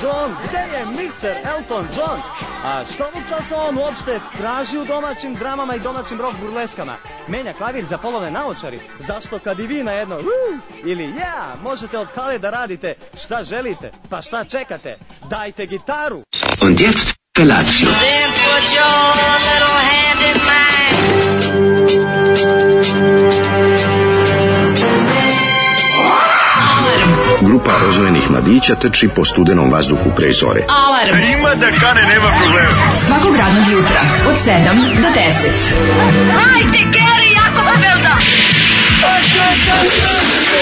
John, gde je Mr. Elton John? A što ovog časa on uopšte traži u domaćim dramama i domaćim rock burleskama? Menja klavir za polovne naočari? Zašto kad i vi na jedno ili možete od Hale da radite šta želite? Pa šta čekate? Dajte gitaru! Und jetzt Felatio. Then put your little hand in mine. Grupa rozvojenih mladića trči po studenom vazduhu pre zore. Alarm. Ima da kane, nema problema. Svakog radnog jutra od 7 do 10. Hajde, Geri, jako se velda!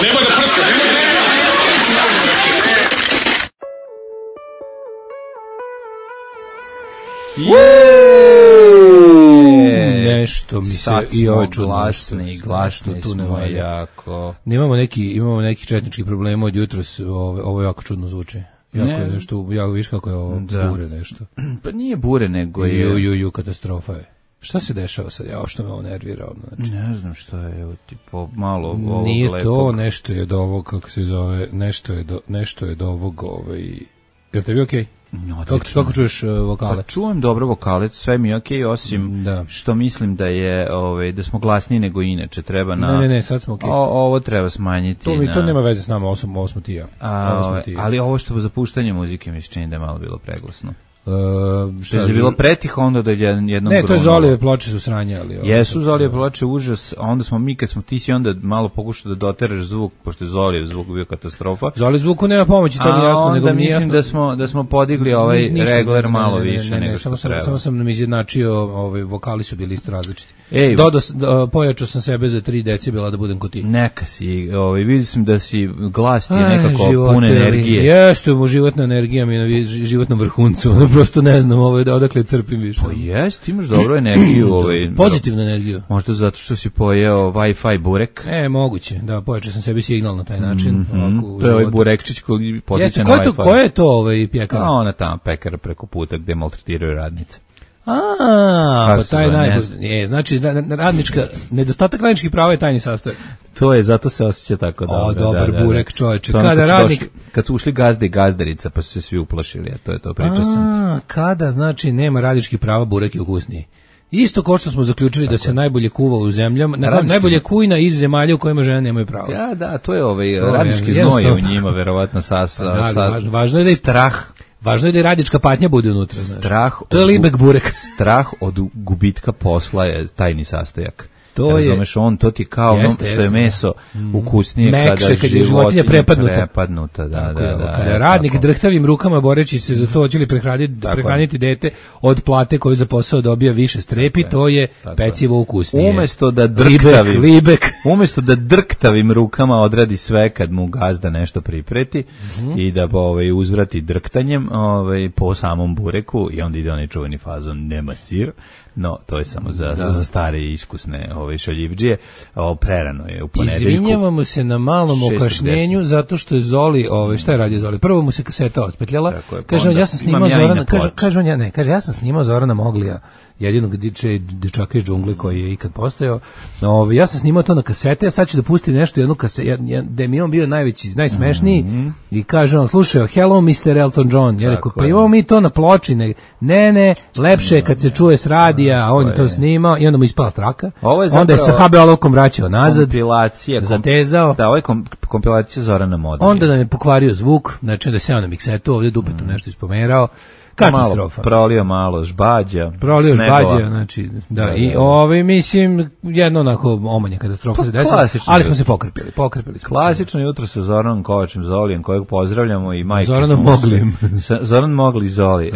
Nema da prska, nema da... Nešto mi se i ovo glasni, glasni tu nema jako. Imamo neki četnički problema od jutros, ovo jako čudno zvuči. Jako je nešto, jako viš kako je ovo bure nešto. Pa nije bure, nego je... Katastrofa je. Šta se dešava sad? Ja što me ovo nervirao. Znači. Ne znam što je, evo, tipo, malo ovog nije lepog. to, nešto je do ovog, kako se zove, nešto je do ovog, jel tebi okej? Kako čuješ vokale? Pa čujem dobro vokale, sve mi je okej, osim što mislim da je da smo glasniji nego inače, treba na... Ne, sad smo okej. Ovo treba smanjiti. To nema veze s nama, ovo smo ti ja. Ali ovo što za puštanje muzike mi se čini da je malo bilo preglasno. Što je bilo pretiho, onda da je jednom grunom. Ne, to je Zolijeve ploče su sranje, ali... Jesu Zolijeve ploče užas, onda smo mi, kad smo ti si onda malo pokušao da doteraš zvuk, pošto je Zolijev zvuk bio katastrofa. Zolijev zvuku nema pomoći, to mi jasno, nego mi mislim da smo podigli ovaj regler malo više nego što treba. Samo sam nam izjednačio, vokali su bili isto različiti. Pojačao sam sebe za 3 decibela da budem kod ti. Neka si, vidio sam da si glas ti je nekako pun energije. Jeste, životna energija mi je na životnom vrhuncu. Prosto ne znam odakle crpim više. Pa jest, imaš dobru energiju. Pozitivnu energiju. Možda zato što si pojeo Wi-Fi burek. Moguće, da, pojačao sam sebi signal na taj način. To je ovaj burekčić koji podsjeća na Wi-Fi. Ko je to pekara? Ona tamo pekara preko puta gde maltretiraju radnice. Pa taj najbolji. Znači, nedostatak radničkih prava je tajni sastojak. To je, zato se osjeća tako dobro. Dobar burek, čoveče. Kad su ušli gazde i gazdarica, pa su se svi uplašili, to pričao sam. Kada, znači, nema radničkih prava, burek je ukusniji. Isto kao što smo zaključili da se najbolje kuva u zemljama, najbolje kujna iz zemalja u kojima žene nemaju prava. Da, to je radnički znoj u njima, verovatno važno je da je strah. Važno je da i radnička patnja bude unutra. To je libek burek. Strah od gubitka posla je tajni sastojak. Razumeš, to ti kao ono što je meso ukusnije mekše, kad je životinja prepadnuta. Kada radnik drhtavim rukama boreći se za to hoće li prehraniti dete od plate koju za posao dobija više strepi, to je pecivo ukusnije. Umesto da drktavim rukama odradi sve kad mu gazda nešto pripreti i da uzvrati drktanjem po samom bureku i onda ide onaj čuveni fazon nema sir. No, to je samo za stare i iskusne šaljivdžije. Prerano je u ponedeljku. Izvinjavamo se na malom okašnjenju zato što je Zoli, šta je radio Zoli? Prvo mu se kaseta otpetljala. Kaže on, ja sam snimao Zorana, kaže ja sam snimao Zorana Moglija, jedinog dečaka iz džungle koji je ikad postojao. Ja sam snimao to na kasete, a sad ću da pustim nešto jednu kasetu, da mi on bio najsmešniji i kaže on, slušaj, hello Mr. Elton John. Ja rekao, pa imamo mi to na ploči. Ne, lepše je kad se čuje s radija, a on je to snimao i onda mu ispala traka. Onda je sa HB olovkom vraćao nazad, zatezao. Da, ovo je kompilacija Zorana Modrija. Onda nam je pokvario zvuk, znači da se ja na miksetu ovdje dupetom nešto ispomerao. Katastrofa. Prolio malo žbađa. Znači, da, i mislim, jedno onako omanja katastrofa se desila, ali smo se pokrpili. Klasično jutro sa Zoranom Kovačem Zolijem, kojeg pozdravljamo i majke. Zoran Mogli Zoli,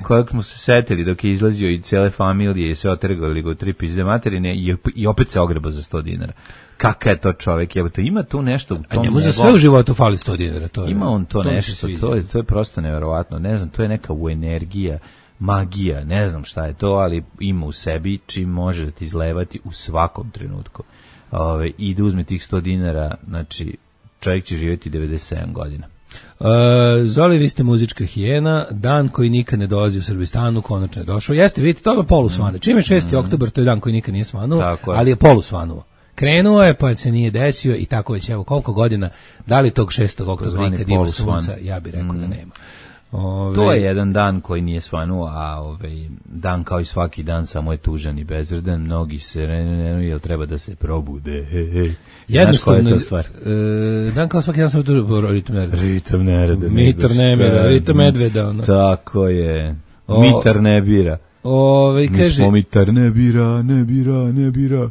kojeg smo se setili dok je izlazio i cele familije i sve otrgali go 3 pizde materine i opet se ogreba za 100 dinara. Kakav je to čovjek, ima tu nešto u tom. A njemu za sve u životu fali 100 dinara. Ima on to nešto, to je prosto nevjerovatno, ne znam, to je neka energija, magija, ne znam šta je to, ali ima u sebi čim može da ti izlevati u svakom trenutku. I da uzme tih 100 dinara, znači čovjek će živjeti 97 godina. Zoli, vi ste muzička hijena, dan koji nikad ne dolazi u Srbistanu, konačno je došao. Jeste, vidite, to je polusvane. Čim je 6. oktobar, to je dan koji nikad nije svanuo, ali je polusvanuo. Krenuo je, pa se nije desio i tako već, evo, koliko godina, da li tog 6. oktobra nikad ima sunca, ja bih rekao da nema. To je jedan dan koji nije svanuo, a dan kao i svaki dan samo je tužan i bezvredan. Mnogi se jel treba da se probude. Jednostavno, koja je to stvar? Dan kao svaki dan samo je tužan. Ritam nereda. Mitar ne bira, ritam medveda. Ono. Tako je. Mitar ne bira. Mi smo mitar ne bira.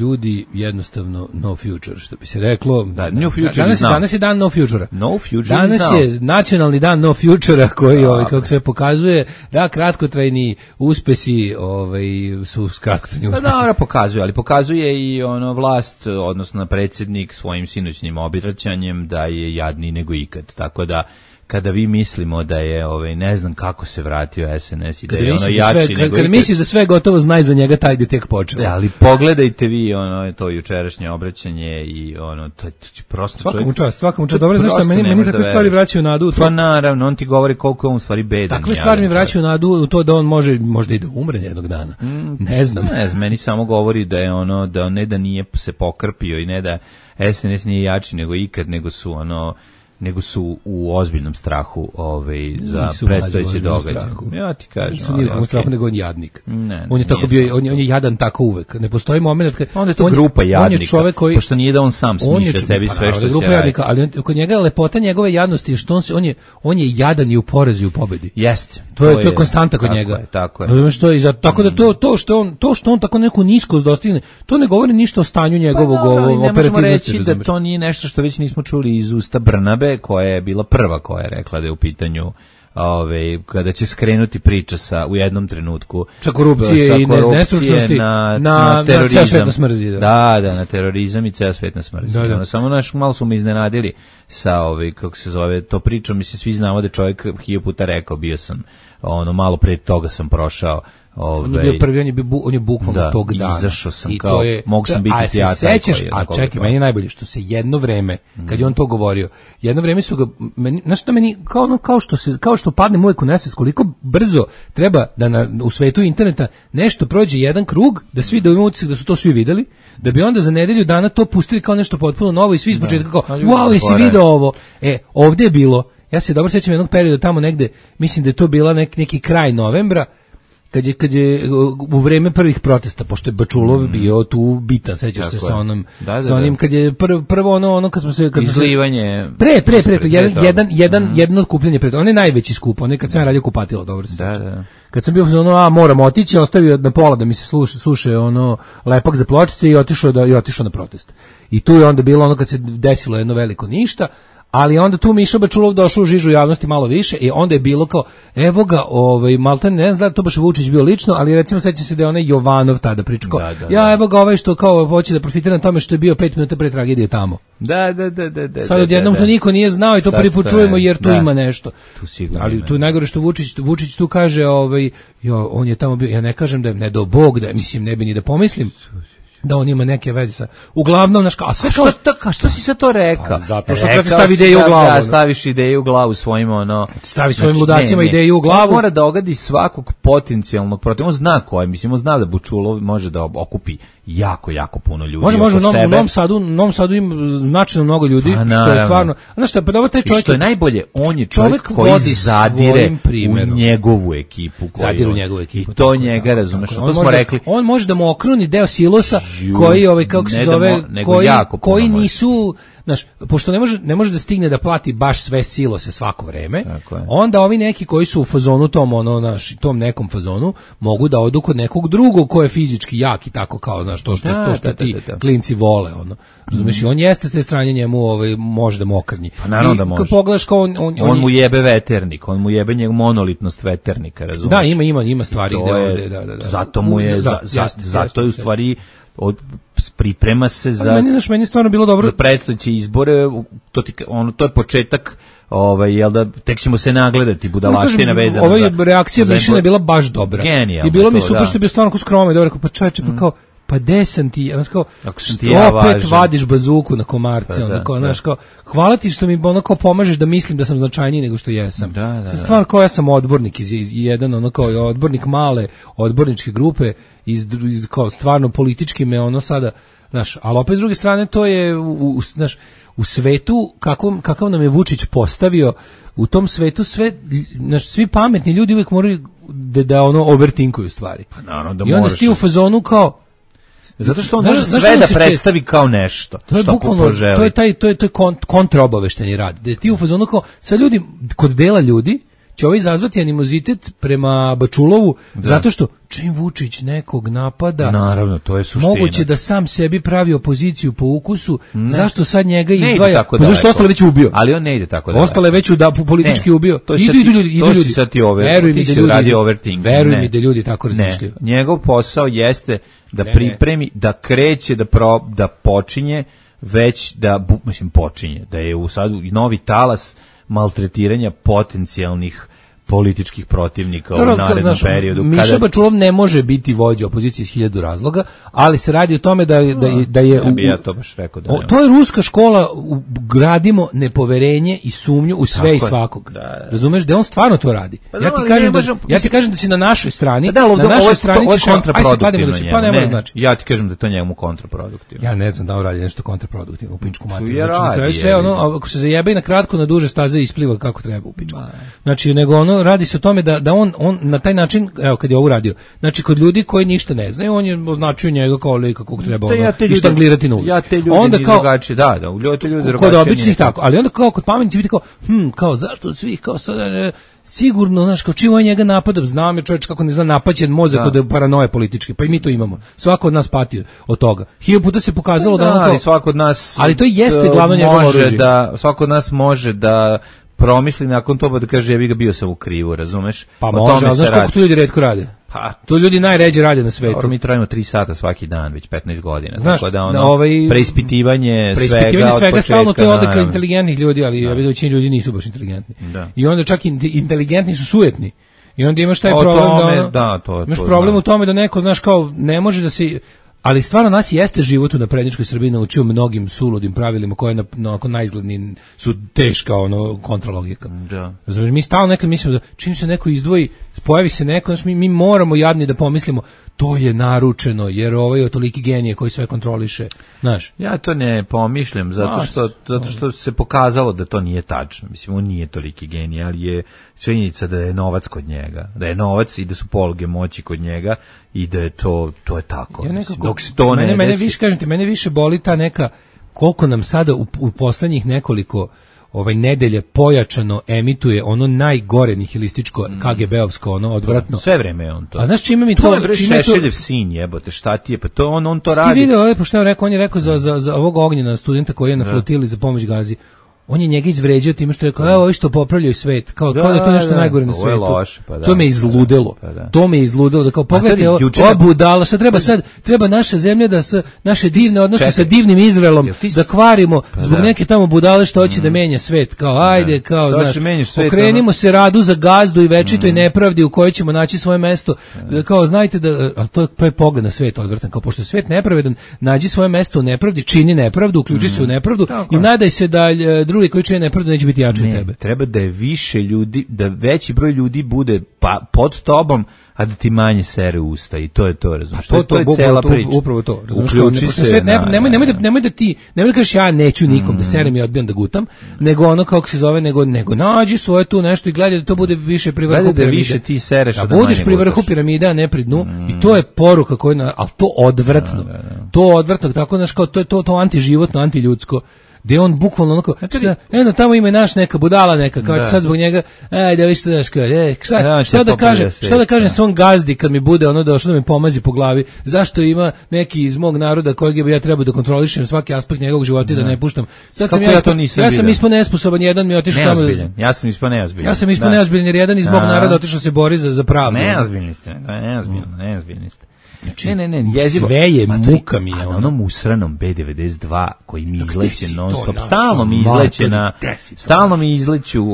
Ljudi jednostavno no future, što bi se reklo. Da, no future danas je dan no future. No future danas je nacionalni dan no future koji kako se pokazuje da kratkotrajni uspesi su kratkotrajni uspesi. Da, pokazuje, ali pokazuje i vlast, odnosno predsjednik svojim sinoćnim obraćanjem da je jadniji nego ikad. Tako da kada vi mislimo da je ne znam kako se vratio SNS i da je jači nego kada misliš da sve gotovo znaj za njega, taj ide tek počeo. Da, ali pogledajte vi to jučerašnje obraćanje i to je prosto svakom čast. Dobro, znaš šta, meni takve stvari vraćaju nadu. Pa naravno, on ti govori koliko je on stvari bedan. Takve stvari mi vraćaju nadu u to da on možda i da umre jednog dana. Ne znam. Meni samo govori da je da ne da nije se pokrpio i ne da SNS nije jači nego ikad, nego su u ozbiljnom strahu za predstojeće događaje. Ja ti kažem. Nisu nikakvom strahu, nego on jadnik. On je tako bio, on je jadan tako uvek. Ne postoji moment kad onda je to grupa jadnika, pošto nije da on sam smišlja sebi sve što će grupa jadnika, ali kod njega lepota njegove jadnosti je što on je jadan i u porazu i u pobedi. Jeste. To je konstanta kod njega. Tako je. Razumeš što je tako da to što on tako neku niskost dostigne, to ne govori ništa o stanju njegovog operativnosti. Ne možemo reći da to nije nešto što već nismo čuli iz usta Brnabe, koja je bila prva koja je rekla da je u pitanju kada će skrenuti priča u jednom trenutku sa korupcije i nestručnosti na terorizam. Ceo svet nas mrzi. Da, na terorizam i ceo svet nas mrzi. Samo malo su me iznenadili sa kako se zove to pričom. Mislim, svi znamo da čovjek 1000 puta rekao, bio sam malo pre toga sam prošao. On je bio prvi, on je bukvalno tog dana. Izašao sam mogu sam biti teatar. A čekaj, meni je najbolje što se jedno vreme, kad je on to govorio, jedno vreme su ga, znaš šta meni, kao što padnem uvijek u nesvest, koliko brzo treba da u svetu interneta nešto prođe jedan krug, da svi imaju utisak da su to svi videli, da bi onda za nedelju dana to pustili kao nešto potpuno novo i svi iz početka kao, wow, jesi video ovo? Ovdje je bilo, ja se dobro sjećam jednog perioda tamo negde, mislim da je to bila neki kraj novembra, kad je u vreme prvih protesta, pošto je Bačulov bio tu bitan, sećaš se sa onom, sa onim kad je prvo ono kad smo se izlivanje jedno okupljanje pred, on je najveći skup, on je kad sam radio kupatilo, dobro se sećam. Da. Kad sam bio moram otići, ostavio na pola da mi se suše lepak za pločice i otišao na protest. I tu je onda bilo kad se desilo jedno veliko ništa. Ali onda tu Miša Bačulov došao u žižu javnosti malo više i onda je bilo kao, evo ga, maltene, ne znam da to baš Vučić bio lično, ali recimo sećam se da je onaj Jovanov tada pričao, evo ga što kao hoće da profitira na tome što je bio 5 minuta pre tragedije tamo. Da. Sad odjednom to niko nije znao i to prvi put čujemo jer tu ima nešto. Tu sigurno. Ali tu je najgore što Vučić tu kaže, on je tamo bio, ja ne kažem da je ne do Bog, da mislim ne bi ni da pomislim da on ima neke veze sa. Uglavnom, a sve što si sad to rekao? Zato što treba stavi ideju u glavu. Staviš ideju u glavu svojim stavi svojim ludacima ideju u glavu. On mora da ogadi svakog potencijalnog protiv. On zna koje, on zna da Bačulov može da okupi jako puno ljudi. Može, u Novom Sadu ima značajno mnogo ljudi, što je stvarno. Znaš šta, pa dobro taj čovjek. Što je najbolje, on je čovjek koji zadire u njegovu ekipu. Zadire u njegovu ekipu. I to njega, razumeš, to smo rekli. On može da mu okruni deo silosa koji kako se zove, koji nisu, znaš, pošto ne može da stigne da plati baš sve silose svako vreme, onda ovi neki koji su u fazonu tom nekom fazonu mogu da odu kod nekog drugog ko je fizički jak i tako kao, znaš, to što ti klinci vole, razumeš, i on jeste sve stranje njemu, može da mu okrnji. Pa naravno da može. Kad pogledaš kao on mu jebe veternik, on mu jebe njegov monolitnost veternika, razumeš? Da, ima stvari gde ovde, da. Zato mu je, zato je u stvari priprema se za meni stvarno bilo dobro za predstojeće izbore, to je početak, jel da tek ćemo se nagledati budalaština vezana za. Ova reakcija Mišina je bila baš dobra. Genijalno. I bilo mi super što je bio stvarno ko skromno i dobro, rekao, pa čoveče, pa kao pa desam ti, opet vadiš bazuku na komarce, znaš, kao, hvala ti što mi kao pomažeš da mislim da sam značajniji nego što jesam. Sa stvar kao ja sam odbornik iz jedan, kao odbornik male odborničke grupe, iz kao stvarno politički me sada, znaš, ali opet s druge strane to je, znaš, u svetu kakav nam je Vučić postavio, u tom svetu svi pametni ljudi uvijek moraju da ono overtinkuju stvari. Pa naravno da i onda ti u fazonu kao zato što on može sve da predstavi kao nešto što poželi. To je kontraobavešteni rad. Da ti u fazonu kao sa ljudi, kod dela ljudi će ovaj izazvati animozitet prema Bačulovu, zato što čim Vučić nekog napada, naravno, to je suština. Moguće da sam sebi pravi opoziciju po ukusu, zašto sad njega izdvaja? Pa zašto ostale već ubio? Ali on ne ide tako da. Ostale već politički ubio. Idu ljudi. To si sad ti veruj mi da ljudi tako razmišljaju. Njegov posao jeste da pripremi, da kreće, da počinje, već da, počinje, da je u sadu novi talas maltretiranja potencijalnih političkih protivnika u narednom periodu. Miša Bačulov ne može biti vođa opozicije iz 1000 razloga, ali se radi o tome da je... Ja to baš rekao da to je ruska škola, gradimo nepoverenje i sumnju u sve i svakog. Razumeš, da on stvarno to radi. Ja ti kažem da si na našoj strani, na našoj strani ćeš... kontraproduktivno. Pa ne mora znači. Ja ti kažem da to njemu kontraproduktivno. Ja ne znam da on radi nešto kontraproduktivno u pičku materiju. Znači, sve ono, ako se zajebe i na kratko, na duže staze ispliva kako treba u pičku. Znači, nego ono, radi se o tome da on na taj način, evo kad je ovo radio, znači kod ljudi koji ništa ne znaju, on je označio njega kao lika kog treba ištanglirati na ulici. Ja te ljudi onda kao drugačije, da, te ljudi drugačije. Kod običnih tako, ali onda kao kod pametnih biti kao, kao zašto od svih, kao sad, sigurno, znaš, kao čim on njega napada, znam je čovječ kako ne zna napaćen mozak od paranoje političke, pa i mi to imamo. Svako od nas pati od toga. 1000 puta se pokazalo da ono kao... svako od nas... Ali to jeste glavno njegovo oružje. Svako od nas može da promisli nakon toga da kaže ja bio sam u krivu, razumeš? Pa može, ali znaš koliko to ljudi retko rade? Pa, to ljudi najređe rade na svetu. Mi trajimo 3 sata svaki dan, već 15 godina. Znaš, tako da preispitivanje svega od početka. Stalno to je odlika inteligentnih ljudi, ali većina ljudi nisu baš inteligentni. Da. I onda čak inteligentni su sujetni. I onda imaš taj problem imaš problem u tome da neko, znaš, kao ne može da se... Ali stvarno nas jeste život u naprednjačkoj Srbiji naučio mnogim suludim pravilima koje nakon najizgledniji su teška kontralogika. Da. Znači, mi stalno nekad mislimo da čim se neko izdvoji, pojavi se neko, znači mi moramo jadni da pomislimo to je naručeno, jer ovaj je toliki genije koji sve kontroliše, znaš. Ja to ne pomišljam, zato što se pokazalo da to nije tačno. Mislim, on nije toliki genije, ali je činjenica da je novac kod njega, da je novac i da su poluge moći kod njega i da je to je tako. Ja nekako, dok se to ne desi... više, kažem ti, mene više boli ta neka, koliko nam sada u poslednjih nekoliko nedelje pojačano emituje ono najgore nihilističko KGB-ovsko, odvratno. Sve vreme je on to. A znaš čime mi to... To je Šešeljev sin, jebote, šta ti je, pa to on to radi. Ti vidio, pošto on je rekao za ovog Ognjena studenta koji je na flotili za pomoć Gazi, on je njega izvređao time što je rekao, evo što popravljaju svet, kao da je to nešto najgore na svetu. Loše, pa da. To me izludelo. To me izludelo da kao pogledajte ovo budala, šta treba sad, treba naša zemlja da naše divne odnose sa divnim Izraelom da kvarimo zbog neke tamo budale što hoće da menja svet, kao ajde, kao znaš, okrenimo se radu za gazdu i večitoj nepravdi u kojoj ćemo naći svoje mesto, kao znajte da, ali to je pogled na svet odvratan, kao pošto je svet nepravedan, nađi svoje mesto u nepravdi, čini nepravdu, uključi se u nepravdu i nadaj se da drugi koji čine nepravdu neće biti jači od tebe. Treba da je više ljudi, da veći broj ljudi bude pod tobom, a da ti manje sere usta i to je to, razumiješ. To je cela priča. Upravo to, uključi se. Nemoj da kažeš ja neću nikom da serem i odbijam da gutam, nego ono kako se zove, nego nađi svoje tu nešto i gledaj da to bude više pri vrhu piramide. Da više ti sereš, da budeš pri vrhu piramide, a ne pri dnu. I to je poruka koju, ali to odvratno. To odvratno, tako znaš, kao to antiživotno, antiljudsko. Gde on bukvalno onako, tamo ima naš neka budala neka, kao sad zbog njega, da vi što daš, šta da kažem svom gazdi kad mi bude ono došlo da mi pomazi po glavi, zašto ima neki iz mog naroda kojeg bi ja trebao da kontrolišem svaki aspekt njegovog života i da ne puštam. Sad sam ispao nesposoban, jedan mi je otišao tamo. Ja sam ispao neozbiljan. Ja sam ispao neozbiljan jer jedan iz mog naroda otišao se bori za pravdu. Neozbiljni ste. Ne, jezivo. Sve je muka mi je ono. Onom usranom B92 koji mi izleće non stop. Stalno mi izleću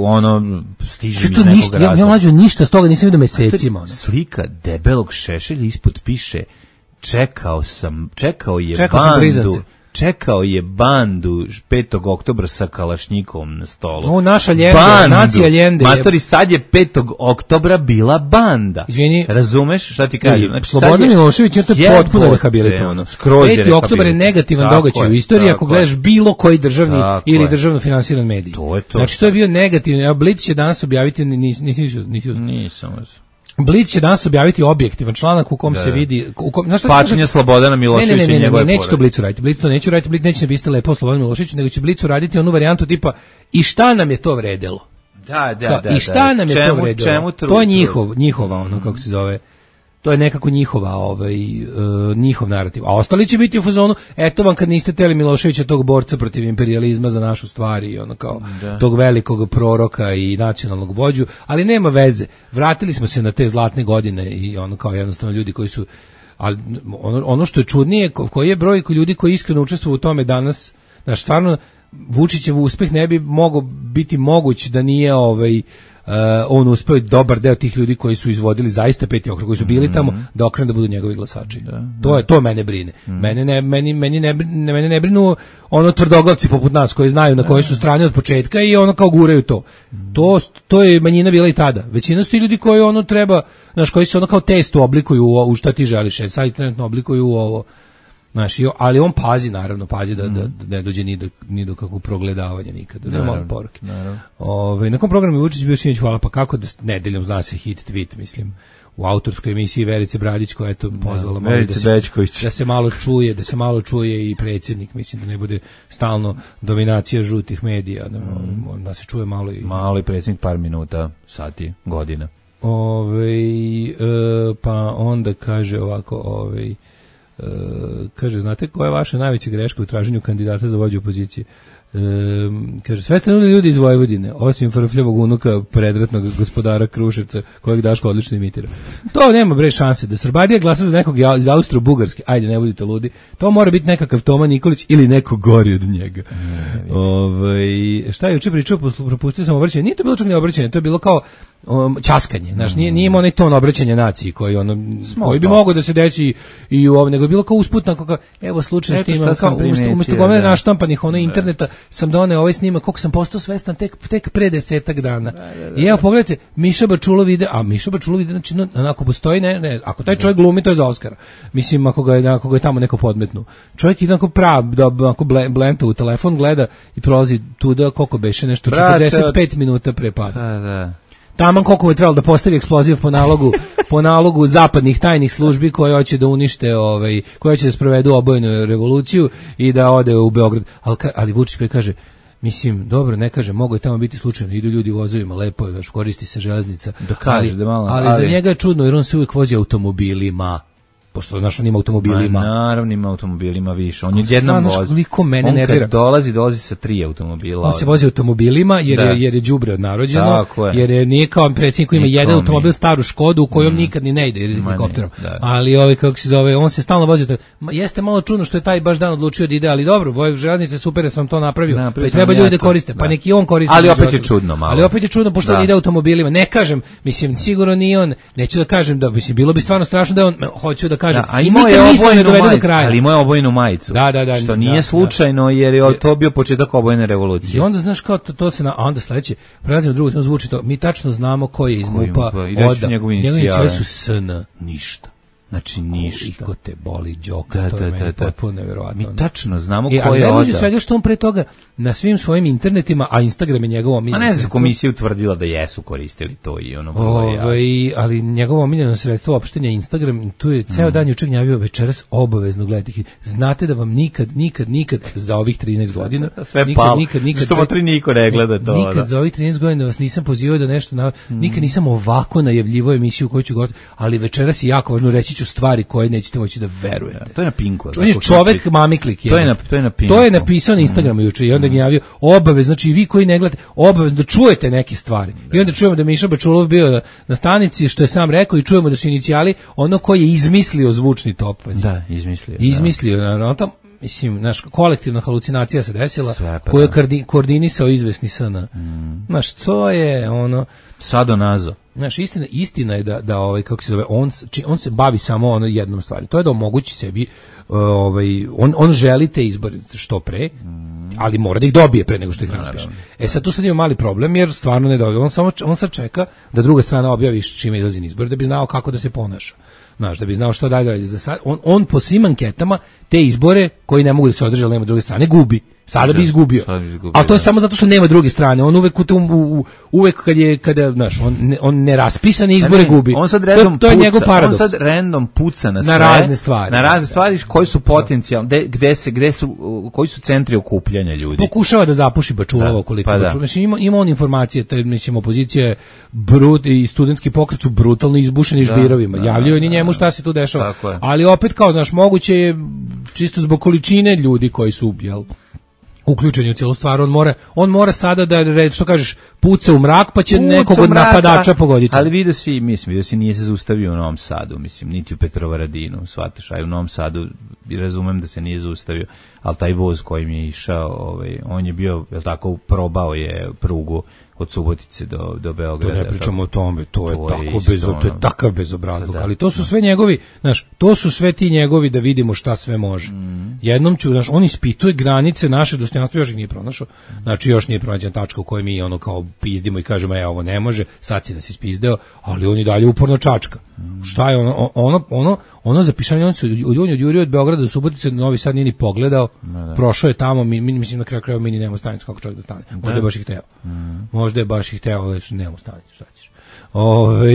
stiže mi iz nekog razloga. Ja mlađo ništa s toga nisam vidio mesecima. Slika debelog Šešelja ispod piše čekao je bandu. čekao je bandu 5. oktobra sa kalašnjikovom na stolu. O, naša Ljende, nacija Ljende. Matori, sad je 5. oktobra bila banda. Izvini. Razumeš šta ti kažem? Znači, Slobodan Milošević je to potpuno rehabilitovano. 5. oktobar je negativan događaj u istoriji ako gledaš bilo koji državni ili državno finansiran medij. Znači, to je bio negativan. Blic će danas objaviti, nisam. Blic će danas objaviti objektivan članak u kom se vidi pačenje Slobodana Miloševića i njegove porodice. Neće to Blicu raditi. Blic to neće raditi, Blic neće napisati lepo Slobodan Milošević, nego će Blicu raditi onu varijantu tipa i šta nam je to vredelo. Da. I šta nam je to vredelo? To je njihova ono kako se zove. To je nekako njihov narativ. A ostali će biti u fazonu, eto vam kad niste teli Miloševića, tog borca protiv imperijalizma za našu stvar i ono kao tog velikog proroka i nacionalnog vođu, ali nema veze. Vratili smo se na te zlatne godine i ono kao jednostavno ljudi koji su, ali ono što je čudnije, koji je broj ljudi koji iskreno učestvuju u tome danas, znaš, stvarno Vučićev uspeh ne bi mogao biti moguć da nije on uspeo dobar deo tih ljudi koji su izvodili zaista 5. okrug, koji su bili tamo, da okrenu da budu njegovi glasači. To mene brine. Meni ne brinu ono tvrdoglavci poput nas koji znaju na kojoj su strani od početka i ono kao guraju to. To je manjina bila i tada. Većina su ti ljudi koji ono treba, znaš, koji se ono kao testu oblikuju u šta ti želiš, sad trenutno oblikuju u ovo. Znaš, ali on pazi da ne dođe ni do kakvog progledavanja nikada, da malo poruke. Na kom programu je Vučić bio sinoć, hvala, pa kako da nedeljom zna se hit tweet, mislim, u autorskoj emisiji Verice Bradić, koja je to pozvala da se malo čuje i predsjednik, mislim da ne bude stalno dominacija žutih medija, da se čuje malo i predsjednik par minuta, sati, godina. Pa onda kaže ovako, kaže, znate koja je vaša najveća greška u traženju kandidata za vođu opozicije? Kaže, sve ste nudili ljudi iz Vojvodine, osim frfljavog unuka predratnog gospodara Kruševca, kojeg Daško odlično imitira. To nema bre šanse, da Srbadija glasa za nekog iz Austro-Bugarske, ajde, ne budite ludi, to mora biti nekakav Toma Nikolić ili neko gori od njega. Šta je juče pričao, propustio sam obraćanje, nije to bilo čak ni obraćanje, to je bilo kao ćaskanje, znaš, nije imao onaj ton obraćanja naciji koji bi mogao da se desi i u ovo, nego je bilo kao usputno, kao, evo slučajno što imam, kao umjesto gomene naštampanih interneta sam doneo ovaj snimak, koliko sam postao svestan tek pre 10 dana. I evo pogledajte, Miša Bačulov ide, znači onako postoji, ako taj čovjek glumi, to je za Oskara. Mislim, ako ga je tamo neko podmetnu. Čovjek ide onako blenta u telefon, gleda i prolazi tuda, koliko beše, nešto 45 minuta pre pada. Taman koliko je trebalo da postavi eksploziv po nalogu zapadnih tajnih službi koje hoće da unište, koje hoće da sprovedu obojenu revoluciju i da ode u Beograd. Ali Vučić koji kaže, mislim, dobro, ne kaže, mogo je tamo biti slučajno, idu ljudi u vozovima, lepo je, koristi se železnica. Ali za njega je čudno, jer on se uvijek vozi automobilima. Pošto on ima automobilima. Naravno ima automobilima više. On je jednom vozi. On kad dolazi sa 3 automobila. On se vozi automobilima jer je đubre od narođeno, jer nije kao predsjednik koji ima jedan automobil, staru Škodu u kojom nikad ni ne ide helikopterom. Ali kako se zove, on se stalno vozi. Jeste malo čudno što je taj baš dan odlučio da ide, ali dobro, železnice super da sam to napravio. Pa treba ljudi da koriste, pa neki on koristi. Ali opet je čudno malo. Ali opet je čudno pošto on ide automobilima. Ne kažem, mislim, sigurno nije on, neću da kažem da mislim bilo bi stvarno strašno da on hoće da kaže, ali imao je obojenu majicu. Što nije slučajno, jer je to bio početak obojene revolucije. I onda znaš kao to se onda sledeće, prelazimo drugo, to zvuči to. Mi tačno znamo ko je iz MUP-a, njegove inicijale su SN, ništa. Znači ništa. Koliko te boli Đoka, to je meni potpuno nevjerovatno. Mi tačno znamo ko je Oda. Ali svega što on pre toga na svim svojim internetima, a Instagram je njegovo omiljeno. A ne znam, komisija utvrdila da jesu koristili to i ono vrlo jasno. Ali njegovo omiljeno sredstvo opštenja je Instagram, tu je ceo dan juče gnjavio, večeras obavezno gledati. Znate da vam nikad za ovih 13 godina sve palo, što motri niko ne gleda to. Nikad za ovih 13 godina vas nisam pozivao da nešto, nikad nisam ovako najavljivao emisiju koju ću govoriti, ali večeras je jako važno reći stvari koje nećete moći da verujete. To je na Pinku. On je čovek mamiklik. To je na Pinku. To je napisao na Instagramu juče i onda ga javio obavezno, znači vi koji ne gledate, obavezno da čujete neke stvari. I onda čujemo da Miša Bačulov bio na stanici, što je sam rekao, i čujemo da su inicijali ono koji je izmislio zvučni top. Da, izmislio. Naravno, tam, mislim, naš kolektivna halucinacija se desila, koju je koordinisao izvesni SN. Znaš, to je ono... Sadonazo. Znaš, istina je da kako se zove, on se bavi samo jednom stvari. To je da omogući sebi, on želi te izbore što pre, ali mora da ih dobije pre nego što ih raspiše. Sad tu sad ima mali problem, jer stvarno ne dobije. On sad čeka da druga strana objavi čime izlazi na izbor, da bi znao kako da se ponaša. Znaš, da bi znao što dalje. On po svim anketama te izbore koji ne mogu da se održe, ali nema druge strane, gubi. Sada bi izgubio. Ali to je samo zato što nema druge strane. On uvek kada znaš, on ne raspisane izbore gubi. On sad random to je njegov paradoks. On sad random puca na sve. Na razne stvari. Na razne stvari koji su potencijalne, koji su centri okupljanja ljudi. Pokušava da zapuši Bačulova koliko Bačulova. Mislim, ima on informacije, mislim, opozicija je i studentski pokret su brutalno izbušeni žbirovima. Javljaju ni njemu šta se tu dešava. Ali opet, kao, znaš, moguće je čisto zbog količine ljudi koji su, uključeni u cijelu stvar, on mora sada da, što kažeš, puca u mrak, pa će nekog od napadača pogoditi. Ali vidio si nije se zaustavio u Novom Sadu, mislim, niti u Petrovaradinu, shvataš, a u Novom Sadu razumem da se nije zaustavio, ali taj voz kojim je išao, on je bio, jel tako, probao je prugu od Subotice do Beograda. To ne pričamo o tome, to je takav bezobrazluk, ali to su sve njegovi, znaš, to su sve ti njegovi da vidimo šta sve može. Jednom ću, znaš, on ispituje granice naše dostojanstva, još ih nije pronašao, znači još nije pronađena tačka u kojoj mi kao pizdimo i kažemo, ovo ne može, sad si nas ispizdeo, ali on i dalje uporno čačka. Šta je ono zapišanje, on se odjurio od Beograda do Subotice, Novi Sad nije ni pogledao, prošao je tamo, mislim na kraju mi ni nemamo stanicu kako čovjek da stane, možda je baš ih hteo. Možda je baš ih hteo, ali nemamo stanicu, šta ćeš.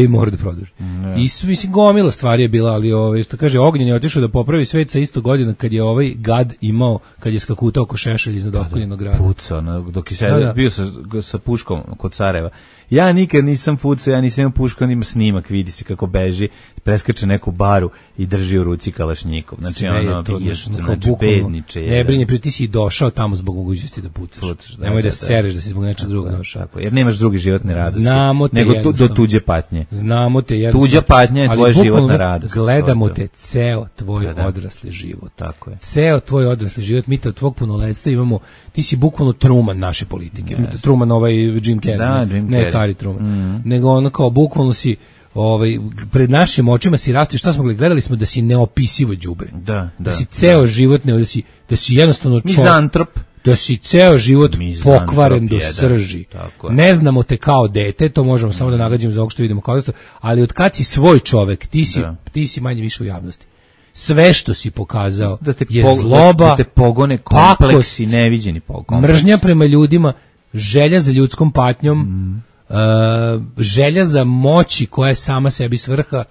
Mora da produži. I mislim, gomila stvari je bila, ali što kaže, Ognjen je otišao da popravi svet sa isto godina kad je gad imao, kad je skakutao oko Šešelj iznad Okoljenog grada. Pucao, dok je bio sa puškom kod Sarajeva. Ja nikad nisam pucao, ja nisam imao pušku, on ima snimak, vidi se kako beži, preskače neku baru i drži u ruci kalašnjikov. Znači, bedniče. Ne brini, ti si došao tamo zbog mogućnosti da pucaš. Nemoj da se sereš da si zbog nečeg drugog došao. Jer nemaš druge životne radosti. Nego do tuđe patnje. Znamo te jednostavno. Tuđa patnja je tvoja životna radost. Gledamo te ceo tvoj odrasli život. Tako je. Ceo tvoj odrasli život, mi te od tvog punoletstva imamo, ti si bukvalno Truman naše politike. Truman Jim Carrey. Ne Harry Truman. Nego kao bukvalno si pred našim očima si rastao, šta smo gledali smo da si neopisivo đubre. Da si ceo život da si jednostavno mizantrop. Da si ceo život pokvaren do srži. Ne znamo te kao dete, to možemo samo da nagađamo za ovo što vidimo kao, ali od kad si svoj čovek, ti si manje više u javnosti. Sve što si pokazao je zloba, da te pogone kompleksi, neviđeni kompleksi. Mržnja prema ljudima, želja za ljudskom patnjom, želja za moći koja je sama sebi svrha.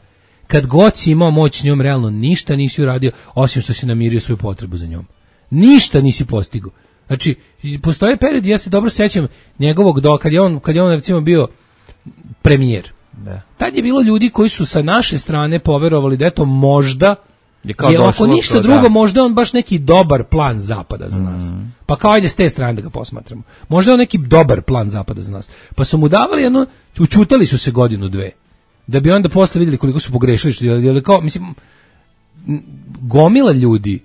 Kad god si imao moć njom, realno ništa nisi uradio, osim što si namirio svoju potrebu za njom. Ništa nisi postigao. Znači, postoje period, ja se dobro sećam njegovog kad je on recimo bio premijer. Tad je bilo ljudi koji su sa naše strane poverovali da eto možda, jer ako ništa drugo, možda on baš neki dobar plan zapada za nas. Pa kao ajde s te strane da ga posmatramo. Možda on neki dobar plan zapada za nas. Pa su mu davali učutali su se godinu, dve. Da bi onda posle vidjeli koliko su pogrešili. Kao, mislim, gomila ljudi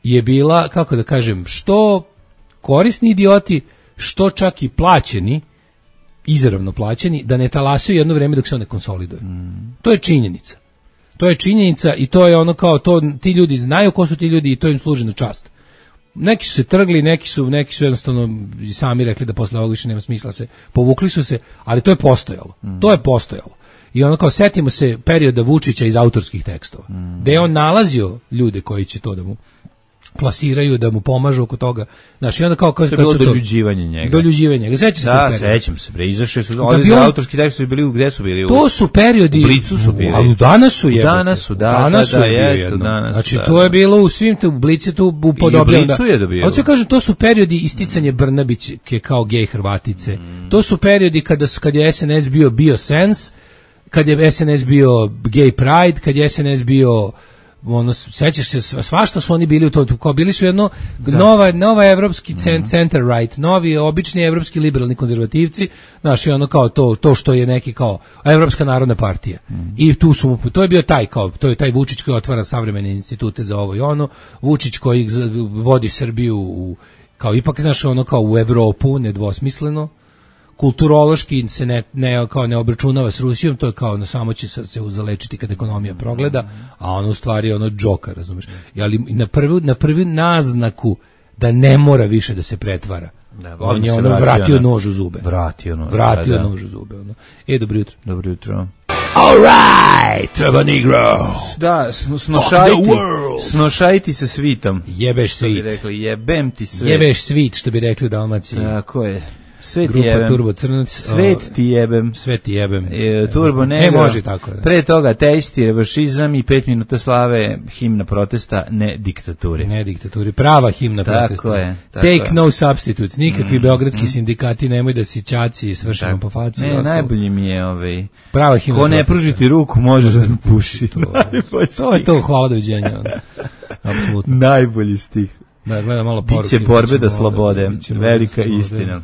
je bila, kako da kažem, što korisni idioti, što čak i plaćeni, izravno plaćeni, da ne talasaju jedno vreme dok se on ne konsoliduje. To je činjenica. To je činjenica i to je kao to, ti ljudi znaju ko su ti ljudi i to im služi na čast. Neki su se trgli, neki su jednostavno sami rekli da posle ovog više nema smisla povukli su se, ali to je postojalo. To je postojalo. I kao setimo se perioda Vučića iz autorskih tekstova, gde je on nalazio ljude koji će to da mu plasiraju, da mu pomažu oko toga. Znači, onda kao je bilo doljuđivanje njega. Doljuđivanje. Sećam se da, sećam se. Izašli su, oni za autorski tekst su bili, gde su bili? To su periodi. U Blicu su bili. Ali danas su je. Danas su, danas. Znači, to je bilo u svim u Blici tu upodobljeno. I Blicu je dobio. Hoću kažem, to su periodi isticanje Brnabićke kao gej Hrvatice. To su periodi kad je SNS bio Sens, kad je SNS bio Gay Pride, kad je SNS bio sećaš se, svašta su oni bili u to, kao bili su jedno nova evropski center right, novi obični evropski liberalni konzervativci, znaš, kao to što je neki kao Evropska narodna partija. I tu su, to je bio to je taj Vučić koji otvara savremene institute za ovo i ono, Vučić koji vodi Srbiju kao ipak, znaš, kao u Evropu, nedvosmisleno, kulturološki se ne obračunava s Rusijom, to je kao samo će se uzalečiti kad ekonomija progleda, a ono u stvari ono džoka, razumeš? Ali na prvi naznaku da ne mora više da se pretvara. On je vratio nož u zube. Vratio nož u zube. Dobro jutro. Dobro jutro. All right, treba negro. Da, snošajti se svitom. Jebeš svit. Jebem ti sve. Jebeš svit, što bi rekli u Dalmaciji. Tako je. Sve ti jebem. Turbo Crnac. Svet ti jebem. Sve ti jebem. Turbo Negro. Može tako. Da. Pre toga teisti, revanšizam i 5 minuta slave, himna protesta, ne diktaturi. Ne diktaturi, prava himna protesta. Tako je. Take no substitutes. Nikakvi beogradski sindikati nemoj da si čaci svršeno po faci. Ne, najbolji mi je prava himna ko ne pruži ti ruku, možeš da puši. To je to, hvala, doviđenja. Apsolutno. Najbolji stih. Da, gledam malo poruke. Biće borbe do slobode, velika istina.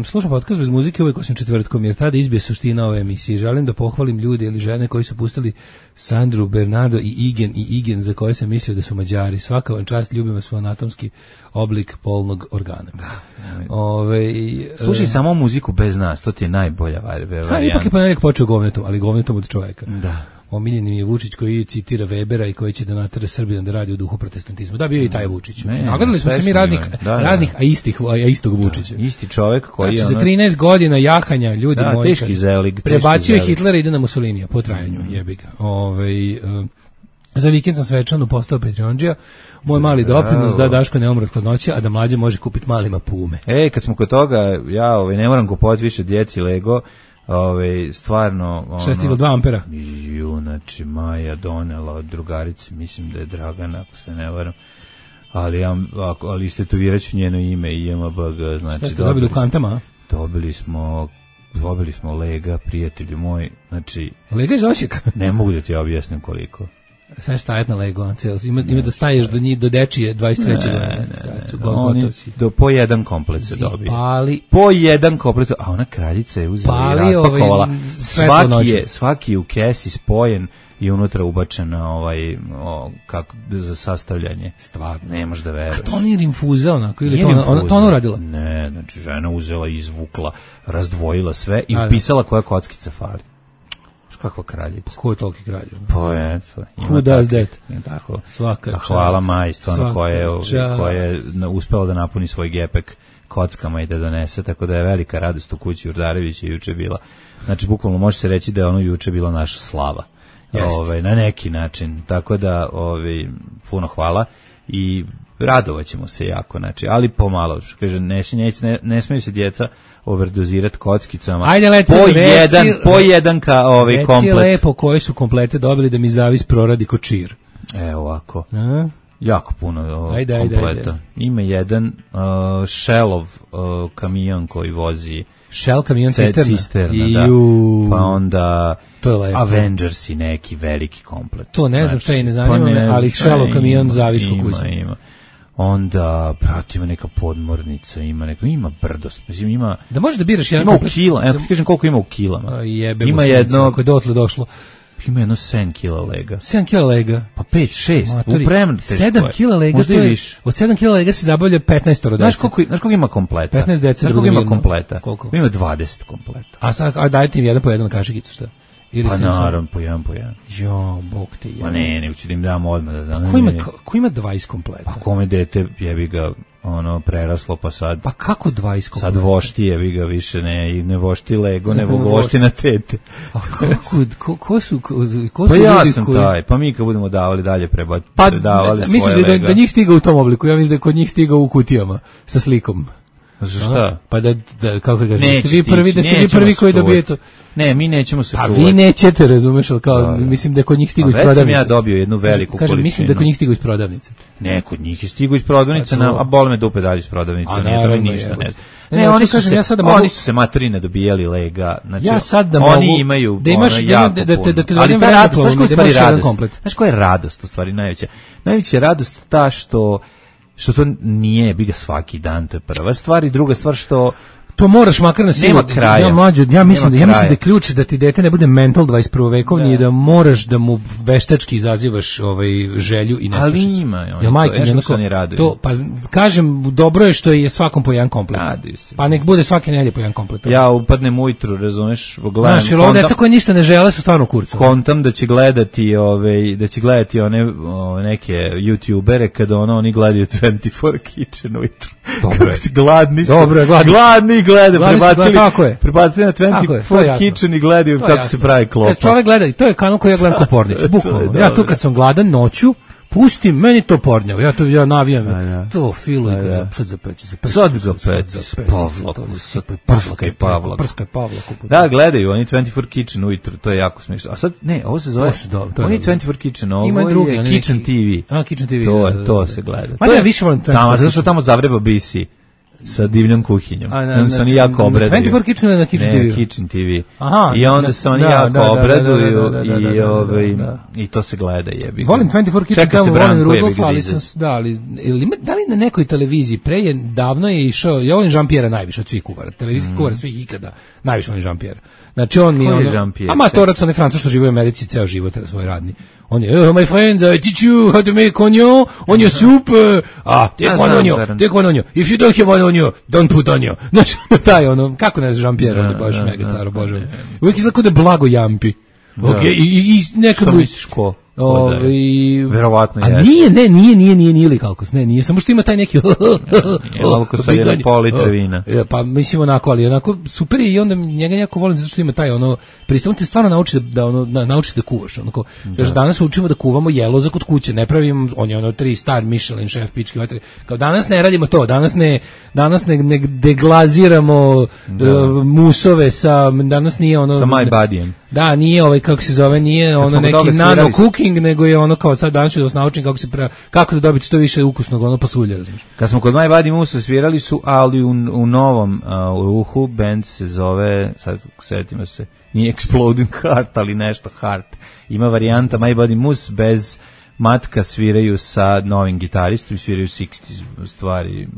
Slušam podcast bez muzike uvijek osim četvrtkom, jer tada izbije suština ove emisije. Želim da pohvalim ljude ili žene koji su pustili Sandru, Bernardo i Igen za koje sam mislio da su Mađari. Svaka vam čast, ljubim vas u anatomski oblik polnog organa. Slušaj samo muziku bez nas, to ti je najbolja varijanta. Ipak je ponedjeljak počeo govnetom, ali govnetom od čoveka. Da. Omiljeni mi je Vučić koji citira Webera i koji će da natera Srbiju da radi u duhu protestantizma. Da, bio i taj Vučić. Nagledali smo se mi raznih, a istog Vučića. Isti čovjek koji za 13 godina jahanja, ljudi moji. Teški zelig. Prebacio je Hitlera i ide na Mussolinija po trajanju, jebi ga. Za vikend sam svečano postao Patreonđija. Moj mali doprinos da Daško ne umre od hladnoće, a da Mlađe može kupiti malima pume. Kad smo kod toga, ja ne moram kupovati više djeci Lego. Stvarno 6,2 ampera. Znači Maja donela od drugarice, mislim da je Dragana, ako se ne varam, ali istetoviraću njeno ime i JMBG. Znači, šta ste dobili u kantama? Dobili smo Lega, prijatelju moj, znači Lega iz Osijeka? Ne mogu da ti objasnim koliko. Sad stajat na Lego, ima da staješ do dečije 23. Oni po jedan komplet se dobije. Po jedan komplet, a ona kraljica je uzela i raspakovala. Svaki u kesi spojen i unutra ubačena kako za sastavljanje. Stvarno. Ne možeš da veruješ. A to nije rinfuza onako ili to ona uradila? Ne, znači žena uzela, izvukla, razdvojila sve i upisala koja kockica fali. Kakva kraljica. Ko je toliki kralj? Pa je. Who does that? Tako. Svaka hvala Maji, stvarno, koja je uspela da napuni svoj gepek kockama i da donese, tako da je velika radost u kući Urdarevića juče bila. Znači, bukvalno može se reći da je ono juče bila naša slava. Na neki način. Tako da, puno hvala i radovaćemo se jako, znači, ali pomalo, što kaže, ne smiju se djeca overdozirati kockicama. Ajde, po jedan komplet. Reci lepo koje su komplete dobili da mi zavis proradi ko čir. Ovako. Jako puno kompleta. Ima jedan Shellov kamion koji vozi Shell kamion cisterna, da. Pa onda Avengers i neki veliki komplet. To ne znam šta je, ne zanima me, ali Shellov kamion zavis ko kući. Ima. Onda, ima neka podmornica, ima brdost. Mislim, ima... Da može da biraš jedan komplet. Ima u kilama, ti kažem koliko ima u kilama. Ima jedno... Ako je dotle došlo. Ima jedno 7 kila lega. 7 kila lega? Pa 5, 6. Upremno teško je. 7 kila lega, možda to je... Od 7 kila lega se zabavlja 15 dece. Znaš koliko ima kompleta? 15 dece. Znaš koliko ima kompleta? Koliko? Ima 20 kompleta. A dajte im jedan po jedan kašikicu, šta? Pa naravno, po jedan. Bog te je. Ma ne, ući da im dam odmah. Ko ima 20 kompleta? Pa kome dete jebi ga preraslo, pa sad... Pa kako 20 kompleta? Sad vošti jebi ga više, ne vošti Lego, nego vošti na tete. A ko su pa ja sam taj, pa mi kad budemo davali dalje predavali svoje Lega. Misliš da njih stiga u tom obliku, ja mislim da kod njih stiga u kutijama sa slikom. Šta? Pa da kako kažeš, da ste vi prvi koji dobije to. Ne, mi nećemo se čuvati. A vi nećete, razumeš, ali kao, mislim da kod njih stigu iz prodavnice. Već sam ja dobio jednu veliku količinu. Mislim da kod njih stigu iz prodavnice. Ne, kod njih je stigu iz prodavnice, a boli me dupe dalje iz prodavnice, nije to ništa ne. Ne, oni su se materine dobijali Lega, znači oni imaju jako puno. Ali ta radost, znaš koja je stvari radost? Znaš koja je radost u stvari najveća? Najveća je radost ta što to nije biga svaki dan, to je prva stvar, i druga stvar što To moraš makar na silu. Nema kraja. Ja mislim da je ključ da ti dete ne bude mental 21. vekovni i da moraš da mu veštački izazivaš želju i nestašicu. Ali ima. To, pa kažem, dobro je što je svakom po jedan komplet. Pa nek bude svake nedelje po jedan komplet. Ja upadnem ujutru, razumeš, gledam. Znaš, ovo deca koje ništa ne žele su stvarno kurcu. Kontam da će gledati one neke youtubere kada oni gledaju 24 Kitchen ujutru. Dobro si gladni su. Dobro je, gladni gleda, prebacili na 24 je, Kitchen i gledaju kako se pravi klopa. Kad čovjek gleda, to je kanal koji ja gledam ko Pornić, bukvalno. Ja tu kad sam gladan noću, pustim, meni to pornjavo, ja navijam, to filuj ga za peći. Sad ga peći, prskaj Pavlaku. Da, gledaju, oni 24 Kitchen ujutru, to je jako smiješno. A sad, ne, ovo se zove, oni 24 Kitchen, ovo je Kitchen TV. A, Kitchen TV. To se gleda. Ma ja više volim 24. Zato što tamo zavreba BC. Sa divljom kuhinjom. Onda se oni jako obraduju. 24 Kitchen ili na Kitchen TV? Ne, Kitchen TV. Aha, i onda se oni jako obraduju i to se gleda, jebi. Volim 24 Kitchen, tamo volim Rudolf, ali da li na nekoj televiziji davno je išao, ja volim Jean-Pierre najviše od svih kuvara, televizijski kuvar svih ikada, najviše volim Jean-Pierre. Znači on mi je amatorac, on je Francuz što živi u Americi ceo život svoj radni. On je, my friend, I teach you how to make onion soup. Take one onion. If you don't have one onion, don't put onion. Znači, taj kako ne znaš Jean-Pierre, on je baš mega car, obožavam. Uvijek izgleda da blago jampi. I nekad što misliš ko? Verovatno je. A nije likalkos, nije, samo što ima taj neki malko sa jedan pol litra vina. Pa mislim ali onako super je i onda njega jako volim zato što ima taj pristup, te stvarno nauči da kuvaš, kaže danas učimo da kuvamo jelo za kod kuće, ne pravimo, on je 3 star Michelin šef pički vatre, kao danas ne radimo to, danas ne deglaziramo musove danas nije sa my bodyjem. Da, nije kako se zove, nije neki nano cooking, nego je kao sad danas ću da vas naučim kako da dobiti što više ukusnog pasulja, razumiješ. Kad smo kod My Body Musa svirali su, ali u novom ruhu, band se zove, sad setimo se, nije Exploding Heart, ali nešto Heart. Ima varijanta My Body Mus bez matka, sviraju sa novim gitaristom, sviraju 60s stvari,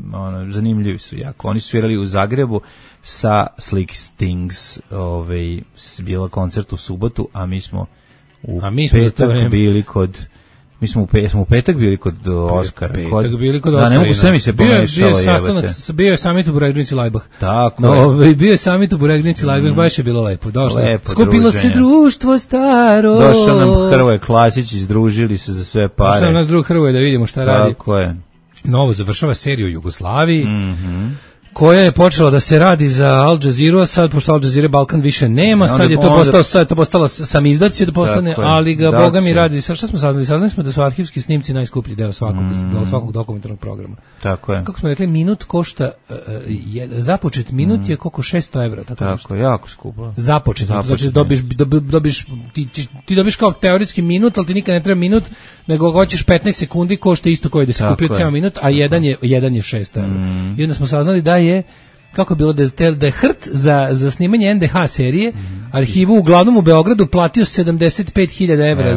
zanimljivi su jako. Oni su svirali u Zagrebu sa Slick Stings, bila koncert u subotu, a mi smo u petak bili kod... Mi smo u petak bili kod Oskara. Petak bili kod Oskara. Da, ne mogu sve mi se pomešalo. Bio je summit u Buregnici Lajbah. Tako je. Bio je summit u Buregnici Lajbah, baš je bilo lepo. Skupilo se društvo staro. Došao nam Hrvoje Klasić, izdružili se za sve pare. Došao nas drug Hrvoje da vidimo šta radi. Tako je. Novo završava seriju u Jugoslaviji. Koja je počela da se radi za Al Jazeera, a sad pošto Al Jazeera Balkan više nema, sad je to postalo sam izdaci da postane, ali ga Boga mi radi. Sad šta smo saznali smo da su arhivski snimci najskuplji deo svakog dokumentarnog programa. Tako je. Kako smo rekli, minut košta započet minut je koliko 600 evra, tako jako skupo. Započet, znači ti dobiš kao teoretski minut, ali ti nikad ne treba minut, nego hoćeš 15 sekundi, košta isto koji da se kupi ceo minut, a jedan je 600 evra. I onda smo saznali da je kako je bilo da je Hrt za snimanje NDH serije arhivu uglavnom u Beogradu platio 75.000 evra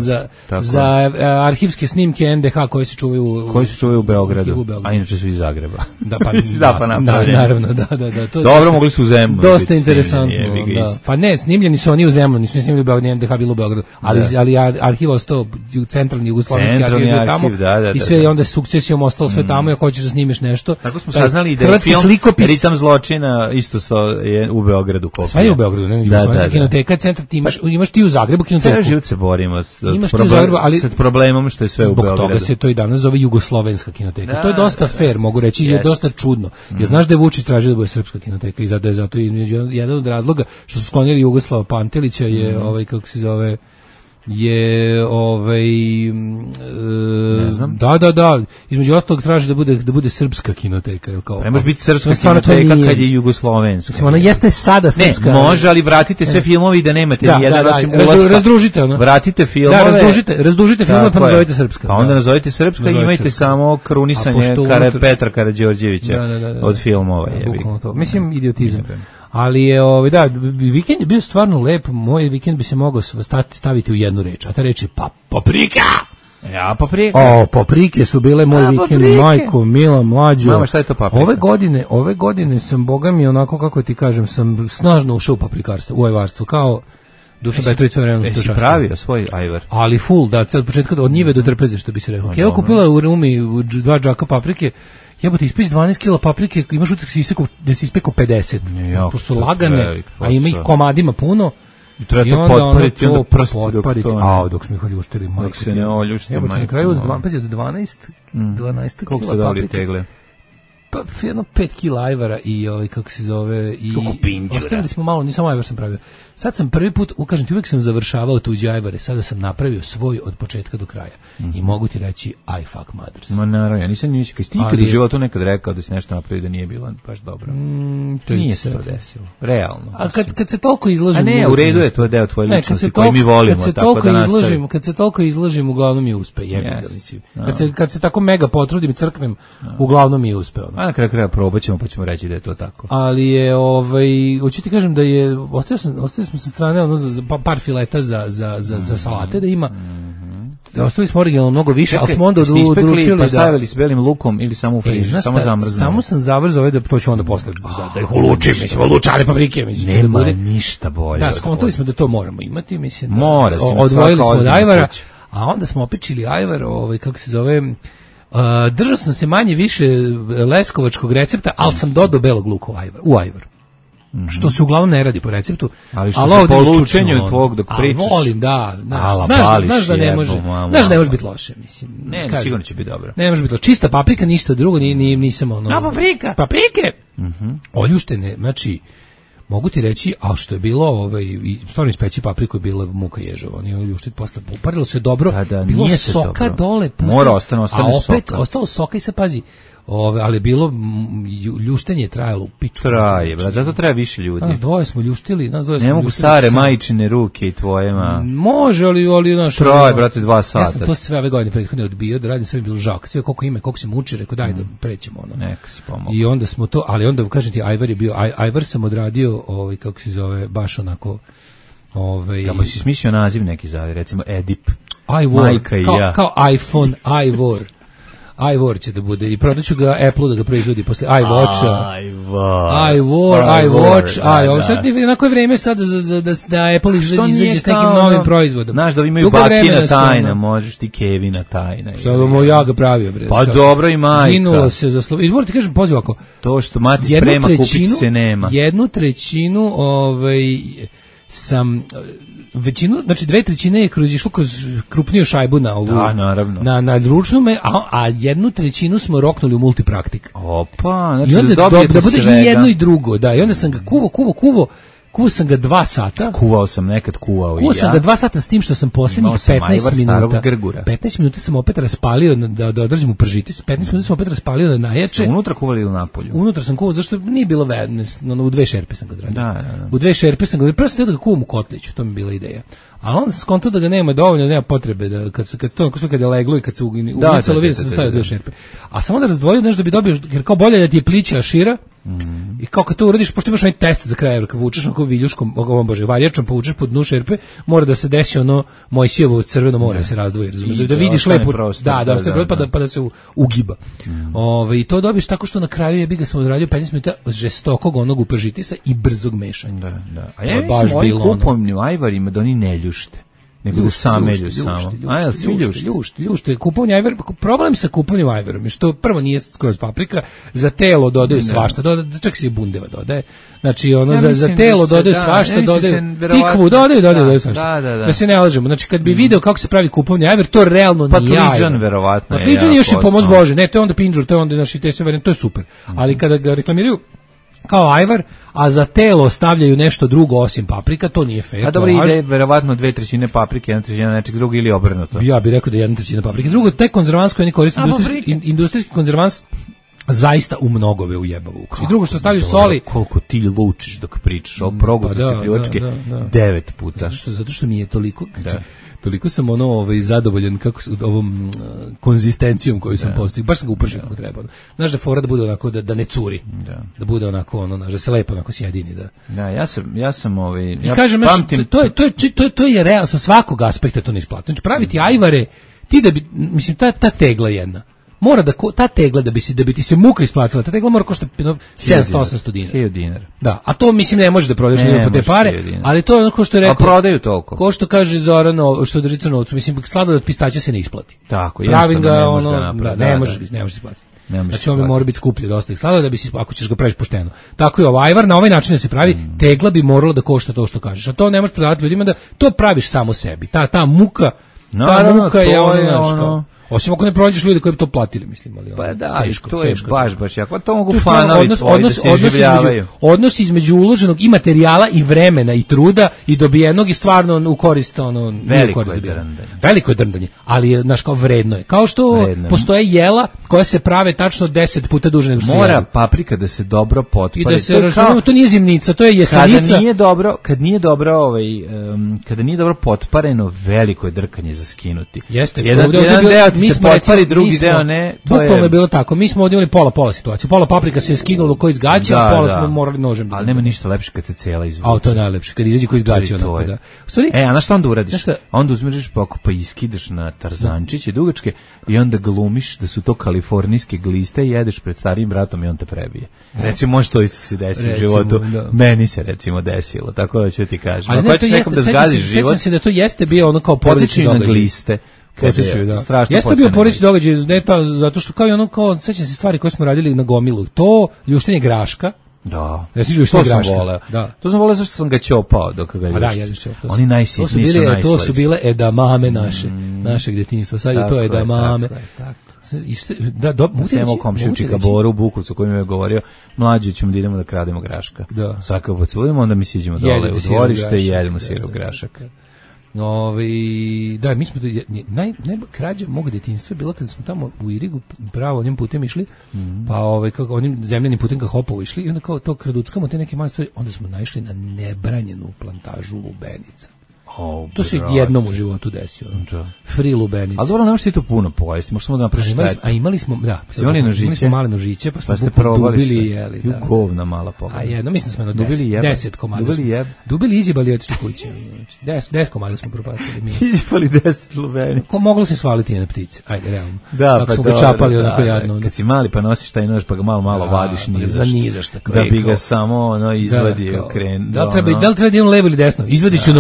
za arhivske snimke NDH koje se čuvaju u Beogradu, a inače su iz Zagreba. Naravno, da. Dobro, mogli su u Zemunu. Dosta interesantno. Pa ne, snimljeni su oni u Zemunu, nisu snimljeni u Beogradu, NDH bilo u Beogradu, ali arhiv ostao u centralni jugoslovenski arhiv tamo i sve je onda sukcesijom ostalo sve tamo i ako hoćeš da snimiš nešto. Tako smo saznali da je film Ritam zločina isto je u Beogradu. Sve je u Beogradu, ne, jugoslovenska kinoteka, centar ti imaš ti u Zagrebu kinoteku. Sve život se borimo s problemom što je sve u Beogradu. Zbog toga se to i danas zove jugoslovenska kinoteka. To je dosta fair, mogu reći, i je dosta čudno. Jer znaš da je Vučić tražio da bude srpska kinoteka i zato jedan od razloga što su sklonili Jugoslava Pantelića je kako se zove da, između ostalog traži da bude srpska kinoteka, jel kao? Ne može biti srpska kinoteka kad je jugoslovenska. Ona jeste sada srpska. Ne, može, ali vratite sve filmove i da nemate ni jedan osim ulaska. Razdružite ono. Vratite filmove. Da, razdužite filmove pa nazovite srpska. Pa onda nazovite srpska i imajte samo krunisanje Petra Karađorđevića od filmova. Mislim, idiotizam. Ali je, vikend je bio stvarno lep, moj vikend bi se mogao staviti u jednu reč, a ta reč je paprika! Ja, paprike. Paprike su bile moj vikend, majko, mila, mlađo. Mama, šta je to paprika? Ove godine sam, boga mi, onako, kako ti kažem, sam snažno ušao u paprikarstvo, u ajvarstvo, kao Duša Petrović realno što si pravio svoj ajvar. Ali full, da, od početka od njive do trpeze, što bi se rekao. Evo kupila u Rumi 2 džaka paprike. Jebote, ispeć 12 kila paprike, imaš utisak da si ispekao 50. Pošto su lagane, a ima ih komadima puno. I treba to potpariti, onda prsti dok smo ih oljuštili. Dok se ne oljuštili, majko. Na kraju od 12 kila koliko su dali tegle? Pa jedno 5 kila ajvara i kako se zove, i ostavili smo malo, nisam ajvar sam pravio. Sad sam prvi put, kažem ti, uvijek sam završavao tuđe ajvare, sada sam napravio svoj od početka do kraja. I mogu ti reći, I fuck mothers. Ma naravno, ja nisam ništa, kad ti ikad u životu nekad rekao da si nešto napravio da nije bilo baš dobro. Nije se to desilo, realno. A kad se toliko izložim... A ne, u redu je, to je deo tvoje ličnosti koji mi volimo, tako da nastavim. Kad se toliko izložim, uglavnom mi uspe, jebiga, mislim. Kad se tako mega potrudim i crknem, uglavnom mi uspe. A na kraju kraja probat ćemo, pa ćemo reći da je to tako. Ali je, hoću ti kažem da je, ostavili smo sa strane par fileta za salate da ima. Ostavili smo originalno mnogo više, ali smo onda odlučili da... stavili s belim lukom ili samo u frižer, samo zamrzno. Samo sam zamrzao da to ću onda posle, da ih ulučim, mislim, ulučane paprike, mislim. Nema ništa bolje. Da, skontali smo da to moramo imati, mislim. Mora se. Odvojili smo od ajvara, a onda smo opičili ajvar, kako se zove... držao sam se manje više leskovačkog recepta, ali sam dodao belog luka u ajvar. Što se uglavnom ne radi po receptu. Ali što se po lučenju tvog dok pričaš. Volim, da. Znaš da ne može. Znaš da ne može biti loše, mislim. Ne, sigurno će biti dobro. Ne može biti loše. Čista paprika, ništa drugo, nisam ono... Na paprika! Paprike! Oljuštene, znači... Mogu ti reći, a što je bilo, stvarno ispeći papriku je bila muka ježova, oni ljuštit posle, uparilo se dobro, bilo soka dole, mora ostane a opet ostalo soka i se pazi, ali bilo ljuštenje trajalo u pičku. Traje, brat, zato treba više ljudi. Nas dvoje smo ljuštili. Ne mogu stare majčine ruke i tvoje, ma. Može, ali naš... Traje, brate, 2 sata. Ja sam to sve ove godine prethodne odbio, da radim, sve mi bilo žao. Sve koliko ima, koliko se muči, rekao daj da prećemo ono. Neka si pomogao. I onda smo to, ali onda, kažem ti, ajvar je bio, ajvar sam odradio, kako se zove, baš onako... Kako si smislio naziv neki zove, recimo Edip, Ivor, majka i ja. Kao iPhone, Ivor. iWatch će da bude i prodaću ga Apple da ga proizvodi posle iWatcha. iWatch. Sad na koje vreme sad da Apple izađe s nekim novim proizvodom. Znaš da imaju Bakina tajna, možeš ti Kevina tajna. Što ja ga pravio, bre. Pa dobro i majka. Ginulo se za slovo. I moram ti kažem, poziv ako. To što mati sprema kupiti se nema. 1/3 sam... većinu, znači 2/3 je išlo kroz krupniju šajbu na ovu. Da, naravno. Na ručnu, a 1/3 smo roknuli u multipraktik. Opa, znači i onda da bude svega. I jedno i drugo, da. I onda sam ga kuvao sam ga 2 sata. Kuvao sam nekad i ja. Kuvao sam ga 2 sata s tim što sam posljednjih 15 minuta. 15 minuta sam opet raspalio da održim u pržitis. 15 minuta sam opet raspalio da najjače. Unutra kuvali ili napolju? Unutra sam kuvao, zašto nije bilo vedno. U 2 šerpe sam ga odradio. Da. U 2 šerpe sam ga odradio. Prvo sam da ga kuvam u kotliću, to mi je bila ideja. A onda sam skontao da ga nema dovoljno, nema potrebe da kad je leglo i kad se unicalo, vidio sam stavio 2 šerpe. A sam onda razdvojio nešto da bi dobio, jer kao bolje da ti je plića šira. I kao kad to uradiš, pošto imaš onaj test za kraj, kad vučeš onako viljuškom, varjačom, pa vučeš po dnu šerpe, mora da se desi ono Mojsijevo crveno more se razdvoji, razumiješ, da vidiš lepo, pa da se ugiba. I to dobiš tako što na kraju jebi ga sam odradio 15 minuta žestokog onog upržitisa i brzog mešanja. Da. A ja mislim ovim kupovnim ajvarima da oni ne ljušte. Nego da samelju samo. A svi ljušte. Kupovanje ajvara, problem sa kupovnim ajvarom je što prvo nije skroz paprika, za telo dodaju svašta, čak se i bundeva dodaje. Znači ono za telo dodaju svašta, dodaju tikvu, dodaju svašta. Da se ne lažemo. Znači kad bi video kako se pravi kupovni ajvar, to realno nije ajvar. Patliđan verovatno. Patliđan je još i pomoć Bože. Ne, to je onda pinđur, to je onda naši te sve varijante, to je super. Ali kada ga reklamiraju kao ajvar, a za telo stavljaju nešto drugo osim paprika, to nije fair. A dobro, ide verovatno 2/3 paprike, 1/3 nečeg drugog ili obrnuto. Ja bih rekao da je 1/3 paprike. Drugo, te konzervansko oni koriste, industrijski konzervans zaista u mnogove ujebava ukras. I drugo što stavljaju soli. Koliko ti lučiš dok pričaš, o progutu se pljuvačke 9 puta. Zato što mi je toliko... Toliko sam zadovoljan kako ovom konzistencijom koju sam postigao. Baš sam ga upržio kako treba. Znaš da fora da bude onako da ne curi. Da bude onako da se lepo onako sjedini da. Ja sam kažem, to je realno sa svakog aspekta to ne isplati. Znači praviti ajvare ti da bi, mislim, ta tegla jedna, mora da ta tegla da bi ti se muka isplatila, ta tegla mora koštati 700-800 dinara. Da, a to mislim ne možeš da prodaš ljudima po te pare, ali to je ono ko što je rekao. A prodaju toliko. Ko što kaže Zoran, što drži crnovcu, mislim sladoled od pistaća se ne isplati. Tako, pravim ga ono, ne možeš isplatiti. Znači on bi mora biti skuplje dosta ih sladoleda da bi si, ako ćeš ga praviš pošteno. Tako je ajvar na ovaj način da se pravi, tegla bi morala da košta to što kažeš. A to ne možeš prodavati ljudima da to praviš samo sebi. Ta muka, muka je ono. Osim ako ne pronađeš ljudi koji bi to platili, mislim, ali pa da, teško, to je baš jako. To mogu fanovi da se življavaju. Odnos između uloženog i materijala i vremena i truda i dobijenog i stvarno u korist veliko je drndanje, ali je kao vredno je. Kao što postoje jela koja se prave tačno 10 puta duže nego što se mora paprika da se dobro potpali. I da se računamo, to nije zimnica, to je jesenica. Kad nije dobro potpareno, veliko je drkanje za skinuti. Jeste. Jedan deo mi smo potpari, drugi deo ne. Bukvalno je bilo tako. Mi smo ovdje imali pola situaciju. Pola paprika se je skinulo koji izgaća, a pola smo morali nožem. Ali nema ništa lepše kad se cela izvuče. A to je najlepše, kad izađe koji izgaća onako, da. A na šta onda uradiš? Onda uzmeš pa iskidaš na tarzančiće dugačke i onda glumiš da su to kalifornijske gliste i jedeš pred starijim bratom i on te prebije. Recimo, može to isto se desi u životu. Meni se recimo desilo, tako da ću ti kažem. Ali ne, to jeste, sećam se da to jeste bio ono kao porodični događaj. Na gliste. Jeste bio porodični događaj, zato što kao i ono, kao, sećam se stvari koje smo radili na gomilu. To, ljuštenje graška. Da. Ja si to sam voleo. Da. To sam voleo zašto sam ga ćopao dok ga ljuštim. Da, jedeš ćopao. Oni najsitniji su najslađi. To su bile edamame našeg djetinjstva. Sad je to edamame. Semo komšivčika Boru u Bukovcu koji mi je govorio, mlađi ćemo da idemo da krademo graška. Svaka pocudimo, onda mi siđemo dole u dvorište i jedemo sirov grašak. Da, mi smo krađa mog djetinjstva bila kada smo tamo u Irigu pravo onim putem išli, pa kako onim zemljanim putem ka Hopovu išli i onda kao to kraduckamo te neke manje stvari, onda smo naišli na nebranjenu plantažu lubenica. To se jednom u životu desilo. Free lubenica. Ali dobro, ne možeš ti to puno pojesti, možeš samo da napraviš štetu. A imali smo, imali smo male nožiće, pa smo dubili i jeli. Govna mala pogledaj. A jedno, mislim smo na 10 komada. Dubili izjebali otišli kuće. 10 komada smo propastili mi. Izjebali 10 lubenica. Ko moglo se svaliti na ptice? Ajde, realno. Da, pa smo ga čapali onako jadno. Kad si mali pa nosiš taj nož pa ga malo vadiš nizaš. Da bi ga samo izvadio kren. Da li treba da idem levo ili desno? Izvadiću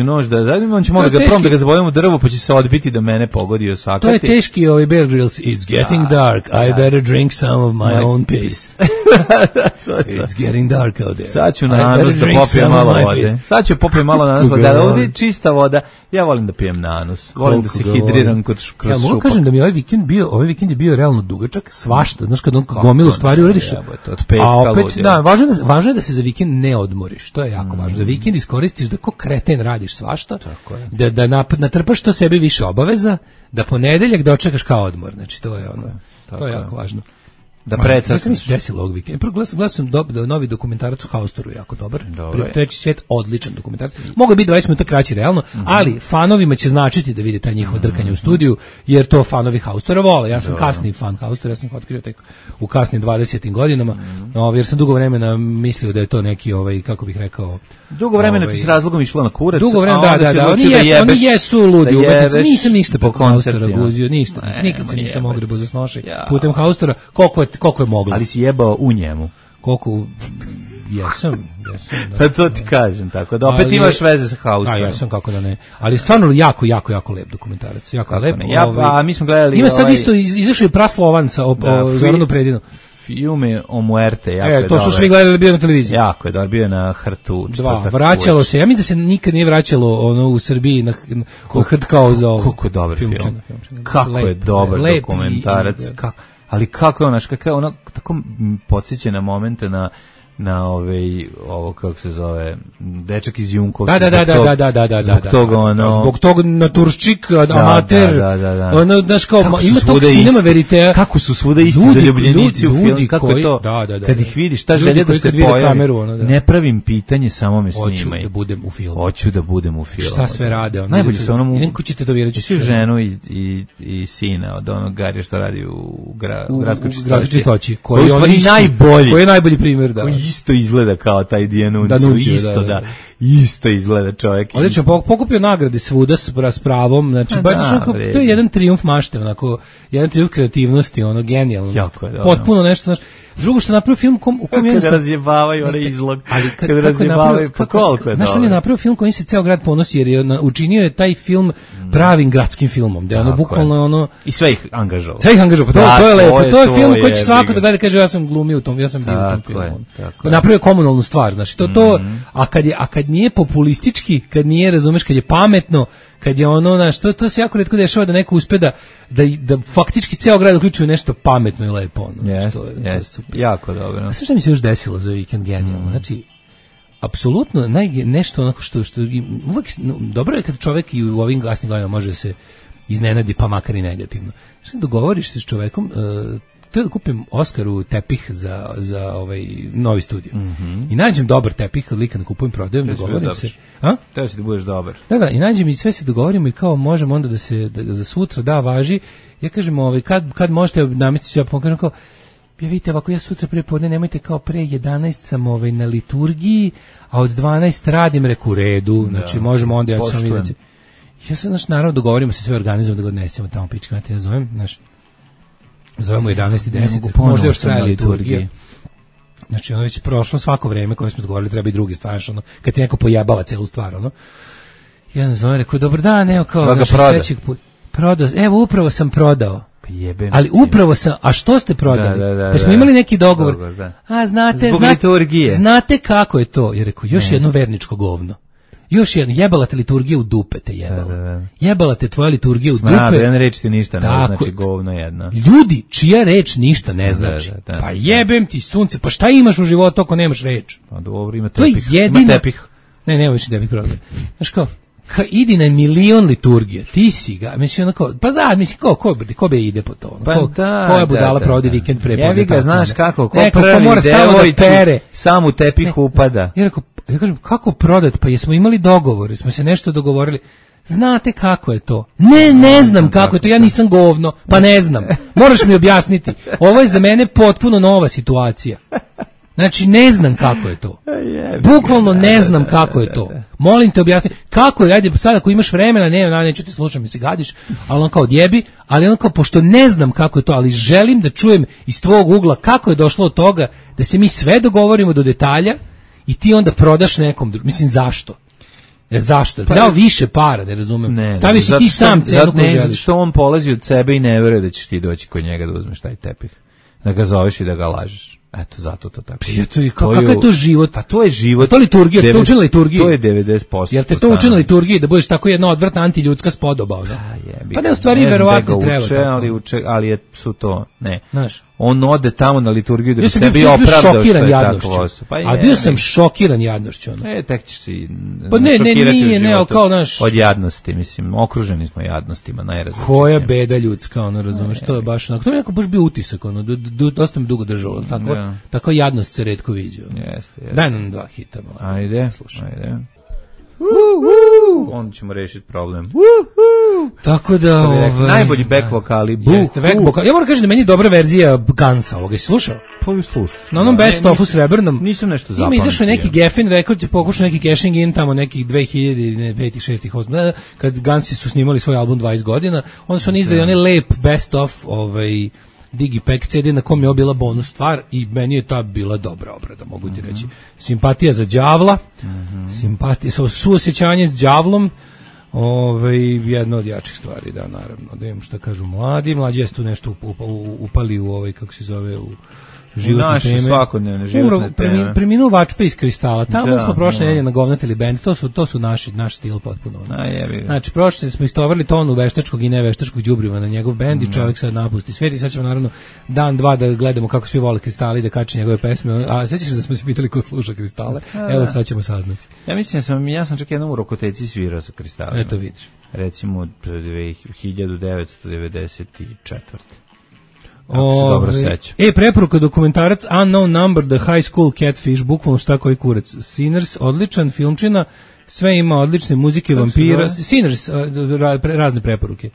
nož, da on će možda da ga zabavimo u drvo, pa će se odbiti da mene pogodi osakati. To je teški Bear Grylls. It's getting dark. I better drink some of my own piss. It's getting dark out there. Sad ću na anus da popijem malo vode. Sad ću popijem malo na anus, da ovdje je čista voda. Ja volim da pijem na anus. Volim da se hidriram kroz šupak. Ja mogu kažem da mi ovaj vikend je bio realno dugačak, svašta. Znaš, kad on gomilu stvari uradiš. A opet, da, važno je da se za vikend ne odmoriš. To je jako važno. Da vikend iskoristiš da ko kreten radiš svašta, da natrpaš to sebi više obaveza, da ponedeljak dočekaš kao odmor. Znači, to je ono, to je jako važno. Da predstavljaš. Mi se desilo ovog vikenda. Gledao sam novi dokumentarac u Haustoru, jako dobar. Treći svijet, odličan dokumentarac. Mogu biti 20 minuta kraći realno, ali fanovima će značiti da vide taj njihovo drkanje u studiju, jer to fanovi Haustora vole. Ja sam kasni fan Haustora, ja sam ih otkrio tek u kasnim 20. godinama, jer sam dugo vremena mislio da je to neki, kako bih rekao... Dugo vremena ti s razlogom išlo na kurac. Dugo vremena, da. Oni jesu ludi umetnici. Nisam ništa po Haustora guzio, ništa. Nikad se nisam ogrebu za snošaj putem Haustora. Koliko je moglo. Ali si jebao u njemu. Koliko... Jesam. Pa to ti kažem, tako da opet imaš veze sa Haustorom. Jesam, kako da ne. Ali stvarno jako lep dokumentarac. Jako lep. A mi smo gledali... Ima sad isto, izašao je Praslovanca o Zoranu Predinu. Filme o muerte, jako je to dobar. Su svi gledali, bio na televiziji. Jako je dobar, bio je na Hrtu. Vraćalo se, ja mislim da se nikad nije vraćalo u Srbiji na Hrt kao za ovo. Kako je dobar film. Kako je dobar dokumentarac. Ali kako je ono, tako podsjeća na momente na ovo kako se zove dečak iz Junkovca. Da. Zbog toga naturščik, amater. Ono, znaš kao, ima tog sinema veritea. Kako su svuda isti zaljubljenici u filmu, kako je to? Kad ih vidiš, ta želja da se pojavi. Ne pravim pitanje, samo me snimaj. Hoću da budem u filmu. Šta sve rade? Najbolje se onom... Idem kućete to vjerujući. Svi ženu i sina od onog Garija što radi u gradskoj čistoći. Koji je najbolji primjer, da. Isto izgleda kao taj Dijanucci, isto da. isto izgleda čovjek. Odlično, pokupio nagrade svuda s pravom, znači to je jedan trijumf mašte, onako, jedan trijumf kreativnosti, ono, genijalno. Jako je, potpuno nešto, znači, drugo što je napravio film u kom je... Kada razjebavaju onaj izlog, kada razjebavaju, pa koliko je dobro. Znaš, on je napravio film kojim se ceo grad ponosi, jer je učinio je taj film pravim gradskim filmom, da je ono bukvalno ono... I sve ih angažovao. Pa to je lepo, to je film koji će svako da gleda kaže ja sam glumio u tom, ja sam bio u tom filmu. Napravio komunalnu stvar, znači to, a kad nije populistički, kad nije, razumeš, kad je pametno, kad je ono, znaš, to se jako retko dešava da neko uspe da faktički ceo grad uključuje nešto pametno i lepo. Ono, je super. Jako dobro. A sve što mi se još desilo za vikend genijalno, znači, apsolutno nešto onako što uvek, dobro je kad čovek i u ovim gasnim godinama može se iznenadi, pa makar i negativno. Što dogovoriš se s čovekom, treba da kupim Oskaru tepih za ovaj novi studio. I nađem dobar tepih, kad lika kupujem, prodajem, dogovorim se. Treba se da budeš dobar. Da, i nađem i sve se dogovorimo i kao možemo onda da za sutra važi. Ja kažem, kad možete namestiti, ja pokažem kao, vidite, ovako ja sutra pre podne, nemojte kao pre 11 sam na liturgiji, a od 12 radim, reku, u redu, znači možemo onda, ja ću sam vidjeti. Ja sam, naravno, dogovorimo se sve, organizujemo da ga odnesemo tamo, pička, ja zovemo 11:10, možda još traje liturgija. Znači, ono već prošlo svako vreme koje smo dogovorili, treba i drugi stvar, ono, kad ti neko pojebava celu stvar, ono. Jedan zove, rekao, dobar dan, evo kao, znači, sledećeg put. Prodao, evo, upravo sam prodao. Jebem, ali upravo sam, a što ste prodali? Pa smo imali neki dogovor. A znate kako je to? Jer rekao, još jedno verničko govno. Još jedno, jebala te liturgije u dupe te jebala. Jebala te tvoja liturgija u dupe. Jedna reč ti ništa ne znači, govno jedna. Ljudi, čija reč ništa ne znači. Pa jebem ti sunce, pa šta imaš u životu ako nemaš reč? Pa dobro, ima tepih. To je jedina... Ima tepih. Ne više tepih prodaj. Znaš kao, idi na milion liturgije, ti si ga, mislim onako, pa ko be ide po to? Koja budala provodi vikend pre podne? Jevi ga, znaš kako, ko prvi devojči sam u tepih upada. Ja kažem, kako prodat? Pa jesmo imali dogovor, smo se nešto dogovorili. Znate kako je to? Ne znam kako je to, ja nisam govno, pa ne znam. Moraš mi objasniti. Ovo je za mene potpuno nova situacija. Znači, ne znam kako je to. Bukvalno ne znam kako je to. Molim te objasni. Kako je, ajde, sad ako imaš vremena, neću te slušam, mi se gadiš, ali on kao odjebi, ali on kao, pošto ne znam kako je to, ali želim da čujem iz tvog ugla kako je došlo od toga, da se mi sve dogovorimo do detalja i ti onda prodaš nekom drugom. Mislim, zašto? Zašto? Pa, dao više para, ne razumem. Stavi si ti sam cenu koju želiš. Ne, što on polazi od sebe i ne veruje da ćeš ti doći kod njega da uzmeš taj tepih. Da ga zoveš i da ga lažeš. Eto, zato to tako. Kakav je to život? A to je život. To je liturgija, to učina liturgiji. To je 90%. Jel te to učina liturgiji, da budeš tako jedna odvratna antiljudska spodoba? Pa ne, u stvari verovatno treba. Ali su to, ne. Znaš, on ode tamo na liturgiju da bi sebi opravdao što je tako. A bio sam šokiran jadnošću. Tek ćeš si šokirati u životu. Od jadnosti, mislim, okruženi smo jadnostima, najrazličitijim. Koja beda ljudska, ono, razumeš, to je baš onako. To je neko baš bio utisak, ono, dosta mi dugo držalo, tako jadnost se retko viđa. Daj nam 2 hita. Ajde, slušaj. Onda ćemo rešiti problem. Tako da... najbolji back vokali. Ja moram kažem da meni je dobra verzija Gansa ovoga. Si slušao? Pa ju slušao. Na onom best ofu srebrnom. Nisam nešto zapamtio. Ima izašao neki Geffen rekord, će pokušao neki cashing in tamo nekih 2005, 6, 8, kad Gansi su snimali svoj album 20 godina, onda su oni izdali onaj lep best of Digipack CD na kom je bila bonus stvar i meni je ta bila dobra obrada, mogu ti reći. Simpatija za đavla, simpatija, suosjećanje s đavlom, jedna od jačih stvari, da, naravno, da imam šta kažu mlađi je tu nešto upali u kako se zove, u životne teme. Svakodnevne životne teme. Preminuo Vačpe iz Kristala. Tamo smo prošle nedelje nagovnatili bend. To su naš stil potpuno. Znači, prošle smo istovarili tonu veštačkog i neveštačkog đubriva na njegov bend i čovjek sad napusti svijet i sad ćemo naravno dan, dva da gledamo kako svi vole Kristale i da kače njegove pesme. A sećaš da smo se pitali ko sluša Kristale? Evo sad ćemo saznati. Ja sam čak jednom u Rokoteci svirao sa Kristalima. Eto vidiš. Recimo 1994. Dobro seća. Preporuka dokumentarac Unknown Number, The High School Catfish, bukvalno šta koji kurac. Sinners, odličan filmčina, sve ima odlične muzike, vampira. Sinners, razne preporuke.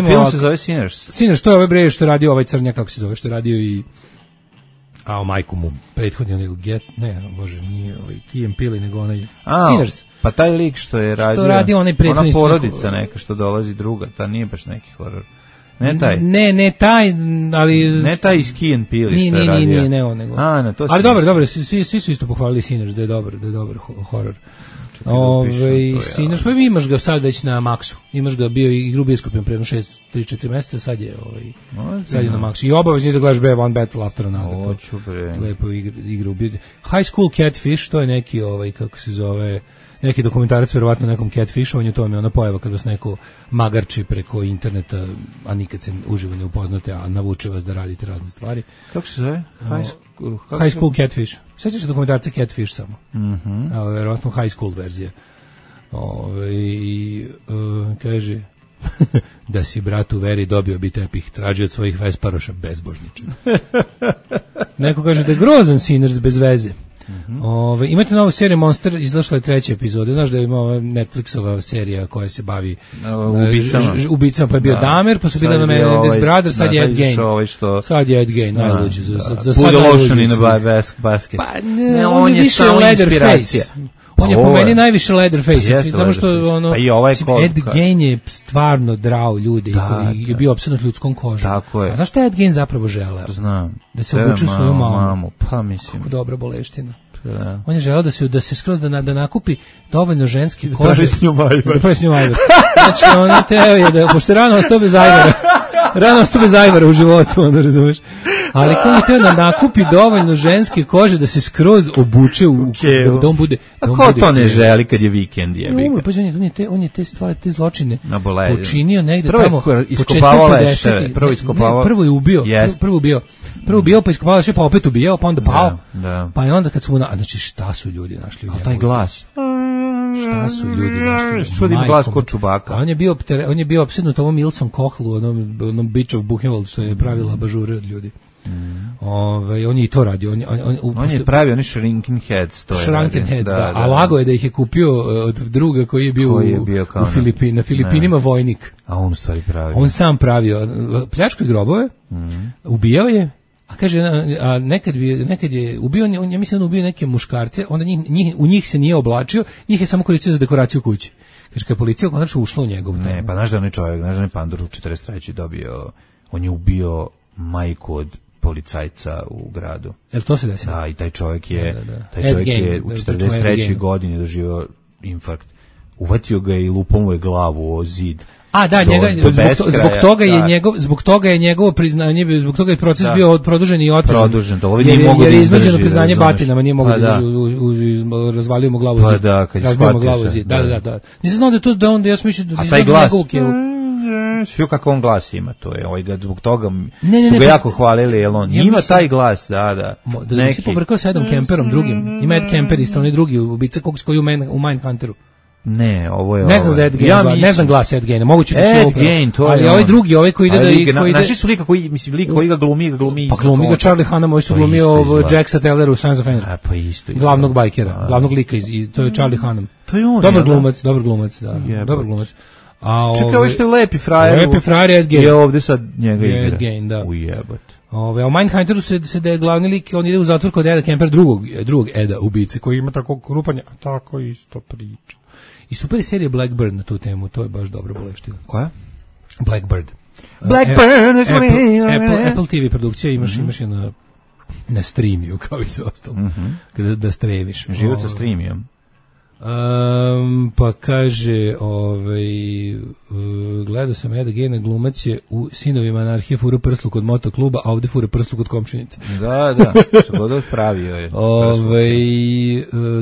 Film se zove Sinners. Sinners, to je ovaj bre što je radio ovaj crnjak, kako se zove, što je radio i A o majku mu, prethodni onaj nije Key and Peele, nego onaj Sinners. Pa taj lik što je radio, što radi onaj prethodni, ona porodica neka što dolazi druga, ta nije baš neki horor. Ne taj. Ne taj, ali ne taj iz Key and Peele što je radio. Nije on nego. Ali dobro, svi su isto pohvalili Sinners da je dobar horor. Sinners, pa imaš ga sad već na Maxu. Imaš ga, bio i igru bioskopom pre 3-4 meseca, sad je na Maxu. I obavezni da gledaš One Battle After Another. Hoću bre. Lepo igru. High School Catfish, to je neki kako se zove, neki dokumentarac verovatno nekom catfishovanju, to mi je ona pojava kad vas neko magarči preko interneta, a nikad se uživo ne upoznate, a navuče vas da radite razne stvari. Kako se zove? High School Catfish. Sjećaš se dokumentarca Catfish samo? Verovatno High School verzija. Kaže da si brat u veri dobio bi tepih, traži od svojih vesparoša bezbožniče. Neko kaže da je grozan Sinners bez veze. Imate novu seriju Monster, izašla je 3. epizoda. Znaš da ima Netflixova serija koja se bavi ubicama, pa je bio Dahmer, pa su bile na Menendez Brothers, sad je Ed Gein. Sad je Ed Gein, najluđi. Put lotion in a basket. Pa on je više Leatherface. On je po meni najviše Leatherface, samo što Ed Gein je stvarno drao ljude i je bio opsednut ljudskom kožom. A znaš šta je Ed Gein zapravo želeo? Znam. Da se obuče u svoju mamu. Pa mislim. Kako dobra boleština. On je želeo da se skroz da nakupi dovoljno ženske kože. Da pravi s njom ajvar. Znači, on je teo je da, pošto rano ostao bez ajvara u životu, onda razumeš. Ali ko je teo da nakupi dovoljno ženske kože da se skroz obuče da on bude... A ko to ne želi kad je vikend? On je te stvari, te zločine počinio negde tamo. Prvo iskopavao. Prvo je ubio. Prvo ubio, pa iskopavao še, pa opet ubijao, pa onda pao. Pa je onda kad su mu... Znači, šta su ljudi našli? A taj glas... Šta su ljudi našli? Što ima glas kod Čubaka? On je bio opsednut ovom Ilsom Kohlu, onom Bitch of Buchenwald, što je pravila bažure od ljudi. On je i to radio. On je pravio oni Shrinking Heads. Shrunken Heads, da. A lago je da ih je kupio od druga koji je bio na Filipinima vojnik. A on stvari pravio. On sam pravio. Pljačkao grobove, ubijao je. A kaže, nekad je ubio, ja mislim da ubio neke muškarce, onda u njih se nije oblačio, njih je samo koristio za dekoraciju kuće. Kaže, kad je policija konačno ušla u njegov. Ne, pa znaš da onaj čovjek, znaš da onaj Pandur u 43. dobio, on je ubio majku od policajca u gradu. Jel to se desilo? Da, i taj čovjek je u 43. godini doživio infarkt. Uvatio ga i lupao mu je glavu o zid. A da, zbog toga je njegovo priznanje, zbog toga je proces bio produžen i otežan. Jer je iznuđeno priznanje batinama, nije mogao da razvalio mu glavu zid. Razvalio mu glavu zid. Da. Nisam znao da je to da onda ja smišljam da nisam njegovu kevu. Sve kako on glas ima, to je zbog toga su ga jako hvalili, jer on ima taj glas, da. Da nisi pobrkao sa Edom Kemperom drugim, ima Ed Kemper isto, onaj drugi ubica koji u Mindhunteru. Ne, ovo je... Ne znam za Ed Gein, ne znam glas Ed Geina, moguće da će Ed Gein, to je... Ali ovaj drugi, ovaj koji ide da... Naši su lika koji, lik ga glumi isto. Pa glumi ga Charlie Hunnam, ovaj su glumio Jack Sateller u Sons of Anarchy. Pa isto. Glavnog bajkera, glavnog lika, to je Charlie Hunnam. To je on, dobar glumac, da. Dobar glumac. Čekaj, ovo što je Lepi frajer. Lepi frajer Ed Gein. Je ovde sad njega igra. Ed Gein, da. Ujebat. A u Mindhunteru se da je glavni lik, on ide u zatvor kod Eda Kempera, drugog Eda ubice, koji ima tako krupanje, tako isto priča. I super je serija Blackbird na tu temu, to je baš dobra boleština. Koja? Blackbird. Apple TV produkcija, imaš je na streamiju, kao i sve ostalo. Kada da streviš. Život sa streamijom. Pa kaže, gledao sam Eda Geina, glumac je u Sinovima anarhije fura prslu kod motokluba, a ovde fura prslu kod komšinice. Da, što god odpravio je.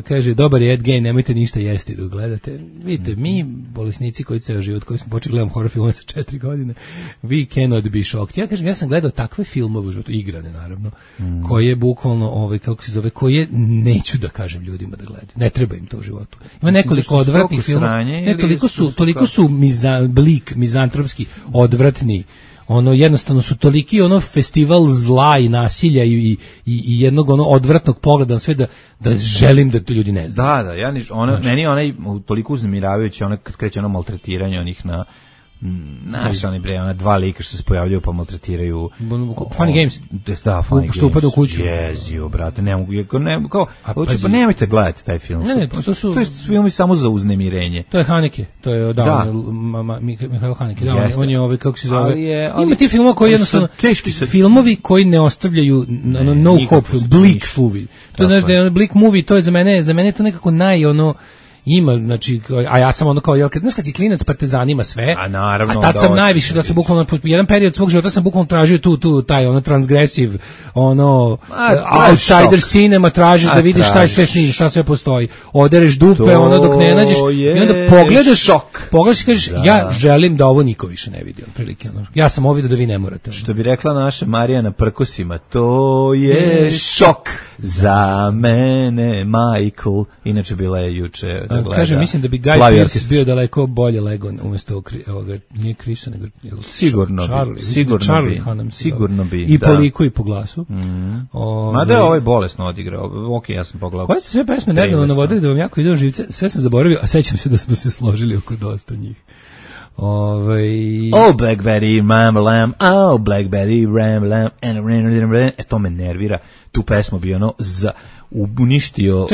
Kaže, dobar je Ed Gein, nemojte ništa jesti dok gledate. Vidite, mi, bolesnici koji ceo život, koji smo počeli gledam horror filmove sa 4 godine, we cannot be shocked. Ja kažem, ja sam gledao takve filmove u životu, igrane naravno, koje bukvalno, kako se zove, koje neću da kažem ljudima da gledaju. Ne treba im to u životu. Ima nekoliko odvratnih filmova. Toliko su mizantropski odvratni. Jednostavno su toliki festival zla i nasilja i jednog odvratnog pogleda na sve da želim da to ljudi ne znaju. Da, meni je onaj toliko uznemiravajući, kad kreće maltretiranje onih Naš oni bre, ona dva lika što se pojavljaju pa maltretiraju. Funny Games. Da, Funny Games. Što upada u kuću. Jezio, brate, ne mogu, pa nemojte gledati taj film. Ne, to je film samo za uznemirenje. To je Haneke, to je Mihail Haneke, on je kako se zove. Ima ti filmova koji jednostavno, filmovi koji ne ostavljaju no hope, bleak movie. To znaš da je bleak movie, to je za mene to nekako ima, znači, a ja sam ono kao, znaš kad si klinac pa te zanima sve, a tad sam najviše, da sam bukvalno, jedan period svog života sam bukvalno tražio taj transgresiv, outsider cinema, tražiš da vidiš šta je sve snimljivo, šta sve postoji, odereš dupe, dok ne nađeš, i onda pogledaš i kažeš, ja želim da ovo niko više ne vidi, otprilike, ja sam ovo vidio da vi ne morate. Što bi rekla naša Marija na prkosima, to je šok za mene, Michael, inače bila je juče. Kažem, mislim da bi Guy Pearce bio daleko bolje lego umjesto ovoga, nije Chrisa, nego sigurno bi. I po liku i po glasu. Mada je ovaj bolesno odigrao. Ok, ja sam pogledao. Koje se sve pesme nedavno navodili da vam jako ide u živce, sve sam zaboravio, a sećam se da smo se složili oko dosta njih. Oh, Black Betty, Ram Lam, oh, Black Betty, Ram Lam, to me nervira. Tu pesmu bi uništio,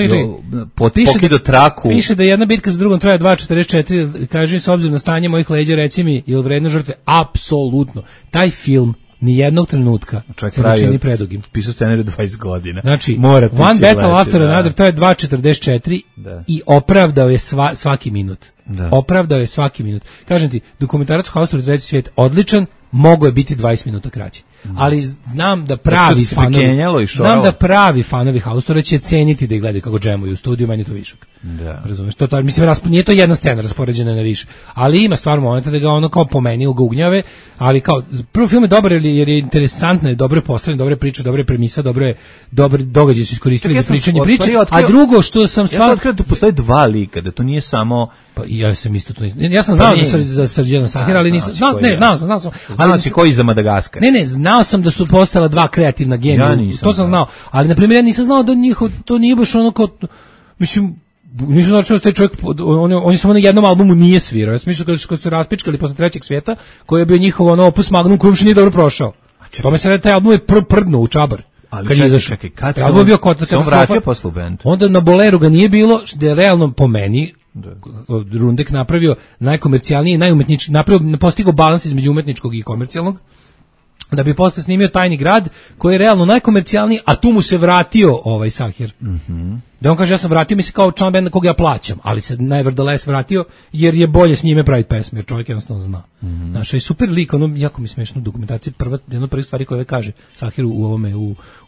pokido traku. Piše da jedna bitka za drugom traje 2:44, kaže, s obzirom na stanje mojih leđa, reci mi, je li vredno žrtve? Apsolutno. Taj film ni jednog trenutka se ne čini predugim. Pisao scenariju 20 godina. Znači, One Battle After Another, to je 2:44 i opravdao je svaki minut. Opravdao je svaki minut. Kažem ti, dokumentarac Haustor Treći svijet odličan, mogo je biti 20 minuta kraći. Ali znam da pravi fanovi Haustora će ceniti da ih gledaju kako džemuju u studiju, meni je to višak. Razumeš? Nije to jedna scena raspoređena na više, ali ima stvar momenta da ga ono kao pomeni ga ugnjave, ali kao prvo film je dobar jer je interesantno, dobro je postavljen, dobre priče, dobre premisa, dobre događaje su iskoristili za pričanje priče, a drugo što sam stvarno otkrio da postoje dva lika, da to nije samo ja sam isto to ja sam znao za Srđana Sahira, ali nisam znao sam. Ali si koji za Madagaskar? Ne, znao sam da su postala dva kreativna genija. To sam znao, ali na primjer ja nisam znao da to nije baš ono kao, mislim, nisam znao da taj čovjek, on je samo na jednom albumu nije svirao. Ja sam mislio kad su raspičkali posle Trećeg svijeta, koji je bio njihov opus magnum koji uopšte nije dobro prošao. To me se radi, taj album je prdno u čabar. Ali čekaj, kad se on vratio posle u bend? Onda na Boleru ga nije bilo, da je realno po meni Rundek napravio najkomercijalniji, najumetnički, postigao balans između umetničkog i komercijalnog, da bi posle snimio Tajni grad, koji je realno najkomercijalniji, a tu mu se vratio ovaj Sahir. Da on kaže, ja sam vratio mi se kao član benda koga ja plaćam, ali se nevertheless vratio jer je bolje s njime praviti pesme, jer čovjek jednostavno zna. Znaš, i super lik, jako mi smiješno u dokumentaciji, jedna od prvih stvari koje kaže Sahir u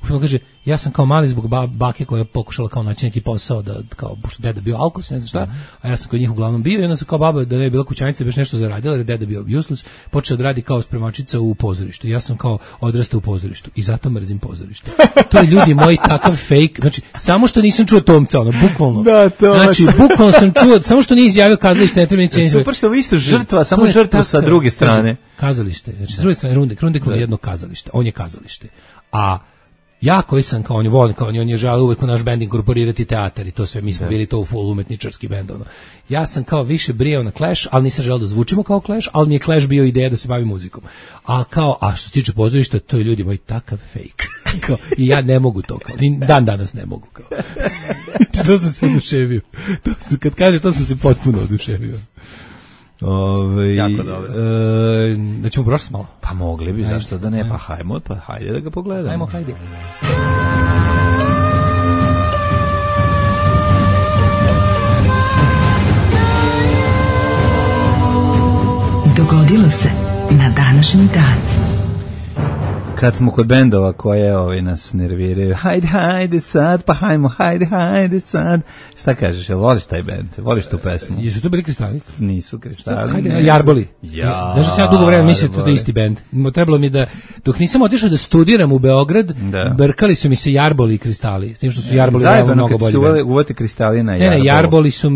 filmu, kaže, ja sam kao mali zbog bake koja je pokušala kao naći neki posao, da kao, pošto deda bio alkos, ne znam šta, a ja sam kod njih uglavnom bio, i onda sam kao baba, da je bila kućanica, da bi još nešto zaradila, jer je deda bio useless, počeo da radi kao spremačica u pozorištu. Ja sam kao odrastao u pozorištu i zato mrzim pozorište. To je, ljudi moji, takav fake, znači, samo što nisam čuo Tomca, bukvalno. Znači, bukvalno sam čuo, samo što nije izjavio kazalište, ne treba ni ceniti. Super što vi isto žrtva, samo žrtva sa druge strane. Kazalište, znači, s druge strane, Rundek je jedno kazalište, on je kazalište. A ja koji sam kao on je želeo uvek u naš bend inkorporirati teatar i to sve, mi smo bili to u full umetničarski bend. Ja sam kao više brijao na Clash, ali nisam želeo da zvučimo kao Clash, ali mi je Clash bio ideja da se bavim muzikom. A što se tiče pozorišta, to je, ljudi moji, takav fake. I ja ne mogu to, dan danas ne mogu. To sam se oduševio. Kad kaže to sam se potpuno oduševio. Jako dobro. Da ćemo prošli malo? Pa mogli bi, zašto da ne? Pa hajde da ga pogledamo. Hajde. Dogodilo se na današnji dan. Kad smo kod bendova koje nas nerviraju, hajde sad, pa hajde sad. Šta kažeš, jel voliš taj bend? Voliš tu pesmu? Jesu to bili Kristali? Nisu Kristali. Hajde, Jarboli. Znaš da sam ja dugo vremena mislio da je isti bend. Trebalo mi da, dok nisam otišao da studiram u Beograd, brkali su mi se Jarboli i Kristali. S tim što su Jarboli mnogo bolji bend. Zajedno kad se uvati Kristali na Jarbol. Ne, Jarboli su,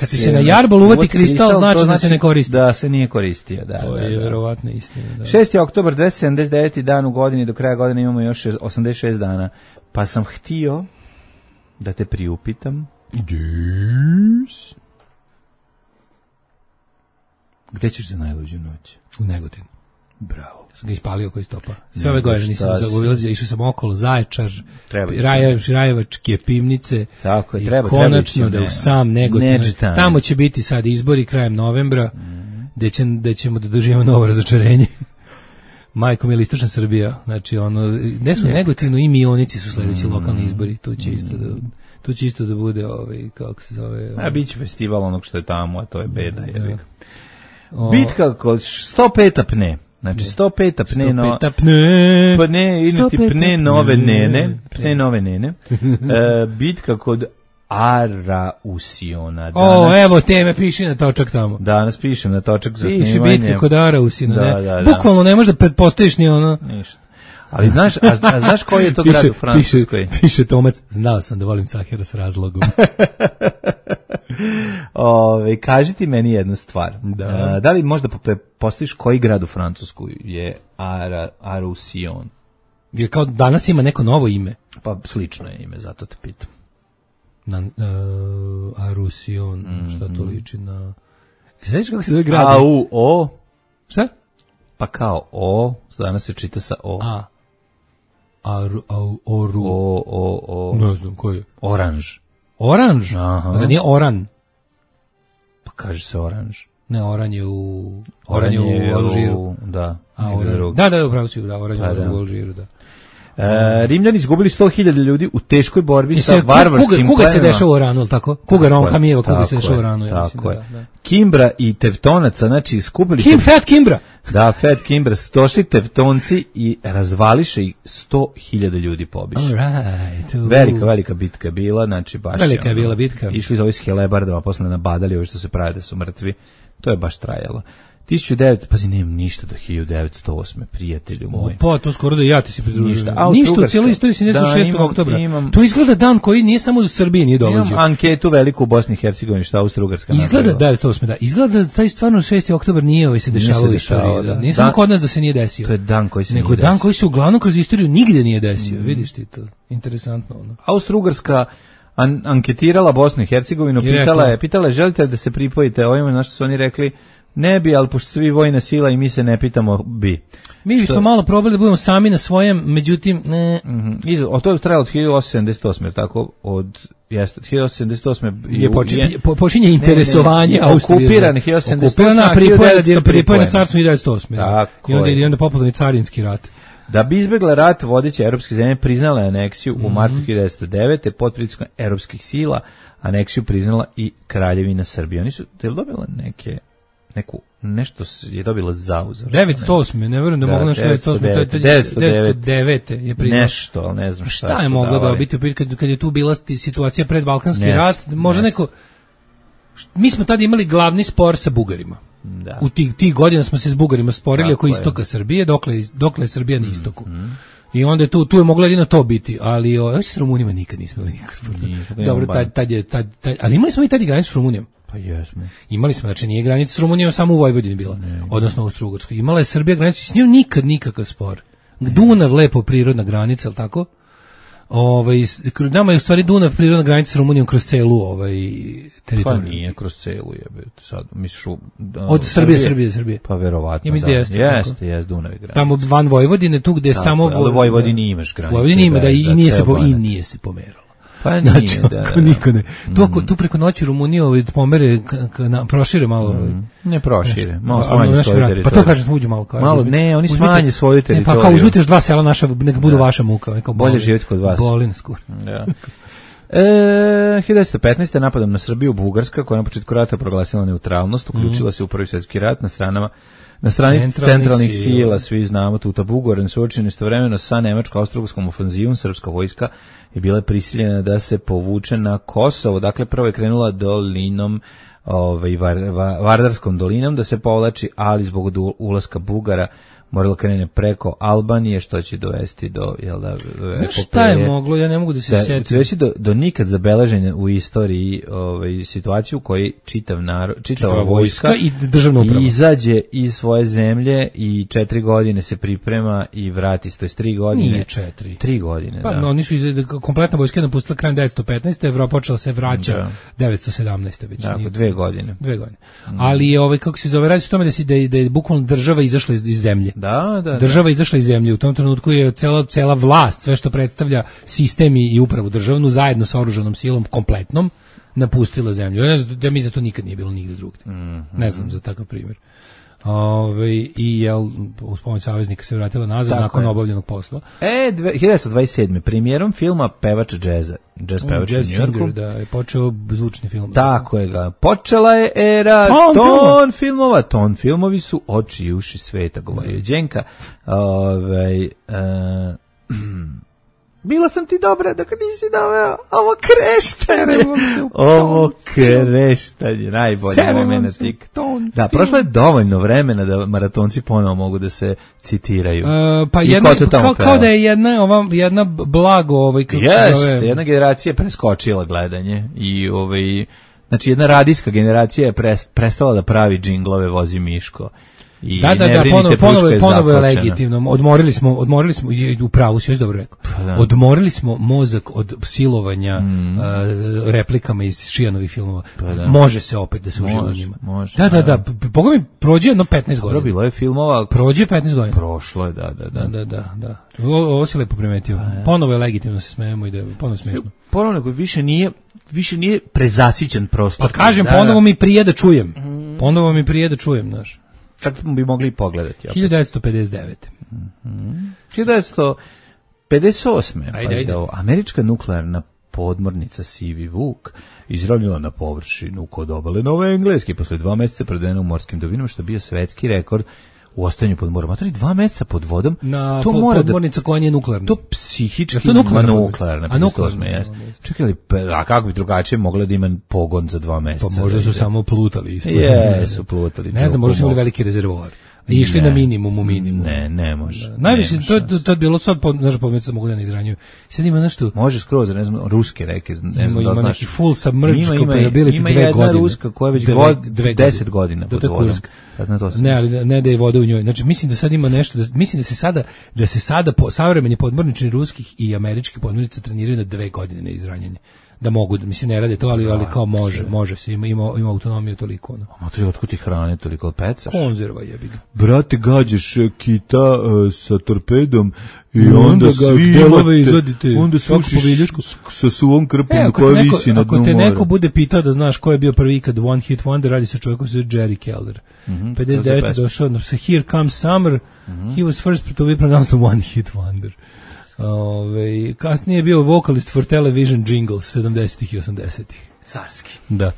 kad ti se na Jarbol uvati kristal, znači da se ne koristi. Da se nije koristio, da. To je verovatno istina. 6. oktobar 279. dan u godini, do kraja godine imamo još 86 dana. Pa sam htio da te priupitam. Gde ćeš za najluđu noć? U Negotinu. Bravo. Sam ga ispalio koji stopa. Sve ove godine nisam zaobilazio, išao sam okolo, Zaječar, Rajevačke pivnice. Tako je, i konačno da u sam Negotin. Tamo će biti sad izbori krajem novembra, gde ćemo da doživimo novo razočarenje. Majko mila, istočna Srbija, znači ono, gde su Negotinu i Mionici su sledeći lokalni izbori, tu će isto da bude, kako se zove... A biće festival onog što je tamo, a to je beda. Bitka kod 105 apne. Znači 105 pne nove nene. Bitka kod Arausiona. Evo teme, piši na točak tamo. Danas pišem na točak za snimanje. Piši bitka kod Arausiona, ne? Bukvalno ne možeš da pretpostaviš ni ono. Ništa. Ali znaš koji je to grad u Francuskoj? Piše Tomac, znao sam da volim Sahira s razlogom. Kaži ti meni jednu stvar. Da li možda postaviš koji grad u Francuskoj je Arausion? Jer kao danas ima neko novo ime. Pa slično je ime, zato te pitam. Arausion, šta to liči na... Znaš kako se zove grad? O. Šta? Pa kao O, danas se čita sa O. Oru. Ne znam, koji je? Oranž. Oranž? Zar nije Oran? Pa kaže se Oranž. Ne, Oran je u Alžiru. Da. Da, upravo si, Oran je u Alžiru, da. Rimljani izgubili 100.000 ljudi u teškoj borbi sa varvarskim plemima. Kuga se dešava u Oranu, ili tako? Kuga Romkamijeva, kuga se dešava u Oranu. Tako je. Kimbra i Tevtonaca, znači skupili se... Fat Kimbra! Da, Fat Kimbra, došli Tevtonci i razvališe i 100.000 ljudi pobiše. Velika bitka je bila, znači baš... Velika je bila bitka. Išli za ovi s helebardama, posle nabadali ovi što se pravi da su mrtvi. To je baš trajalo. 1900, pazi, nemam ništa do 1908. prijatelju moj. Pa, to skoro da ja ti se pridružujem. Ništa u cijeloj istoriji se 6. oktobra. To izgleda dan koji nije samo u Srbiji nije dolazio. Imam anketu veliku u Bosni i Hercegovini šta Austro-Ugarska napravila. Izgleda 908. Da. Izgleda da taj stvarno 6. oktobar nije se dešavao u istoriji. Da. Nije samo kod nas da se nije desio. To je dan koji se nije desio. Nego dan koji se uglavnom kroz istoriju nigde nije desio. Vidiš ti to. Interesantno. Austro-Ugarska anketirala Bosnu i Hercegovinu, pitala je želite da se pripojite ovima, na što su oni rekli ne bi, ali pošto svi vojna sila i mi se ne pitamo bi. Mi smo malo probali da budemo sami na svojem, međutim, ne. To je trajalo od 1878, tako? Od 1878. Počinje interesovanje Austrije. Okupiran 1878. Okupirana, pripojena carstvo 1908. I onda popularni carinski rat. Da bi izbjegla rat, vodeće evropske zemlje priznala je aneksiju u martu 1909. pod pritiskom evropskih sila. Aneksiju priznala i Kraljevina Srbije. Oni su dobila nešto je dobila zauzor. 908. Ne verujem da mogla nešto 909. je priznala. Nešto, ali ne znam šta je mogla dobiti kad je tu bila situacija pred Balkanski rat. Možda neko... Mi smo tada imali glavni spor sa Bugarima. Da. U tih godina smo se s Bugarima sporili oko istoka Srbije, dokle je Srbija na istoku. I onda tu je moglo jedino to biti, ali s Rumunima nikad nismo imali nikakvog sporta. Dobro, ali imali smo i tad i granicu s Rumunijom. Pa jesmo. Imali smo, znači nije granica s Rumunijom, samo u Vojvodini bila, odnosno u Austro-Ugarskoj. Imala je Srbija granicu, s njom nikad nikakav spor. Dunav lepo prirodna granica, al tako? Nama je u stvari Dunav prirodna granica s Rumunijom kroz celu teritoriju. Pa nije kroz celu, sad misliš od Srbije. Pa verovatno. Ja jeste Dunav je granica. Tamo van Vojvodine, tu gde samo u Vojvodini imaš granicu. Vojvodini ima i nije se pomeralo. Pa nije, niko ne. Tu preko noći Rumuniju pomere, prošire malo. Ne prošire, malo smanje svoju teritoriju. Pa to kažem, uđu malo. Ne, oni smanje svoju teritoriju. Pa kao uzmite još 2 sela naša, neka budu vaša muka. Bolje živjeti kod vas. Boli nas kur. 1915. napadom na Srbiju Bugarska, koja na početku rata proglasila neutralnost, uključila se u Prvi svjetski rat na strani centralnih sila, svi znamo, Tuta Bugoren suočeni istovremeno sa nemačko-austrougarskom ofanzivom, srpska vojska je bila prisiljena da se povuče na Kosovo. Dakle, prvo je krenula dolinom, Vardarskom dolinom da se povlači, ali zbog ulaska Bugara moralo krene preko Albanije, što će dovesti do, jel da, znaš šta je moglo, ja ne mogu da se sjetim. Reći do nikad zabeleženja u istoriji situaciju u kojoj čitava vojska i državna uprava izađe iz svoje zemlje i 4 godine se priprema i vrati se, to je 3 godine. Nije 4. 3 godine, pa, da. No, oni su kompletna vojska napustila krajem 1915. Evropa počela se vraća 1917. već. Dakle, 2 godine. 2 godine. Ali je kako se zove, radi se o tome da je bukvalno država izašla iz zemlje. Da. Država izašla iz zemlje. U tom trenutku je cela vlast, sve što predstavlja sistem i upravu državnu, zajedno sa oružanom silom kompletnom, napustila zemlju. Ja znam da mi za to nikad nije bilo nigde drugde. Ne znam za takav primjer. I uz pomoć saveznika se vratila nazad nakon obavljenog posla. 1927. premijerom filma Pevač džeza. Jazz pevač u Njujorku. Da, je počeo zvučni film. Tako je ga. Počela je era ton filmova. Ton filmovi su oči i uši sveta, govorio Đenka. Bila sam ti dobra dok nisi doveo ovo kreštanje, najbolje vremena tik. Da, prošlo je dovoljno vremena da maratonci ponovo mogu da se citiraju. Pa kao da je jedna blago jedna generacija je preskočila gledanje i znači jedna radijska generacija je prestala da pravi džinglove Vozi Miško. Ponovo je legitimno. Odmorili smo, u pravu si još dobro rekao. Odmorili smo mozak od silovanja replikama iz Šijanovih filmova. Može se opet da se uživa njima. Da. Pogledaj, prođe jedno 15 godina. Bilo je filmova. Prođe 15 godina. Prošlo je, da. Ovo si lepo primetio. Ponovo je legitimno se smejemo i da je ponovo smiješno. Ponovo više nije prezasićen prostor. Pa kažem, ponovo mi prije da čujem. Ponovo mi prije da čujem, znaš. Čak bi mogli pogledati. 1959. 1958. Američka nuklearna podmornica Sivi Vuk izravnjala na površinu kod obale Nove Engleske posle 2 meseca predena u morskim dubinama, što je bio svetski rekord u ostajanju pod morom. A to je 2 meseca pod vodom. Na podmornica koja nije nuklearna. To psihički nuklearna. A nuklearna, jes. Čekaj, a kako bi drugačije mogla da ima pogon za 2 meseca? Pa možda su samo plutali. Jesu plutali. Ne znam, možda su imali veliki rezervoar. I išli na minimum. Ne može. Najviše, to je bilo sad, naša podmornica mogu da ne izranjuju. Sad ima nešto... Može skroz, ne znam, ruske reke. Ima neki full submerged capability 2 godine. Ima jedna ruska koja već 10 godina pod vodom. Ne, ali ne da je voda u njoj. Znači, mislim da sad ima nešto, mislim da se sada savremeni podmornični ruskih i američkih podmornica treniraju na 2 godine na izranjanje. Da mogu, mislim ne rade to, ali kao može se, ima autonomiju toliko. A to je otkud ti hrane toliko, pecaš? Konzerva jebi ga. Brate, gađaš kita sa torpedom i onda svi imate, onda sušiš sa suvom krpom koja visi na dnu mora. Ako te neko bude pitao da znaš ko je bio prvi ikad One Hit Wonder, radi se čovjek koji se zove Jerry Keller. 59. došao sa Here Comes Summer, he was first to be pronounced One Hit Wonder. Kasnije je bio vokalist for television jingles 70-ih i 80-ih. Carski. Da.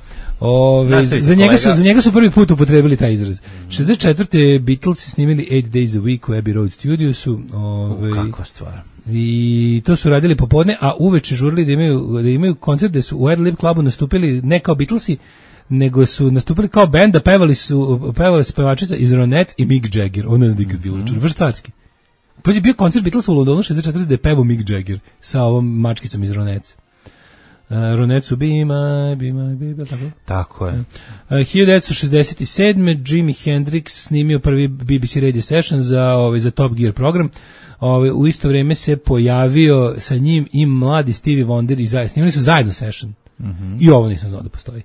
Za njega su prvi put upotrebili taj izraz. 64. Beatles snimili 8 Days a Week u Abbey Road Studiosu. Kakva stvar. I to su radili popodne, a uveče žurili da imaju koncert gde su u Ad Lib Clubu nastupili ne kao Beatlesi, nego su nastupili kao band, a pevali su pevačica iz Ronettes i Mick Jagger. Ona zdi kad bilo vrš carski. Pa je bio koncert Beatlesa u Londonu 64. da je pevao Mick Jagger sa ovom mačkicom iz Ronettes. Ronettes su Be My, tako? Tako je. 1967. Jimi Hendrix snimio prvi BBC radio session za Top Gear program. U isto vrijeme se pojavio sa njim i mladi Stevie Wonder i snimili su zajedno session. I ovo nisam znao da postoji.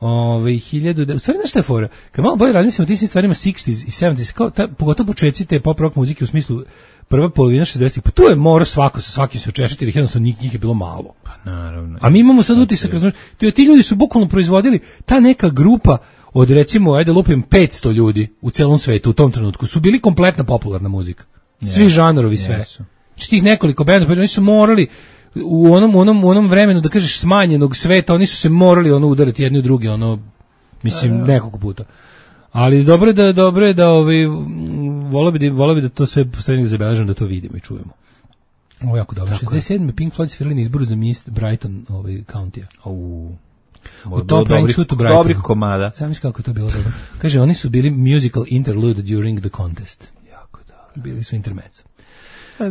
U stvari nešto je fora. Kad malo bolje razmislimo o tim stvarima 60s i 70s, pogotovo početci te pop rock muzike u smislu prva polovina 60-ih, pa tu je morao svako sa svakim se očešati, jer jednostavno njih je bilo malo. Pa naravno. A mi imamo sad utisak, ti ljudi su bukvalno proizvodili, ta neka grupa od recimo, ajde lupim 500 ljudi u celom svetu u tom trenutku, su bili kompletna popularna muzika. Svi žanrovi, sve. Znači tih nekoliko benda, oni su morali u onom vremenu, da kažeš, smanjenog sveta, oni su se morali udarati jedni u drugi, nekoliko puta. Ali dobro je da voleo bi da to sve postavljeno zabeleženo, da to vidimo i čujemo. Ovo je jako dobro. 67. Pink Floyd svirali na izboru za Miss Brighton County-a. U tom Prankshutu Brighton. Dobrih komada. Sam misli kako je to bilo dobro. Kaže, oni su bili musical interlude during the contest. Jako dobro. Bili su intermezzo.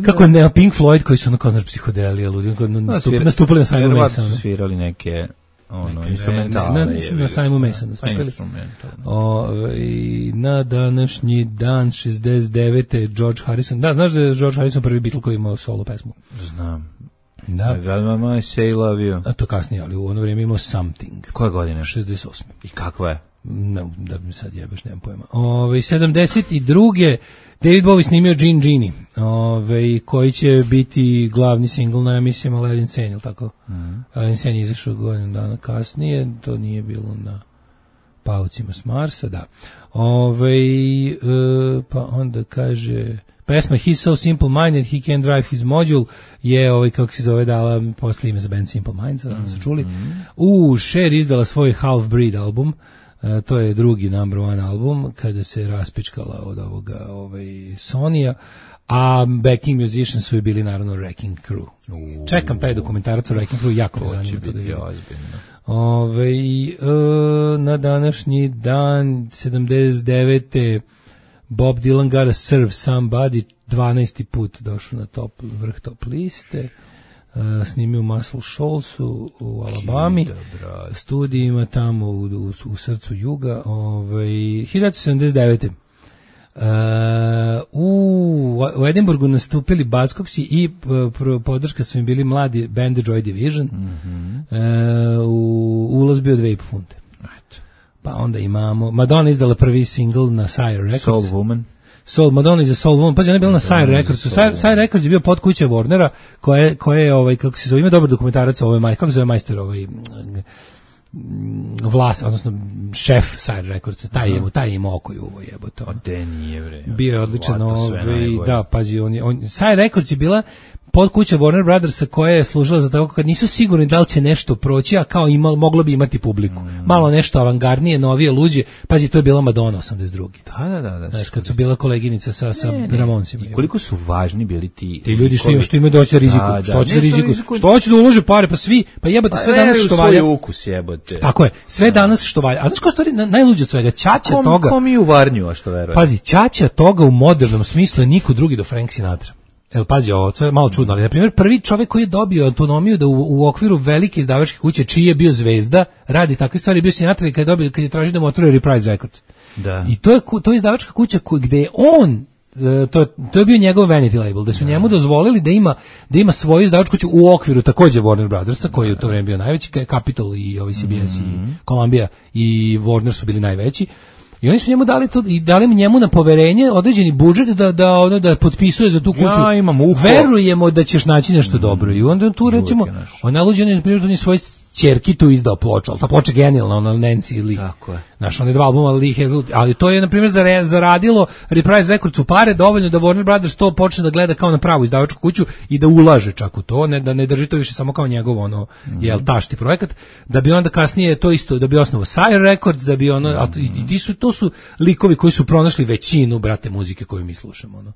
Kako ne Pink Floyd koji su ono kao znaš psihodelija, ludi, nastupili na Simon Mason. Svirali neke instrumentale. Na Simon Mason nastupili. Na današnji dan 69. George Harrison. Da, znaš da je George Harrison prvi Beatle koji imao solo pesmu? Znam. Da. Mama Say Love You. A to kasnije, ali u ono vrijeme imao Something. Koje godine? 68. I kakva je? No, da mi sad jebeš, nemam pojma. 72. David Bowie snimio Gin Genie, koji će biti glavni singl na emisijama Aladdin Sane, ili tako? Aladdin Sane je izašao godinu dana kasnije, to nije bilo na paucima s Marsa, da. Pa onda kaže... Pesma He's So Simple Minded, He Can't Drive His Module je, kako se zove, dala posle ime za band Simple Minds, da su čuli. Cher izdala svoj Half Breed album, to je drugi number one album, kada se raspičkala od ovoga Sonija, a backing musicians su bili naravno Wrecking Crew. Čekam taj dokumentarac o Wrecking Crew, jako me zanima to da vidim. Na današnji dan 79. Bob Dylan Gotta Serve Somebody 12. put došao na vrh top liste. Snimio u Muscle Shoalsu u Alabami, studijima tamo u srcu juga. 1979. U Edinburgu nastupili Buzzcocksi i podrška su im bili mladi band The Joy Division. Ulaz bio 2,5 funte. Pa onda imamo Madonna izdala prvi single na Sire Records. Madonna iza Soul Woman. Pa ona je bila na Sire Recordsu. Sire Records je bio pod kuće Warnera, koje je kako se zove, ima dobar dokumentarac, kako se zove majstor, odnosno šef Sire Recordsa, taj je imao oko i uvo jebote. Bio je odličan, da, pazi, Sire Records je bila pod kuća Warner Brothersa koja je služila za tako kad nisu sigurni da li će nešto proći, a kao moglo bi imati publiku. Malo nešto avangardnije, novije, luđe. Pazi, to je bila Madonna 82. Da. Znaš, kad su bila koleginica sa Ramonsima. I koliko su važni bili ti ljudi što imaju doći da riziku. Što hoće da ulože pare, pa svi, pa jebote, sve danas što valja. Svoj ukus jebote. Tako je, sve danas što valja. A znaš kao stvari, najluđe od svega, ćaća toga. Kom i u Varnju, a što veruje. Pazi, ćaća toga u modernom smislu je niko drugi do Frank Sinatra. Evo, pazi, ovo, to je malo čudno, ali, na primjer, prvi čovjek koji je dobio autonomiju da u okviru velike izdavačke kuće, čiji je bio zvezda, radi takve stvari, bio Sinatra i kad je tražio da mu otvore Reprise Records. Da. I to je izdavačka kuća gde je on, to je bio njegov vanity label, da su njemu dozvolili da ima svoju izdavačku kuću u okviru takođe Warner Brothersa, koji je u to vreme bio najveći, Capitol i CBS i Columbia i Warner su bili najveći. I oni su njemu dali to i dali njemu na poverenje određeni budžet da potpisuje za tu kuću. Ja imam uho. Verujemo da ćeš naći nešto dobro. I onda tu recimo on naluđen je na primjer da on je svoje ćerki tu izdao ploču, ali ta ploča genijalna, ona Nancy Lee. Tako je. Znaš, one dva albuma Lee Hazel, ali to je na primjer zaradilo Reprise Records u pare dovoljno da Warner Brothers to počne da gleda kao na pravu izdavačku kuću i da ulaže čak u to, da ne drži to više samo kao njegov tašti projekat, da bi onda kasnije to isto, da bi osnovao Sire Records, da bi to su likovi koji su pronašli većinu, brate, muzike koju mi slušamo,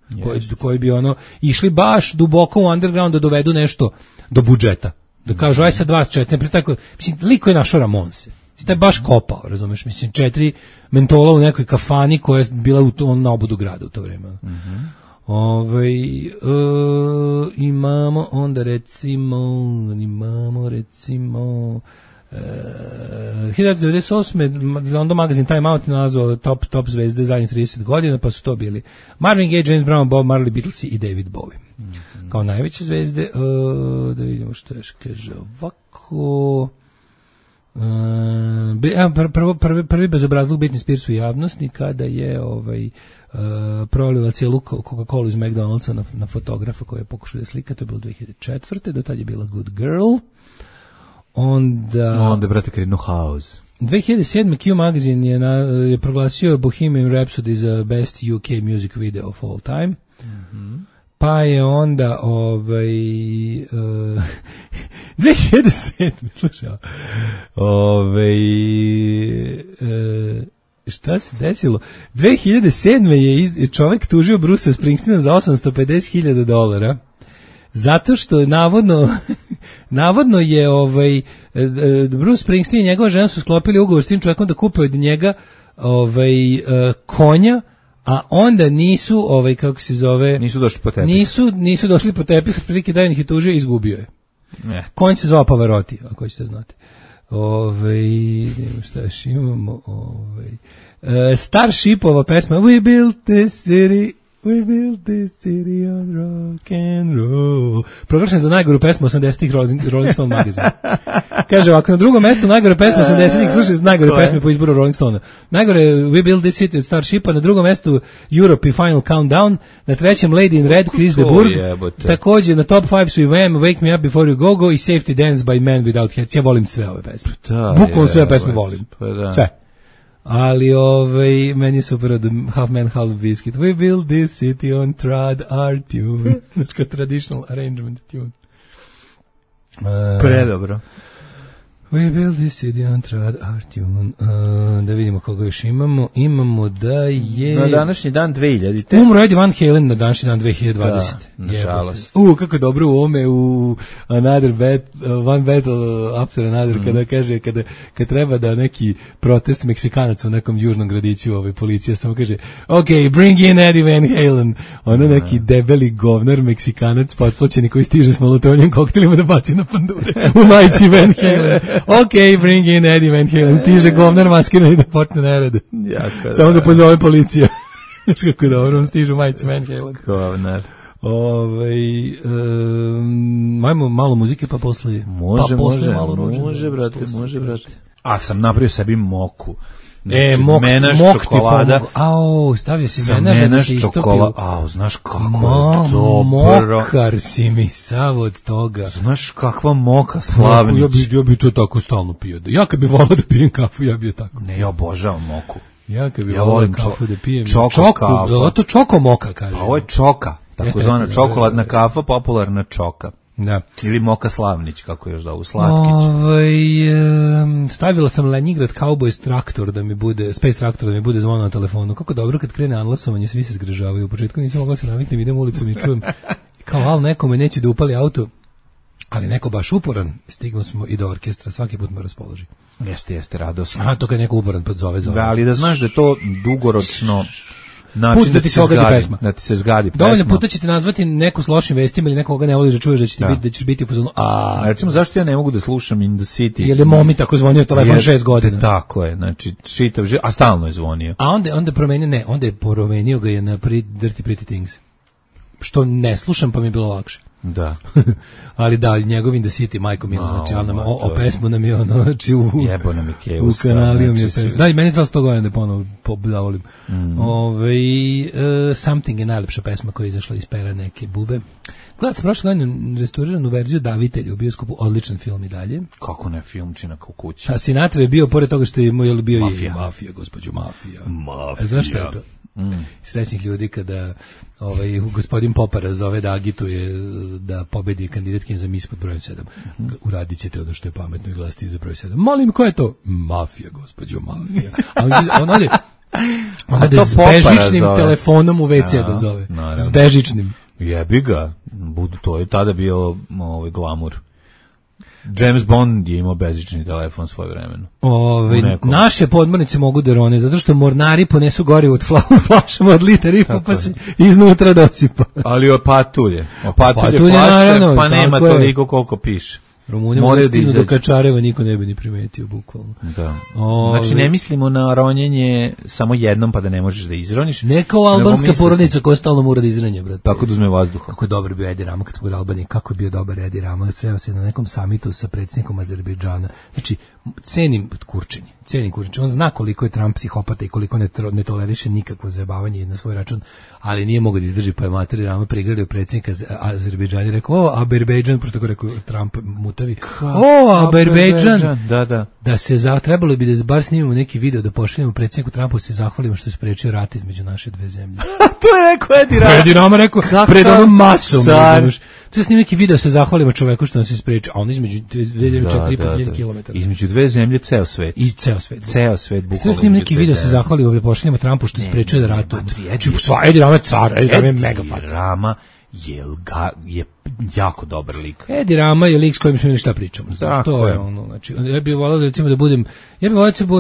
koji bi išli baš duboko u underground da dovedu nešto do budžeta. Da kažu, aj sad 24, tako, mislim, liko je našao Ramonse. Taj je baš kopao, razumeš, mislim, 4 mentola u nekoj kafani koja je bila na obodu grada u to vreme. Imamo onda recimo 1998. London Magazine Time Out nazvao top zvezde zadnjih 30 godina, pa su to bili Marvin Gaye, James Brown, Bob Marley, Beatlesi i David Bowie. Kao najveće zvezde. Da vidimo što još kaže ovako. Prvi bezobrazluk Britney Spears u javnosti kada je prolila cijelu Coca-Cola iz McDonald'sa na fotografa koji je pokušao da slika, to je bilo 2004. Do tad je bila Good Girl. Onda brate Karinu House. 2007. Q Magazine je proglasio Bohemian Rhapsody za best UK music video of all time. Pa je onda 2007. slušaj, šta se desilo? 2007. je čovjek tužio Bruce Springsteena za $850,000 zato što navodno je Bruce Springsteen i njegova žena su sklopili ugovor s tim čovjekom da kupe od njega konja, A onda nisu, kako se zove... Nisu došli po tepih. Nisu došli po tepih, otprilike Dajan ih je tužio i izgubio je. Konj se zvao Pavarotti, ako hoćete znati. Šta još imamo? Starshipova pesma We built this city on rock and roll. Proglašen za najgoru pesmu 80-ih Rolling Stone magazina. Kaže ovako, na drugom mestu najgore pesme 80-ih, slušaj, najgore pesme po izboru Rolling Stone. Najgore We built this city od Starshipa, na drugom mestu Europe i Final Countdown, na trećem Lady in Red, Chris de Burgh. Također na top 5 su i Wham, Wake Me Up Before You Go i Safety Dance by Men Without Hats. Ja volim sve ove pesme. Bukvalno sve pesme volim. Sve. Ali meni je super od Half Man, Half Biscuit. We build this city on trad our tune. Znači traditional arrangement tune. Predobro. We build this city on trad our tune. Da vidimo koga još imamo. Imamo da je... Na današnji dan 2000. Umro Eddie Van Halen na današnji dan 2020. Da, nažalost. Kako dobro u ome u One Battle After Another, kada kaže, kad treba da neki protest Meksikanaca u nekom južnom gradiću, policija samo kaže, ok, bring in Eddie Van Halen. Ono neki debeli govnar Meksikanac, potplaćeni koji stiže s molotovnjim koktelima da baci na pandure u majici Van Halen. Ok, bring in Eddie Van Halen. Stiže govnar maskiran i da počne nerede. Samo da pozove policija. Znaš kako dobro, on stiže u majici Van Halen. Govnar. Majmo malo muzike pa posle. Može, brate. A sam napravio sebi moku. Menaš čokolada. Stavio si menaž da se istopio. Znaš kako je dobro. Mokar si mi sav od toga. Znaš kakva moka, Slavnić. Ja bi to tako stalno pio. Ja kad bi volao da pijem kafu, ja bi je tako. Ne, ja obožavam moku. Ja kad bi volao kafu da pijem. Čoko, to čoko moka, kaže. Pa ovo je čoka. Tako zvana čokoladna kafa, popularna čoka. Da. Ili Moka Slavnić, kako još da u Slatkić. Stavila sam Leningrad Cowboys traktor da mi bude, Space traktor da mi bude zvono na telefonu. Kako dobro kad krene anlasovanje, svi se zgražavaju. U početku nisam mogla se naviknem, idem ulicom i čujem kao nekome neće da upali auto, ali neko baš uporan. Stigli smo i do orkestra, svaki put me raspoloži. Jeste, radosno. To kad neko uporan podzove. Da, ali da znaš da je to dugoročno način da ti se zgadi pesma. Da ti se zgadi pesma. Dovoljno puta će te nazvati neku s lošim vestima ili nekoga ne voliš da čuješ da ćeš biti u fazonu. Recimo, zašto ja ne mogu da slušam In the City? Jer je momi tako zvonio telefon 6 godina. Tako je, znači čitav život, a stalno je zvonio. A onda je promenio ga je na Dirty Pretty Things. Što ne slušam pa mi je bilo lakše. Da. Ali da, njegov In the City, majko milo, znači o pesmu nam je ono, znači u kanaliju mi je pesmu. Da, i meni je 100 godina da ponovo zavolim. Something je najlepša pesma koja je izašla iz pera neke bube. Gledala sam prošle godine restauriranu verziju Davitelja u bioskopu, odličan film i dalje. Kako ne, filmčina kao kuća. A Sinatra je bio, pored toga što je bio Mafija, gospođo Mafija. Znaš šta je to? Srećnih ljudi kada gospodin Popara zove da agituje da pobedi kandidatkin za mis pod brojem 7. Uradit ćete ono što je pametno i glasiti za broj 7. Molim, ko je to? Mafija, gospođo Mafija. On ode s bežičnim telefonom u WC da zove. S bežičnim. Jebi ga. To je tada bio glamur. James Bond je imao bežični telefon svoje vremenu. Naše podmornice mogu da rone, zato što mornari ponesu gorivo od flašama od liter i pa se iznutra dosipa. Ali opatulje flaše, naravno, pa nema toliko koliko piše. Rumuni moraju da do Kačareva, niko ne bi ni primetio, bukvalno. Da. Znači, ne mislimo na ronjenje samo jednom, pa da ne možeš da izroniš. Ne kao albanska porodica koja stalno mora da izranje, brate. Tako da uzme vazduha. Kako je dobar bio Edi Rama kad smo u Albaniji, kako je bio dobar Edi Rama, sreo se na nekom samitu sa predsjednikom Azerbejdžana. Znači, cenim Kurčenje. On zna koliko je Trump psihopata i koliko ne toleriše nikakvo zajebavanje na svoj račun, ali nije mogao da izdrži, pa je Materi Rama prigradio predsjednika Azerbejdžana i rekao, Azerbejdžan, pošto tako rekao Trump mutavi, Azerbejdžan, da se trebalo bi da bar snimimo neki video da pošaljemo predsjedniku Trumpu, se zahvalimo što je sprečio rat između naše dve zemlje. To je rekao Edi Rama. Edi Rama rekao pred onom masom. To je snimim neki video, se zahvalimo čoveku što nas je sprečio, a on između dve zemlje 4.500 km. Između dve zemlje ceo svet. Ceo svet bukvalno. To je snimim neki video, se zahvalimo da pošaljemo Trumpu što je sprečio da ratuje. Edi Rama je car, Edi Rama je mega faca. Rama je jako dobar lik. Edi Rama je lik s kojim smo imali šta pričamo. To je ono, znači, ja bih volao recimo da budem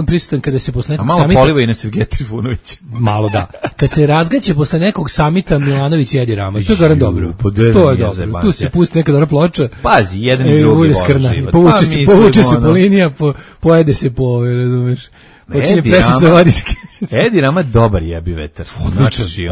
prisutan kada se posle nekog samita... A malo poliva i na Sergeja Trifunovića. Malo da. Kad se razgaće posle nekog samita Milanović i Edi Rama, to je garant dobro. To je dobro. Tu se pusti neka dobra ploča. Pazi, jedan i drugi vole život. Povuče se po linija, pojede se po, razumeš. Edi Rama dobar jebi vetar.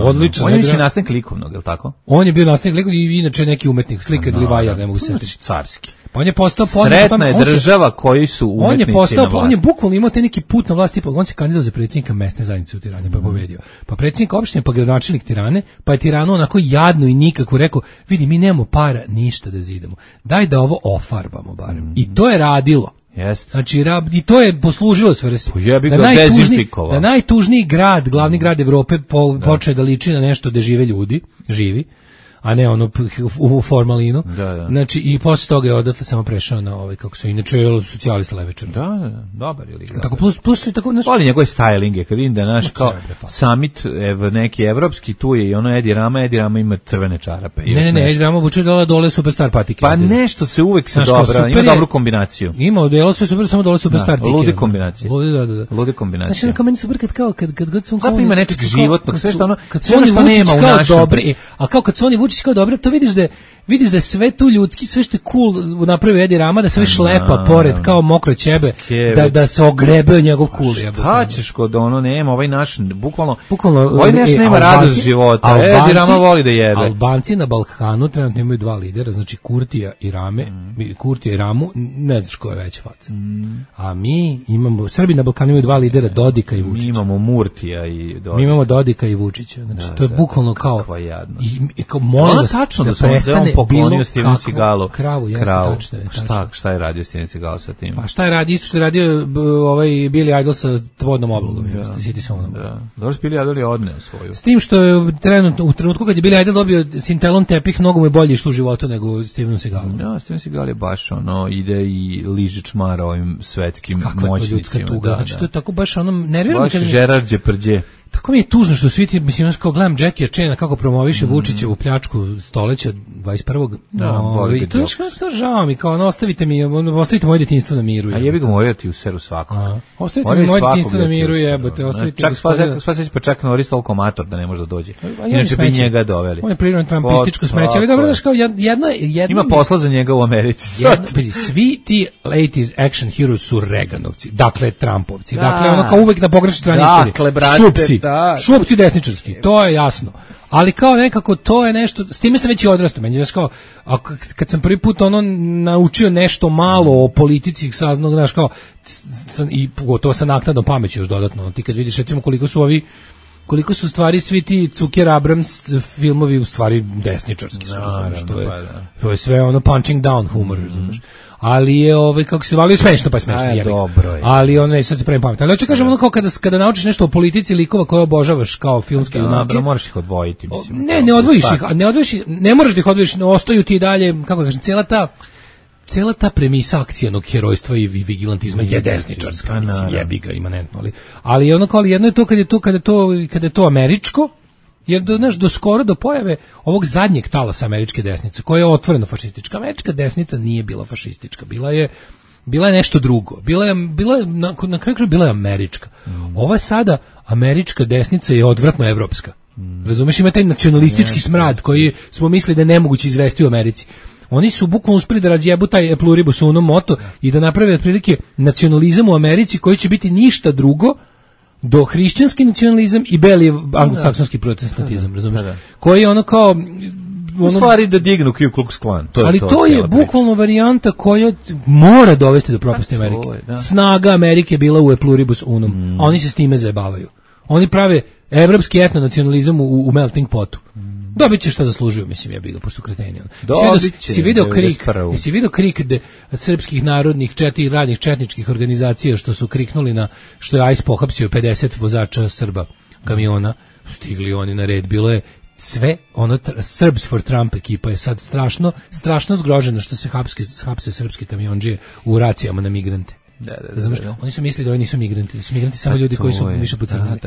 Odličan. On je mislim nastavnik likovnog, je li tako? On je bio nastavnik likovnog i inače neki umetnik, slikar ili vajar, ne mogu se setiti. Carski. Pa on je postao sretna je država koji su umetnici na vlasti. On je bukvalno imao te neki put na vlast, tipa on se kandidovao za predsjednika mesne zajednice u Tirani, pa je pobedio. Pa predsjednik opštine, pa gradonačelnik Tirane, pa je Tiranu onako jadno i nikako rekao, vidi, mi nemamo para ništa da zidamo. Daj da ovo ofarbamo barem. I to je radilo. Jest. Znači, i to je poslužilo svrsi. Da najtužniji grad, glavni grad Evrope počeo da liči na nešto gde živi, a ne ono u formalinu. Da. Znači, i posle toga je odatle samo prešao na ovaj, kako se inače je socijalista levičar. Da, dobar je lik. Tako, plus tako... Volim njegove stylinge, kad vidim da je naš kao summit neki evropski, tu je i ono Edi Rama ima crvene čarape. Ne, Edi Rama obuče dole superstar patike. Pa nešto se uvek se dobra, ima dobru kombinaciju. Ima odelo sve super, samo dole superstar patike. Ludi kombinacije. Ludi kombinacije. Znači, kao meni super kad god su... Zapravo ima nečeg životnog, sve što ono... Kad su oni Vučić kao dobri, a kao kad su oni Vučić kao dobro, to vidiš da je sve tu ljudski, sve što je cool napravio Edi Rama, da sve šlepa pored kao mokro ćebe, da se ogrebe njegov cool. Šta ćeš kod ono, nema, ovaj naš, bukvalno ovaj naš nema radost života, Edi Rama voli da jebe. Albanci na Balkanu trenutno imaju dva lidera, znači Kurtija i Ramu, ne znaš ko je veća faca. A mi imamo, Srbi na Balkanu imaju dva lidera, Dodika i Vučića. Mi imamo Murtija i Dodika. Mi imamo Dodika i Vučića, znači to je bukvalno kao... Kakva jadnost. Da prestane poklonio Steven Seagalu kravu. Šta je radio Steven Seagal sa tim? Pa šta je radio? Isto što je radio ovaj Billy Idol sa vodnom oblogom. Dobro, Billy Idol je odneo svoju. S tim što je u trenutku kad je Billy Idol dobio Cintelon tepih, mnogo mu je bolje išlo u životu nego Steven Seagal. Ja, Steven Seagal je baš ono, ide i liže čmara ovim svetskim moćnicima. Kakva je to ljudska tuga. Znači to je tako baš ono, nervira me. Baš Gerard Depardieu. Tako mi je tužno što svi ti, mislim, kao gledam Jackie Chana kako promoviše Vučićevu pljačku stoleća 21. I to je što žao mi, kao ostavite moje djetinjstvo na miru. A jebi ga moraju ti u seru svako. Ostavite mi moje djetinjstvo na miru, jebote. Pa čak Norris toliko mator da ne može da dođe. Inače bi njega doveli. On je prirodno trampističko smeće, ali dobro, znaš kao jedno... Ima posla za njega u Americi. Svi ti 80s action heroes su Reaganovci, dakle Trumpovci, dakle ono kao uvek na pogrešnoj strani istorije. Šupci desničarski, to je jasno. Ali kao nekako to je nešto, s time sam već i odrastao, meni je kao, kad sam prvi put ono naučio nešto malo o politici, saznao, znaš kao, i pogotovo sa naknadnom pameću još dodatno, ti kad vidiš recimo koliko su stvari svi ti Zucker Abrams filmovi u stvari desničarski su, to je sve ono punching down humor, znaš. Ali je kako se zvali smešno, pa je smešno, dobro je. Ali ono je sad se pravim pamet. Ali hoću kažem ono kao kada naučiš nešto o politici likova koje obožavaš kao filmske junake. Moraš ih odvojiti, mislim. Ne odvojiš ih, ne moraš da ih odvojiš, ostaju ti dalje, kako da kažem, cela ta premisa akcijanog herojstva i vigilantizma je desničarska, mislim, jebi ga imanentno, ali ono kao jedno je to kada je to američko. Jer do skoro do pojave ovog zadnjeg talasa američke desnice, koja je otvoreno fašistička. Američka desnica nije bila fašistička, bila je nešto drugo. Na kraju bila je američka. Ova sada američka desnica je odvratno evropska. Razumeš, ima taj nacionalistički smrad koji smo mislili da je nemoguće izvesti u Americi. Oni su bukvalno uspeli da razjebu taj pluribus unum moto i da naprave otprilike nacionalizam u Americi koji će biti ništa drugo do hrišćanski nacionalizam i beli anglosaksonski protestantizam, razumiješ? Koji je ono kao... U stvari da dignu Ku Klux Klan. Ali to je bukvalno varijanta koja mora dovesti do propasti Amerike. Snaga Amerike bila u pluribus unum, a oni se s time zajebavaju. Oni prave evropski etnonacionalizam u melting potu. Dobit će šta zaslužuju, mislim, ja bih ga, pošto kreteni. Si vidio krik srpskih narodnih radnih četničkih organizacija što su kriknuli na što je ICE pohapsio 50 vozača Srba kamiona, stigli oni na red, bilo je sve, Serbs for Trump ekipa je sad strašno zgrožena što se hapse srpske kamionđije u racijama na migrante. Da. Oni su mislili da oni nisu migranti, da su migranti samo ljudi koji su više pocrnili.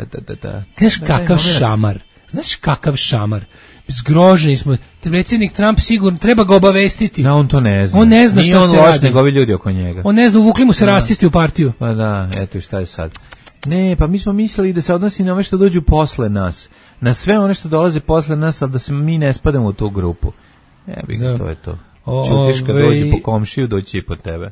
Znaš kakav šamar? zgroženi smo. Predsjednik Trump sigurno treba ga obavestiti. Da, on to ne zna. On ne zna šta se radi. Nego ovi ljudi oko njega. On ne zna, uvukli mu se rasisti u partiju. Pa da, eto šta je sad. Ne, pa mi smo mislili da se odnosi na ove što dođu posle nas. Na sve one što dolaze posle nas, ali da se mi ne spadamo u tu grupu. To je to. Čutiš kad dođe po komšiju, doći i po tebe.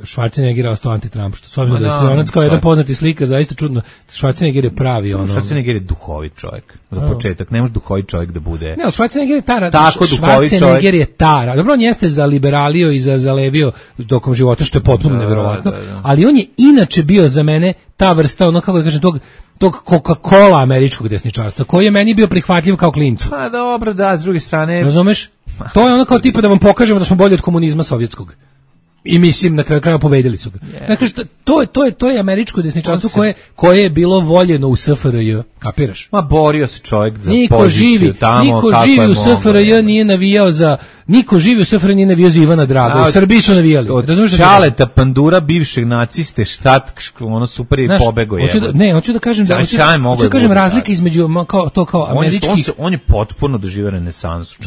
Schwarzenegger je ostao anti-Trump, što s obzirom da je stranac kao jedan poznati slika, zaista čudno. Schwarzenegger je pravi ono. Schwarzenegger je duhovit čovjek. Za početak, ne može duhovit čovjek da bude. Ne, Schwarzenegger je tara. Tako duhovit čovjek. Schwarzenegger je tara. Dobro, on jeste zaliberalio i zalevio tokom života, što je potpuno neverovatno, ali on je inače bio za mene ta vrsta, ono kako da kažem, tog Coca-Cola američkog desničarstva, koji je meni bio prihvatljiv kao klincu. Pa dobro, da, s druge strane. Razumeš? To je ono kao tipa da vam pokažemo da smo bolji od komunizma sovjetskog. I mislim na kraju krajeva pobedili su ga. Dakle, to je američko desničarstvo koje je bilo voljeno u SFRJ, kapiraš? Ma borio se čovjek za poziciju tamo. Niko živi u SFRJ nije navijao za Ivana Draga. U Srbiji su navijali. Čaleta pandura bivšeg naciste, štat, ono super i pobego je. Hoću da kažem razlika između kao američki. On je potpuno doživio renesansu.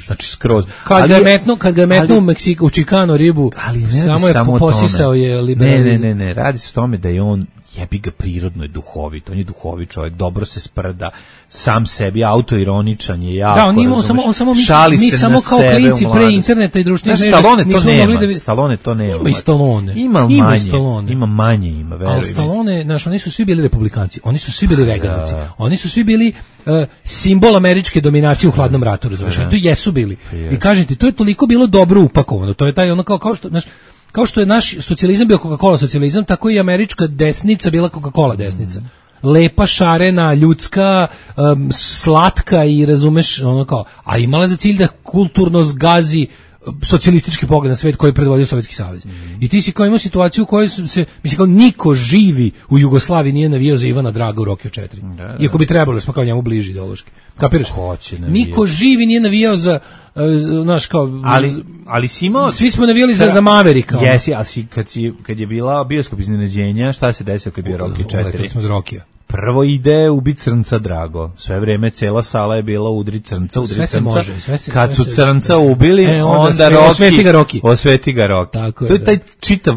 Znači skroz. Kad ga je metnuo u Čikano ribu, samo je posisao je liberalizam. Ne, radi se o tome da je on jebi ga prirodno je duhovit, on je duhovit čovjek, dobro se sprda, sam sebi autoironičan je jako. Da, mi samo kao klinci pre interneta i društvenih mreža nismo mogli da Stallone to nema. Ima i Stallone. Ima manje, veruj mi. Ali Stallone, oni su svi bili republikanci, oni su svi bili reganici, oni su svi bili simbol američke dominacije u hladnom ratu, razumiješ? To jesu bili. I kažete, to je toliko bilo dobro upakovano, to je taj ono kao što je naš socijalizam bio Coca-Cola socijalizam, tako i američka desnica bila Coca-Cola desnica. Lepa, šarena, ljudska, slatka i razumeš, ono kao, a imala za cilj da kulturno zgazi socijalistički pogled na svet koji je predvodio Sovjetski savez. I ti si kao imao situaciju u kojoj se, mislim kao niko živi u Jugoslaviji nije navijao za Ivana Draga u Rokiju 4. Iako bi trebalo, smo kao njemu bliži ideološki. Kapiraš? Niko živi nije navijao za naš kao ali si imao svi smo navijali za Maverika. Jesi, a kad je bila bioskop iznenađenja, šta se desilo kad je bio Rocky 4? Letali smo za Rokija. Prvo ide ubiti crnca Drago. Sve vreme cela sala je bila udri crnca. Kad su crnca ubili, onda Rocky. Osveti ga Rocky. To je taj čitav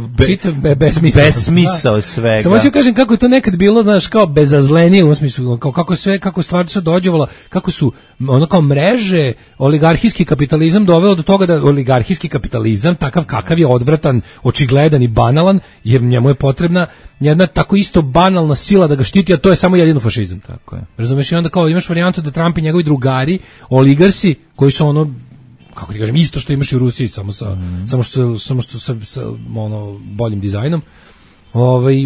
besmisao svega. Samo ću kažem kako je to nekad bilo, znaš, kao bezazlenije u smislu, kako stvar se dođevala, kako su ono kao mreže, oligarhijski kapitalizam doveo do toga da oligarhijski kapitalizam, takav kakav je odvratan, očigledan i banalan, jer njemu je potrebna jedna tako isto banalna sila da ga štiti, a to je samo jedino fašizam. Tako je. Razumeš, i onda kao imaš varijantu da Trump i njegovi drugari, oligarsi, koji su ono, kako ti kažem, isto što imaš i u Rusiji, samo što sa ono boljim dizajnom,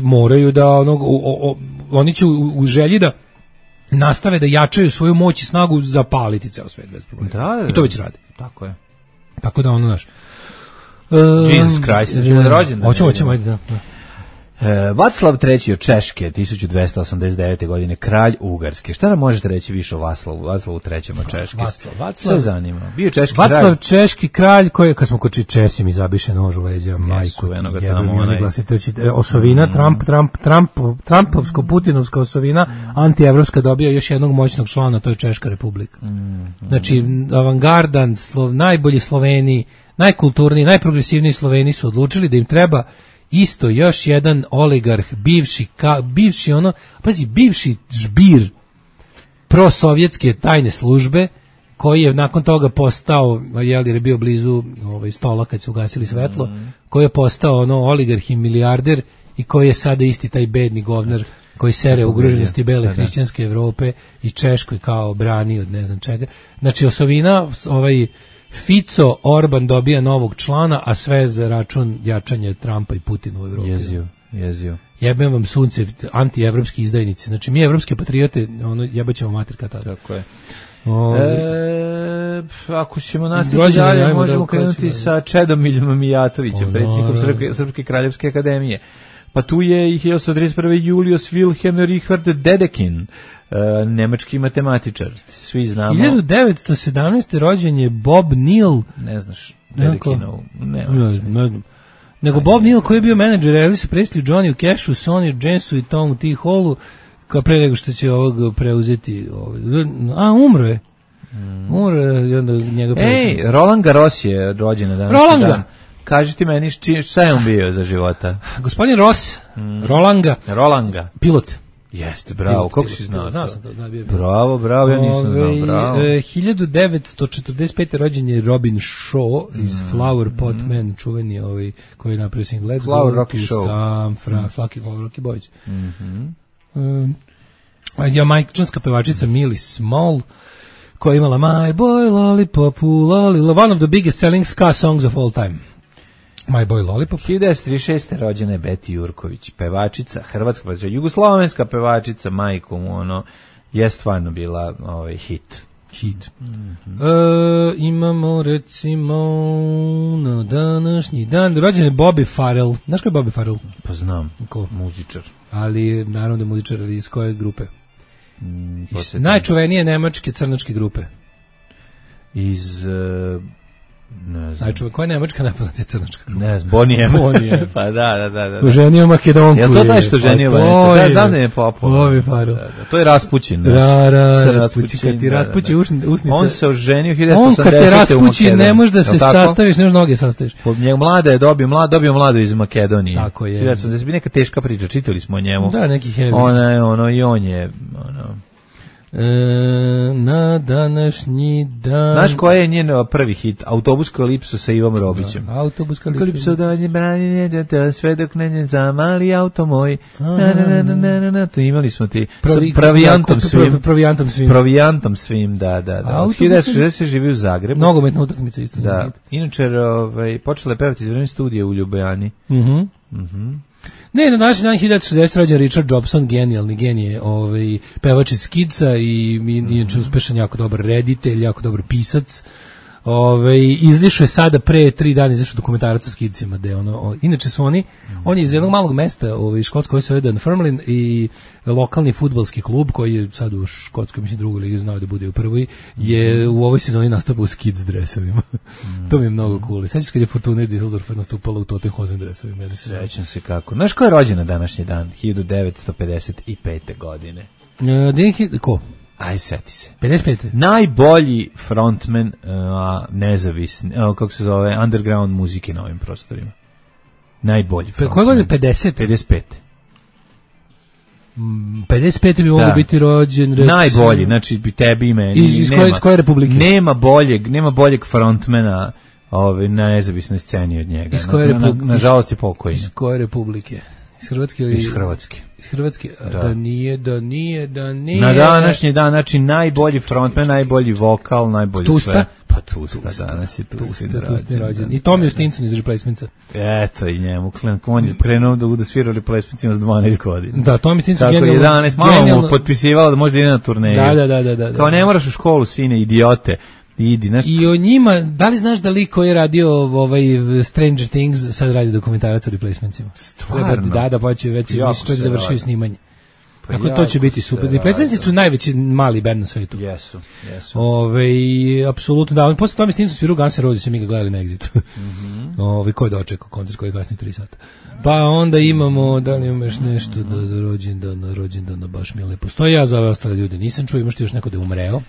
moraju da oni će u želji da nastave da jačaju svoju moć i snagu zapaliti ceo svet bez problema. Da. I to već radi. Tako je. Tako da ono naš. Jesus Christ, ćemo da rođendan. Hoćemo, ajde, da. Vaclav III od Češke, 1289. godine, kralj Ugarske. Šta nam možete reći više o Vaclavu III od Češke? Sve zanima. Bio češki kralj. Vaclav češki kralj koji, kad smo koči Česi, mi zabiše nož u leđa, majku. Osovina, Trumpovsko-Putinovska osovina, antievropska dobija još jednog moćnog člana, to je Češka republika. Znači, avangardan, najbolji Sloveni, najkulturniji, najprogresivniji Sloveni su odlučili da im treba isto još jedan oligarh, bivši žbir prosovjetske tajne službe, koji je nakon toga postao, jer je bio blizu stola kad su ugasili svetlo, koji je postao oligarh i milijarder i koji je sada isti taj bedni govnar koji sere ugroženosti bele hrišćanske Evrope i Češkoj kao brani od ne znam čega. Znači osovina, Fico, Orban dobija novog člana, a sve za račun jačanja Trumpa i Putina u Evropi. Jezio. Jebem vam sunce, antievropski izdajnici. Znači mi evropske patriote, jebaćemo mater kad tada. Tako je. Ako ćemo nastaviti dalje, možemo krenuti sa Čedomiljom Mijatovićem, predsjednikom Srpske kraljevske akademije. Pa tu je 1831. Julius Wilhelm Richard Dedekind, nemački matematičar. Svi znamo. 1917. rođen je Bob Neal. Ne znaš Dedekinov? Ne znam. Nego Bob Neal koji je bio menadžer Elvisu Presley, Johnny Cashu, Sonny Jamesu i Tomu T. Hallu, kao pre nego što će ovog preuzeti. Umro je. Roland Garros je rođen na današnji dan. Kaži ti meni šta je on bio za života? Gospodin Ross, Rolanga. Pilot. Jeste, bravo, kako si znao? Znao sam to, da, bio. Bravo, ja nisam znao, bravo. 1945. rođen je Robin Shaw iz Flower Pot Man, čuveni koji je napravio single Let's Flower Go Rocky to Show. San Francisco, Flower Rocky Boys. Jamajčanska pevačica Millie Small, koja je imala My Boy Lollipop, one of the biggest selling ska songs of all time. My Boy Lollipop. 1936. rođena je Beti Jurković, pevačica, hrvatska pevačica, jugoslovenska pevačica, majkom, je stvarno bila hit. Imamo recimo na današnji dan rođen je Bobby Farrell. Znaš ko je Bobby Farrell? Pa znam, muzičar. Ali naravno da je muzičar, ali iz koje grupe? Najčuvenije nemačke crnačke grupe. Iz... ne znam. Koja je nemačka najpoznatija crnačka grupa? Ne znam, Bonnie M. Pa da. Ženio Makedonku. Jel to taj što ženio Makedonku? Ja znam da je popularno. To je Raspućin. Raspućin. Kad ti raspući usnice. On se oženio 1980. On kad te raspući ne možeš da se sastaviš, ne možeš noge sastaviš. Njeg mlada je dobio mladu iz Makedonije. Tako je. 1980. Neka teška priča, čitali smo o njemu. Da, neki heavy. I on je... na današnji dan. Znaš koja je njen prvi hit? Autobuska lipsa sa Ivom Robićem. Autobuska lipsa danje branjenje, sve dok ne zamali auto moj. To imali smo ti. Provijantom svim, da. 1960 živi u Zagrebu. Nogometna utakmica isto. Da. Inače, počela je pevati iz vremena studija u Ljubljani. Ne, na današnji dan 1960 rođen Richard Jobson, genijalni genije, pevač iz Kidsa i inače uspešan, jako dobar reditelj, jako dobar pisac. Izlišao je sada pre 3 dana izašao dokumentarac o Skidsima, inače su on je iz jednog malog mesta Škotskoj koji se zove Dunfermline i lokalni fudbalski klub koji je sad u Škotskoj, mislim, drugoj ligi, znao da bude u prvoj, je u ovoj sezoni nastupao u Skids dresovima. To mi je mnogo cool. Sećaš kad je Fortuna Düsseldorf nastupala u Tottenham dresovima? Sećam se kako. Znaš ko je rođen na današnji dan? 1955. godine. Ko? Aj, seti se. 55. Najbolji frontman nezavisni, kako se zove, underground muzike na ovim prostorima. Najbolji frontman. Koje godine? 50? 55. 55. bi mogao biti rođen. Recimo, najbolji, znači bi tebi i meni. Iz koje republike? Nema boljeg frontmana na nezavisnoj sceni od njega. Nažalost je pokojni. Iz koje republike? Iz Hrvatske ili... Iz Hrvatske. Iz Hrvatske, da nije. Na današnji dan, znači najbolji frontman, najbolji vokal, najbolji Tusta? sve. Pa Tusta, danas je Tusta rođen. I Tommy Stinson iz Replacementsa. Eto i njemu, on je krenuo da svira u Replacementsima s 12 godina. Da, Tommy Stinson genijalno. Tako 11, malo mu potpisivalo da može da ide na turneju. Da. Kao ne moraš u školu, sine, idiote. I o njima, da li znaš da lik koji je radio Stranger Things sad radi dokumentarac o Replacementsima? Stvarno? Da, pa će već čovjek završio snimanje. Tako to će biti super. Replacementsi su najveći mali band na svetu. Jesu. Apsolutno da. Posle tome Stinson sviru Guns N' Roses, mi ga gledali na Exitu. Ko je dočekao koncert koji je kasnije 3 sata. Pa onda imamo, da li imaš nešto da rođendana baš mi je lepo stoji. Ja za ove ostale ljude nisam čuo, imaš ti još neko da je umreo?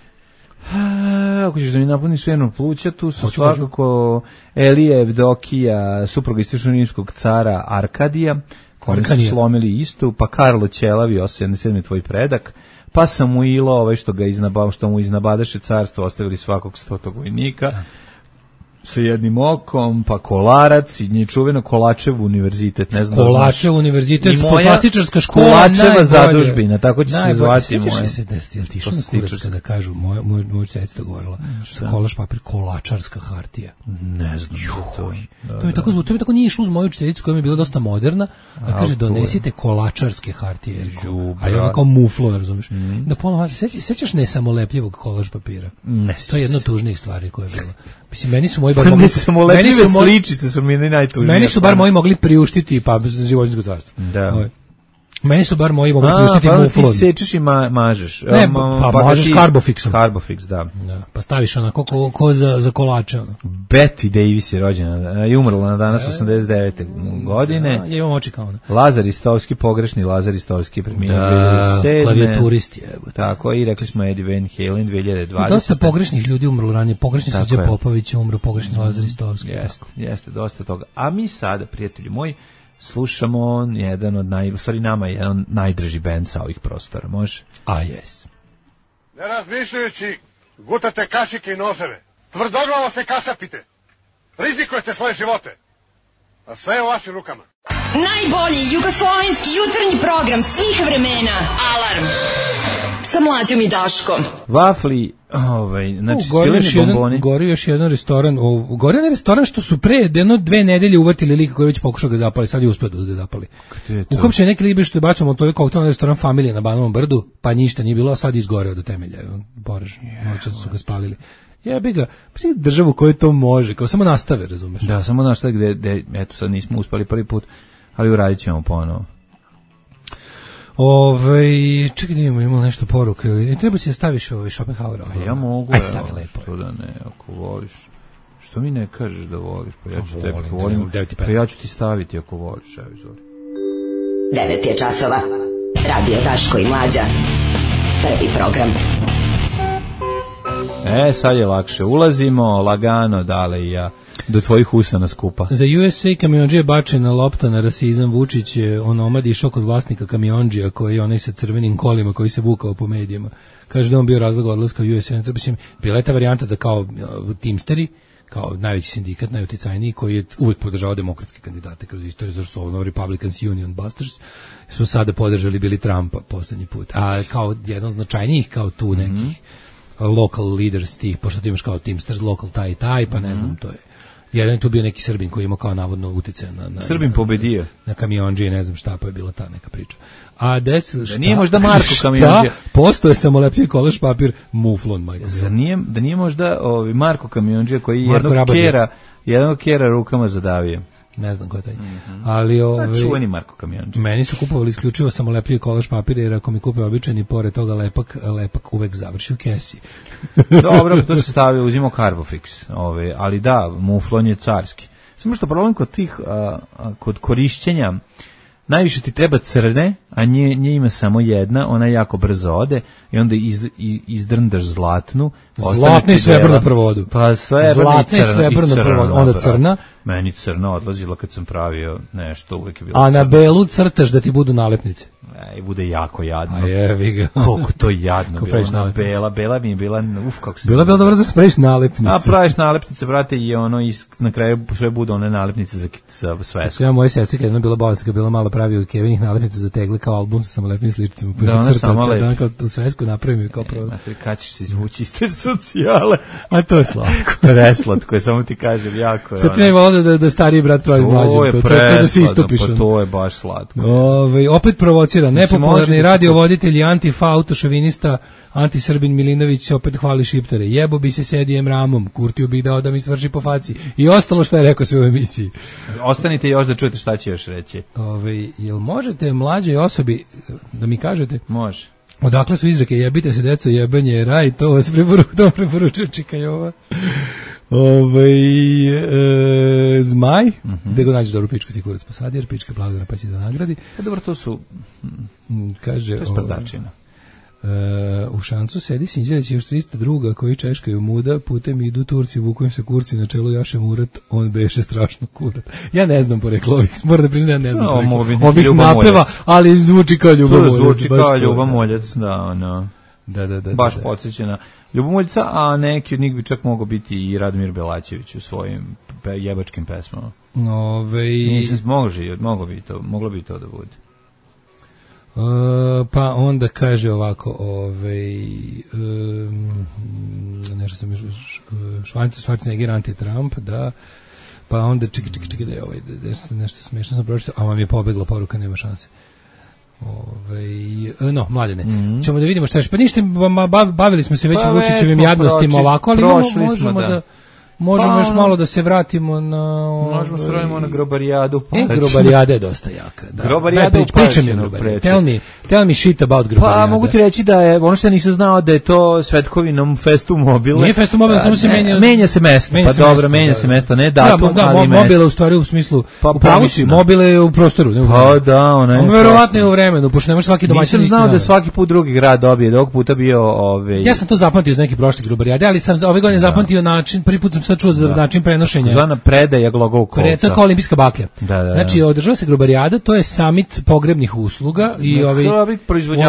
Ako ćeš da mi napuniš svjernu pluća, tu su svakako Elija Evdokija, supruga istočno-rimskog cara Arkadija, koji su slomili istu, pa Karlo Ćelavi, 87. tvoj predak, pa Samuilo, što mu iznabadaše carstvo, ostavili svakog 100. vojnika, sa jednim okom, pa Kolarac i nje čuveno Kolačev univerzitet, ne znam. Kolačev univerzitet, poslastičarska škola, Kolačeva zadužbina, tako će se zvati moja. Sjećaš se da ti išao na kurac kada kažu, moja sedica govorila, sa kolaš papir, kolačarska hartija. Ne znam to. To mi tako nije išlo uz moju učiteljicu koja mi je bila dosta moderna, a kaže donesite kolačarske hartije, a je ona kao muflo, razumiješ. Da ponovno, sećaš ne samolepljivog kolaž papira? To je jedna od tužnijih stvari koja je bila. Mislim, meni su moji sličice su mi najtužnije. Meni su bar moji mogli priuštiti životinjsko carstvo. Da. Meni su bar moji mogli pustiti muflon. Ti sečeš i mažeš. Ne, pa mažeš Carbofixom. Carbofix, da. Pa staviš onako ko za kolače. Betty Davis je rođena i umrla na danas 89. godine. Ja imam oči kao ona. Lazar Istovski, pogrešni Lazar Istovski premijer 2007. Klavijaturist je. Tako, i rekli smo Eddie Van Halen 2020. Dosta pogrešnih ljudi umrlo ranije. Pogrešni Srđan Popović je umro, pogrešni Lazar Istovski. Jeste, dosta toga. A mi sada, prijatelji moji, slušamo jedan od nama je jedan najdrži bend sa ovih prostora, može? Yes. Ne razmišljajući, gutate kašike i noževe. Tvrdoglavo se kasapite. Rizikujete svoje živote. A sve je u vašim rukama. Najbolji jugoslovenski jutarnji program svih vremena. Alarm. Sa Mlađom i Daškom. Vafli, znači svileni bomboni. Gori još jedan restoran. Gori jedan restoran što su pre 2 nedelje uvatili lika koji je već pokušao ga zapali, sad je uspio da ga zapali. Uhapšen neki lik što je bačamo to je koktelni restoran Familije na Banovom brdu, pa ništa nije bilo, a sad izgoreo do temelja. Poraž, noća su ga spalili. Jebi ga, državu koju to može, kao samo nastave, razumeš? Da, samo nastave gde eto sad nismo uspeli prvi put, ali uradit ćemo ponovo. Čekaj da imamo nešto poruke. Treba si da staviš Schopenhauera. Ja mogu. Ajde, stavi lepo. Što da ne, ako voliš. Što mi ne kažeš da voliš? Pa ja ću tebi volim. Pa ja ću ti staviti ako voliš. Evo, izvoli. 9 je časova. Radio Daško i Mlađa. Prvi program. Sad je lakše. Ulazimo lagano, Dale i ja, do tvojih usana skupa. Za USA kamionđija bačena lopta na rasizam. Vučić je onomad išao kod vlasnika kamionđija koji je onaj sa crvenim kolima koji se vukao po medijima. Kaže da on bio razlog odlaska u USA. Bila je ta varijanta da kao Teamsteri, kao najveći sindikat, najuticajniji, koji je uvek podržavao demokratske kandidate kroz istoriju, zašto su ovo Republicans Union Busters, su sada podržali bili Trumpa poslednji put. A kao jedan značajnijih, kao tu nekih local leaders tih, pošto ti imaš kao Teamsters, local taj, pa ne znam, to je. Jedan je tu bio neki Srbin koji ima kao navodno utice na Srbin pobedio. Na kamionđije, ne znam šta, pa je bila ta neka priča. A da nije možda Marko kamionđija. Postoje samolepljivi kolaž papir muflon, majko. Da nije možda Marko kamionđija koji jednog kjera rukama zadavio. Ne znam ko je taj. Ali čuveni Marko kamionđija. Meni su kupovali isključivo samolepljivi kolaž papir, jer ako mi kupe običajni, pored toga lepak uvek završi u kesi. Dobro, to se stavio, uzimo Carbofix, ali da, muflon je carski. Samo što problem kod tih, kod korišćenja, najviše ti treba crne, a nje ima samo jedna, ona jako brzo ode i onda izdrndaš zlatnu. Zlatni i srebrnu prvodu. Pa zlatni i srebrnu prvodu, onda crna. Meni crna odlazila kad sam pravio nešto, uvek je bilo a crna. Na belu crtaš da ti budu nalepnice. I bude jako jadno. A jevi ga. Koliko to jadno bilo. Bela mi je bila, kako se... Bila dobro da spraviš nalepnice. A praviš nalepnice, brate, i na kraju sve budu one nalepnice za svesku. Ja moja sestra kad je bila bolesna, kad bila malo pravio Kevinih nalepnica za tegle kao album sa samolepnim sličicama. Da, ona sama lepi. Kao u svesku napravim kao prvo. Kad ćeš se izvući iz te socijale? A to je slatko. Preslatko je, samo ti kažem, jako je. Šta ti ne volio da stariji brat pravi mlađim? To je da se istupiš. Pa to je baš slatko. Opet provocira. Nepopularni radiovoditelj i antifa, autošovinista, antisrbin Milinović se opet hvali šiptare. Jebo bi se s Edijem Ramom, Kurtiju bi dao da mi svrši po faci. I ostalo što je rekao sve u emisiji. Ostanite još da čujete šta će još reći. Jel možete mlađoj osobi da mi kažete? Može. Odakle su izreke jebite se deco, jebanje je raj, to vas preporučuje Čika Jova. Zmaj, gde go nađeš dobru pičku ti kurac posadi, jer pička blagodana pa će da nagradi. Dobro, to su kaže sprdačina. U Šancu sedi Sinđelić još 300 druga koji češkaju muda, putem idu Turci, vukujem se kurci na čelu Jaše Murat, on beše strašno kurat. Ja ne znam poreklo ovih, moram da priznam, ja ne znam poreklo ovih napeva, ali zvuči kao Ljubomoljac. Zvuči kao Ljubomoljac, da. Baš da. podsjećena Ljubomoljca, a neki od njih bi čak mogao biti i Radomir Belačević u svojim jebačkim pesmama. Nisam moglo bi to da bude. Pa onda kaže ovako, nešto sam Schwarzenegger anti-Trump, da, pa onda čekaj da je nešto smiješno sam pročitao, a vam je pobegla poruka, nema šanse. Mladene, ćemo da vidimo šta je, pa ništa, bavili smo se već Vučićevim jadnostima ovako, ali možemo da Možemo još malo da se vratimo na... Možemo se vratimo na Grobarijadu. Grobarijada je dosta jaka. Da. Grobarijada u pričam je Grobarijada. Tell me shit about Grobarijada. Pa mogu ti reći da je, ono što ja nisam znao da je to Svetkovinom Festu Mobile. Nije Festu Mobile, samo se menja... Menja se mesto, pa dobro, menja se mesto, ne datum, ali mesto. Mobile u stvari u smislu, u pravući, Mobile je u prostoru. Pa da, ona je... Verovatno je u vremenu, pošto ne može svaki domaćin... Nisam znao da svaki put drugi grad dobije, da ovog puta bio... Ja sam to zapamtio iz nekih prošlih Grobarijade, ali sam ove godine zapamtio način, prvi put sam sad čuo za način prenošenja. Zvana predaja glogolkovca. To je kao olimpijska baklja. Znači, održava se Grobarijada, to je summit pogrebnih usluga i u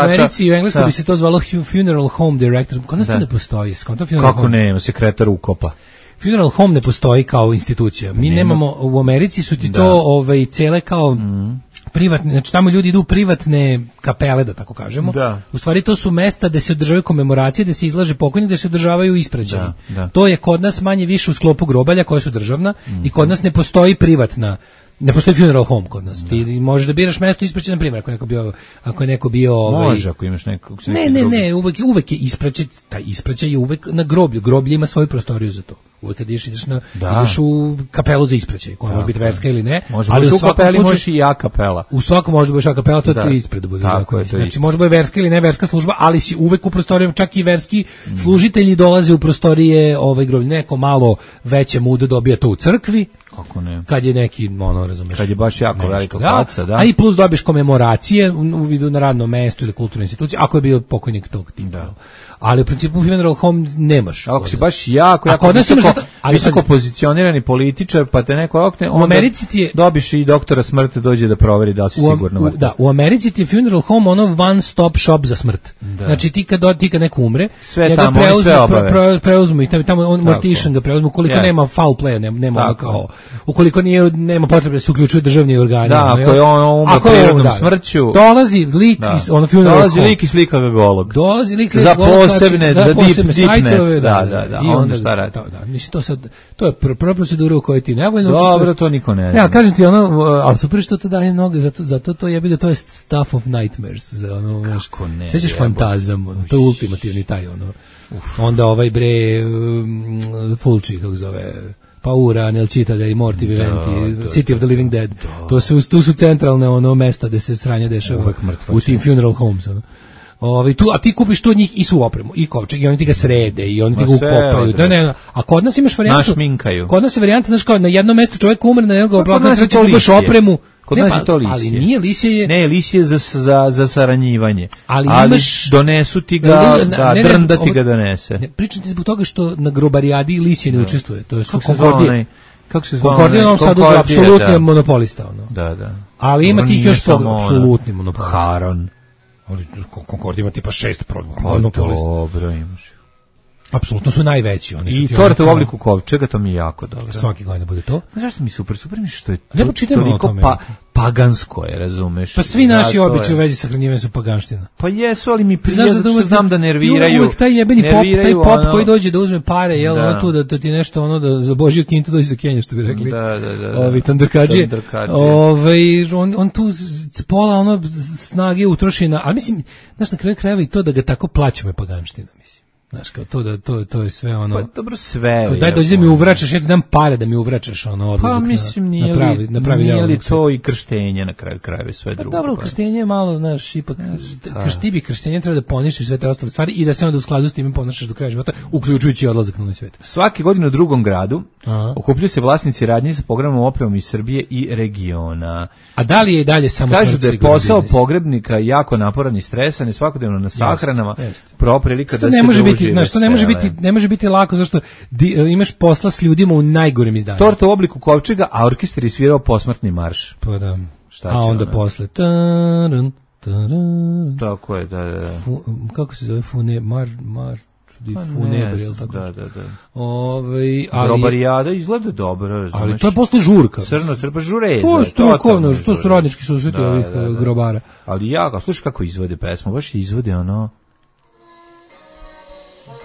Americi i u Engleskoj bi se to zvalo funeral home director. Kod nas to ne postoji. Kako ne, sekretar ukopa. Funeral home ne postoji kao institucija. Mi nemamo, u Americi su ti to cele kao privatne, znači tamo ljudi idu u privatne kapele, da tako kažemo. Da. U stvari to su mesta gde se održavaju komemoracije, gde se izlaže pokojnik, gde se održavaju ispraćaji. To je kod nas manje više u sklopu grobalja koja su državna i kod nas ne postoji privatna. Ne postoji funeral home kod nas. Ti možeš da biraš mesto ispraćaj, na primjer, ako je neko bio može, ako imaš nekog. Ne, uvek je ispraćaj, taj ispraćaj je uvek na groblju. Groblje ima svoju prostoriju za to. Uvek kad ideš u kapelu za ispraćaj, koja može biti verska ili ne. Ali u kapeli možeš i a kapela. U svakom može biti a kapela, to je ispred da bude. Znači može biti verska ili ne verska služba, ali si uvek u prostorijama, čak i verski služitelji dolaze u prostorije groblja. Neko malo veće muda dobija to u crkvi. Kako ne? Kad je neki, razumeš. Kad je baš jako velika faca, da. A i plus dobiješ komemoracije u vidu na radnom mestu ili kulturnoj instituciji, ako je bio pokojnik tog tipa. Ali u principu funeral home nemaš. Ako si baš jako visoko pozicionirani političar, pa te neko okne, onda dobiš i doktora smrti dođe da proveri da li si sigurno mrtav. Da, u Americi ti je funeral home one stop shop za smrt. Znači ti kad neko umre, sve tamo, sve obave. Preuzmu i tamo mortician ga preuzmu, ukoliko nema foul playa, nema kao, ukoliko nema potrebe da se uključuju državni organi. Da, ako je on umre prirodnom smrću. Dolazi lik iz funeral home. Dolazi lik i slika ga golog. Dolazi lik za posebne, za sajtove, da, onda šta radi? Mislim, to je prva procedura u kojoj ti nevoljno učestvuješ. Dobro, to niko ne zna. Ja, kažem ti ali super što to daje mnogo, zato to je to je stuff of nightmares, za kako ne. Sećaš fantazam, to je ultimativni taj onda Fulci, kako zove, Paura, Nel Citadel i Morti Viventi, City of the Living Dead. Tu su centralne mesta gde se sranje dešava u tim funeral homes. A ti kupiš tu od njih i svu opremu, i kovčeg, i oni ti ga srede, i oni ti ga ukopaju. A kod nas imaš varijantu. Našminkaju. Kod nas je varijanta, znaš kao, na jednom mestu čovjek umre, na jednog oblaka, treći kupaš opremu. Kod nas je to lisje. Ali nije lisje. Ne, lisje za saranjivanje. Ali donesu ti ga, drnda ti ga donese. Pričam ti zbog toga što na Grobarijadi lisje ne učestvuje. To su Konkordije. Kako se zvao? Konkordije nam sad apsolutni monopolista. Da. Ali ima tih još apsolutni monopolista. Haron. Ali Concord ima tipa 6 monopolista. Dobro imaš. Apsolutno su najveći. I torta u obliku kovčega, to mi je jako dobro. Svaki godin bude to. Zašto mi super mi što je toliko pagansko je, razumeš? Pa svi naši običaji u vezi sa hranjivanjem su paganština. Pa jesu, ali mi prije što znam da nerviraju. Uvijek taj jebeni pop koji dođe da uzme pare, tu da ti nešto da za Božiju kintu dođe za Kenja, što bi rekli. Ovi tandrkađije. On tu pola snage utroši na, ali mislim, znaš, na kraju krajeva i to da ga tako plaćamo je paganština, mislim. Znaš, kao to je sve Pa dobro, sve. Daj dođi da mi uvraćaš, ja ti dam pare da mi uvraćaš odlazak. Pa mislim, nije li to i krštenje na kraju krajeva sve drugo. Pa dobro, krštenje je malo, znaš, ipak krštenje treba da poništiš sve te ostale stvari i da se onda u skladu s tim ponašaš do kraja života, uključujući odlazak na novi svijet. Svake godine u drugom gradu okupljaju se vlasnici radnji sa pogrebnom opremom iz Srbije i regiona. A da li je i dalje samo kažu da je posao pogrebnika jako naporan i stresan i svakodnevno na sahranama, prava prilika da se ne može biti lako, zašto imaš posla s ljudima u najgorem izdanju. Torta u obliku kovčega, a orkestar je svirao posmrtni marš. Pa da. A onda posle tako je, da. Kako se zove Funebri, ili tako? Da. Grobarijada izgleda dobro, razumeš. Ali to je posle žurka. Crno, žureza. To je strukovno, što su radnički susreti ovih grobara. Ali slušaj kako izvode pesmu, baš izvode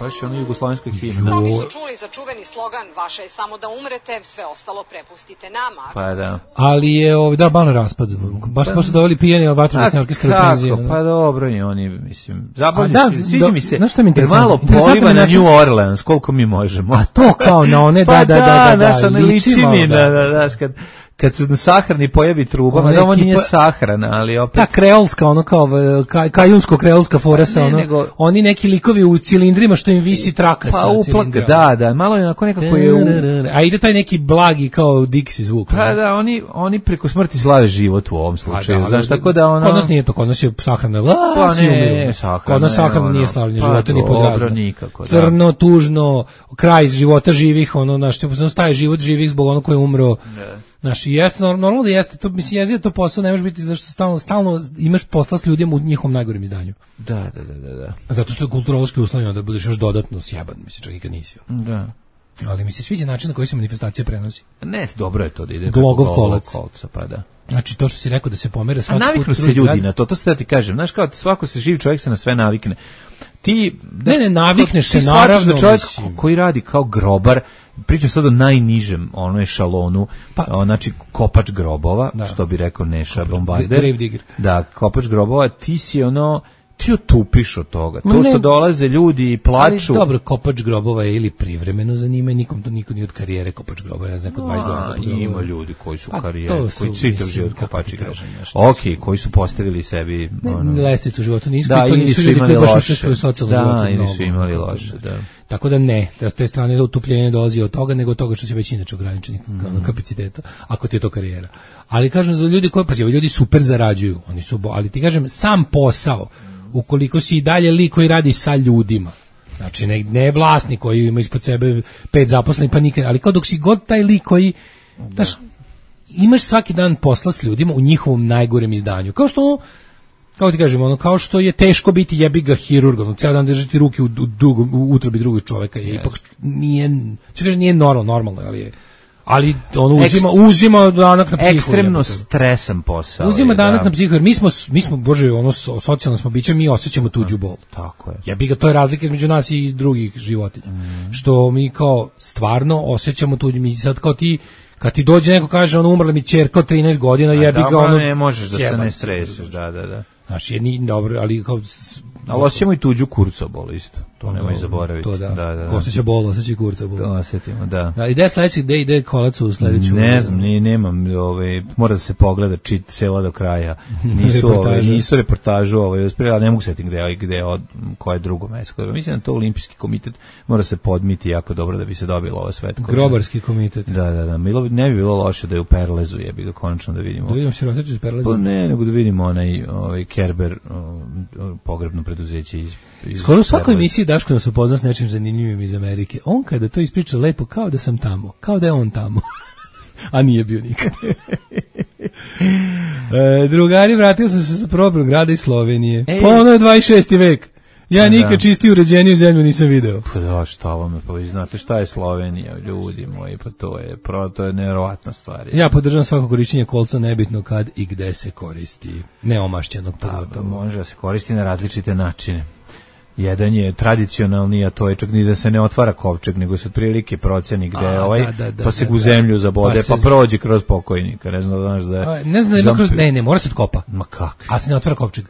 Baš je ono jugoslovenska himna. Mnogi su čuli za čuveni slogan vaše je samo da umrete, sve ostalo prepustite nama. Pa da. Ali je da ban raspad. Baš su doveli pijeni vatrogasne orkestre u penziju. Pa dobro i oni, mislim, zabavljaju se. Sviđa mi se. Jer malo poliva na New Orleans, koliko mi možemo. A to kao na one da liči mi, da, kad se na sahrani pojavi truba, da ovo nije sahrana, ali opet... Ta kreolska, ono kao kajunsko-kreolska foresa, oni neki likovi u cilindrima što im visi traka sa cilindra. Da, malo je onako nekako je... A ide taj neki blagi kao Dixi zvuk. Pa da, oni preko smrti slave život u ovom slučaju, znaš, tako da ono... Kod nas nije to, kod nas je sahrana, kod nas sahrana nije slavljenje života, ni pod razno. Crno, tužno, kraj života živih, ono, znaš, staje život živih zbog ono koji je umro. Znaš, i jeste, normalno da jeste, to, mislim, jezio to posao, ne može biti zašto stalno imaš posla s ljudima u njihovom najgorim izdanju. Da. Zato što je kulturološki uslovljeno da budeš još dodatno sjeban, mislim, čak i kad nisi. Da. Ali mi se sviđa način na koji se manifestacija prenosi. Ne, dobro je to da ide Glogov kolca, pa da. Znači, to što si rekao da se pomere svaki put... naviknu se ljudi na to se da ti kažem. Znaš, kao svako se živi čovjek se na sve navikne. Ti... Ne, navikneš se, naravno. Da čovjek koji radi kao grobar, pričam sad o najnižem onoj šalonu, znači kopač grobova, što bi rekao Neša Bombarder. Grave digger. Da, kopač grobova, ti si ono... Ti otupiš od toga. To što dolaze ljudi i plaču... Ali dobro, kopač grobova je ili privremeno zanima, niko nije od karijere kopač grobova, ne znam, 20 godina. Ima ljudi koji su u karijeri, koji čitav život kopači grobova. Ok, koji su postavili sebi... Lestvicu života nisko, da, to nisu ljudi koji baš učestvuju u socijalnom životu. Da, ili su imali loše, da. Tako da ne, da s te strane utupljenje ne dolazi od toga, nego od toga što se već inače ograničenih kapaciteta, ako ti je to karijera. Ali kažem, za ljudi koji, ljudi super zarađuju, oni su, ali ti kažem, sam posao, ukoliko si i dalje lik koji radi sa ljudima, znači ne vlasnik koji ima ispod sebe 5 zaposlenih pa nikad, ali kao dok si god taj lik koji, znaš, imaš svaki dan posla s ljudima u njihovom najgorem izdanju, kao što kao ti kažem, ono, kao što je teško biti jebi ga hirurgom, ceo dan držati ruke u utrobi drugog čoveka, je ipak nije normalno, ali on uzima danak na psihu. Ekstremno stresan posao. Uzima danak na psihu, jer mi smo bože, ono, socijalno smo biće, mi osjećamo tuđu bol. Tako je. Jebi ga, to je razlika između nas i drugih životinja. Što mi kao stvarno osjećamo tuđu, mi sad kao ti, kad ti dođe neko kaže, ono, umrla mi ćerka od 13 godina, jebi ga, ono, ne možeš da se ne streseš, da. Znači, nije dobro, ali kao... Ali osjećamo i tuđu kurcobol isto, to nemoj zaboraviti. To da. Ko osjeća bol, osjeća i kurcobol. To osjetimo, da. Ide sledeći, ide kolac u sledeću... Ne znam, nemam, mora da se pogleda cela do kraja. Nisu reportažu, ali ne mogu setiti koje je drugo mesto. Mislim da to Olimpijski komitet mora se podmiti jako dobro da bi se dobilo ovo svetko. Grobarski komitet. Da. Ne bi bilo loše da je u Perlezu, jebi ga konačno da vidimo. Da vidimo siroticu iz Perleza? Ne, nego da vidimo onaj Kerber, pogrebno preduzeće iz skoro u svakoj emisiji Daško nas upozna s nečim zanimljivim iz Amerike. On kada to ispriča lepo, kao da sam tamo, kao da je on tamo. A nije bio nikad. Drugari, vratio sam se sa probnog grada iz Slovenije. Pa ono je 26. vek. Ja nikad čistiju uređeniju zemlju nisam video. Pa da, šta vam je, pa vi znate šta je Slovenija, ljudi moji, pa to je nevjerovatna stvar. Ja podržam svako korišćenje kolca, nebitno kad i gde se koristi. Neomašćenog pogotovo. Može da se koristi na različite načine. Jedan je tradicionalni, a to je čak ni da se ne otvara kovčeg, nego se otprilike proceni gde pa se u zemlju zabode, pa prođe kroz pokojnika. Ne znam da znaš da je... Ne, mora se otkopa. Ma kako? A se ne otvara kovčeg.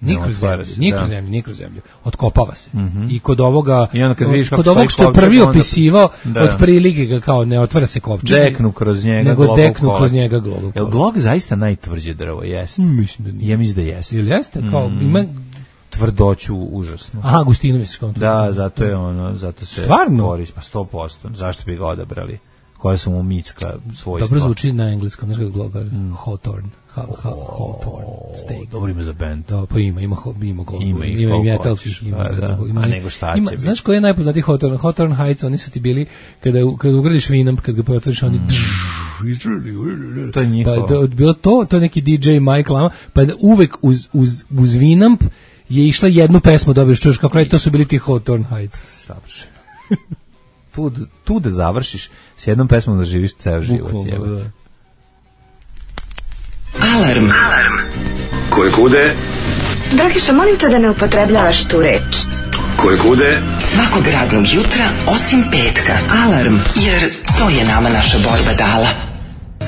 Ni kroz zemlju. Otkopava se. I kod ovoga, kod ovog što je prvi opisivao, otprilike ga kao ne otvara se kovčeg. Deknu kroz njega nego deknu kroz njega glogov. Jel glog zaista najtvrđe drvo? Jeste. Mislim da nije. Ja mislim da jeste. Jel jeste? Kao ima tvrdoću užasno. Aha, gustinu misliš kao to. Da, zato se koristi, pa 100%. Zašto bi ga odabrali? Koja su mu mitska svojstva. Dobro zvuči na engleskom, znaš kako glogar? Hawthorne. Hawthorne steak. Dobro ime za band. Da, pa ima i metalskih. A nego šta će biti? Znaš koji je najpoznatiji Hawthorne? Hawthorne Heights, oni su ti bili, kada ugradiš Winamp, kad ga potvoriš, oni... To je njihovo. Pa bilo to je neki DJ Mike Lama, pa uvek uz Winamp je išla jednu pesmu, dobro, čuješ kako je, to su bili ti Hawthorne Heights. Savršeno. Tu da završiš s jednom pesmom da živiš ceo život. Alarm. Koje kude? Dragiša, molim te da ne upotrebljavaš tu reč. Koje kude? Svakog radnog jutra, osim petka. Alarm, jer to je nama naša borba dala.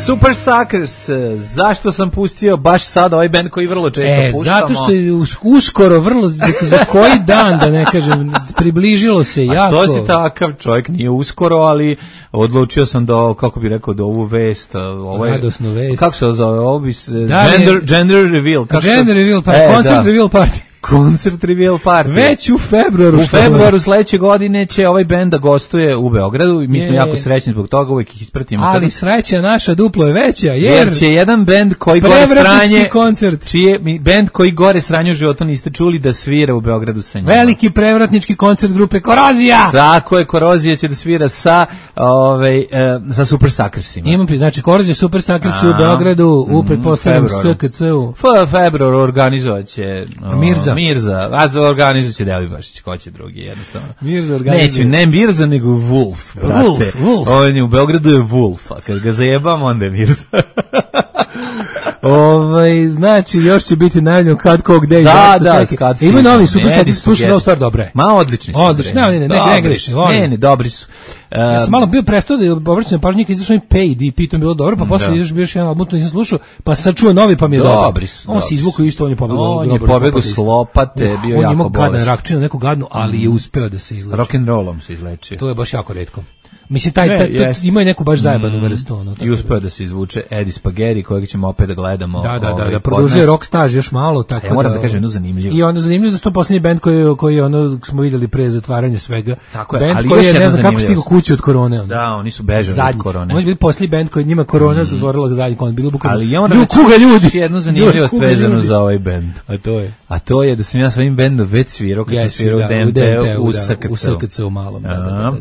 Super Suckers, zašto sam pustio baš sad ovaj band koji vrlo često puštamo? Zato što je uskoro, vrlo, za koji dan, da ne kažem, približilo se jako. A što si takav čovjek, nije uskoro, ali odlučio sam da, kako bi rekao, da ovu vest, radosnu vest. Kako se zove, ovo bi gender reveal. Gender reveal, concert reveal party. Koncert Reveal Party. Već u februaru. U februaru sledeće godine će ovaj bend da gostuje u Beogradu i mi smo jako srećni zbog toga, uvijek ih ispratimo. Ali sreća naša duplo je veća, jer će jedan bend koji gore sranje, koncert. Bend koji gore sranje u životu niste čuli da svira u Beogradu sa njima. Veliki prevratnički koncert grupe Korozija. Tako je, Korozija će da svira sa Super Suckersima. Imam znači Korozija, Super Suckers u Beogradu u pretpostavljenom SKC-u. Februar organizovaće Mirza, a organizuće Delibašić, ko će drugi, jednostavno. Mirza organizuje. Ne Mirza, nego Wolf, brate. Wolf. On je u Beogradu je Wolf, a kad ga zajebam, onda je Mirza. Znači, još će biti najavljeno kad kog gde i zašto čekaj. Ima novi Super Suckers, slušaj novu stvar, dobre. Ma, odlični su. Odlični, ne greši. Ne, dobri su. Ja sam malo bio prestao da obraćam pažnju kad izašao mi Paid i pitom bilo dobro, pa posle izašao bio još jedan album, nisam slušao, pa sad čuo novi pa mi je dobro. On se izvukao isto, on je pobegao s lopate, bio jako bolest. On je imao gadan rakčinu, neku gadnu, ali je uspeo da se izleči. Rock'n'rollom se izlečio. To je baš jako retko. Mislim, ima i neku baš zajebanu vrstu. I uspeo da se izvuče Eddie Spaghetti, kojeg ćemo opet da gledamo. Da produžuje rock staž još malo. Tako ja moram da kažem jednu zanimljivost. I onda zanimljivo da je to posljednji band koji smo vidjeli pre zatvaranja svega. Tako je, ali koji je, ne znam kako stigao kući od korone. Da, oni su bežali od korone. Može biti posljednji band koji njima korona zatvorila zadnji kon. Ali ja moram da jednu zanimljivost vezanu za ovaj band. A to je da sam ja s ovim bandom već svirao, kad sam svirao u DMT-u u SKC-u malom.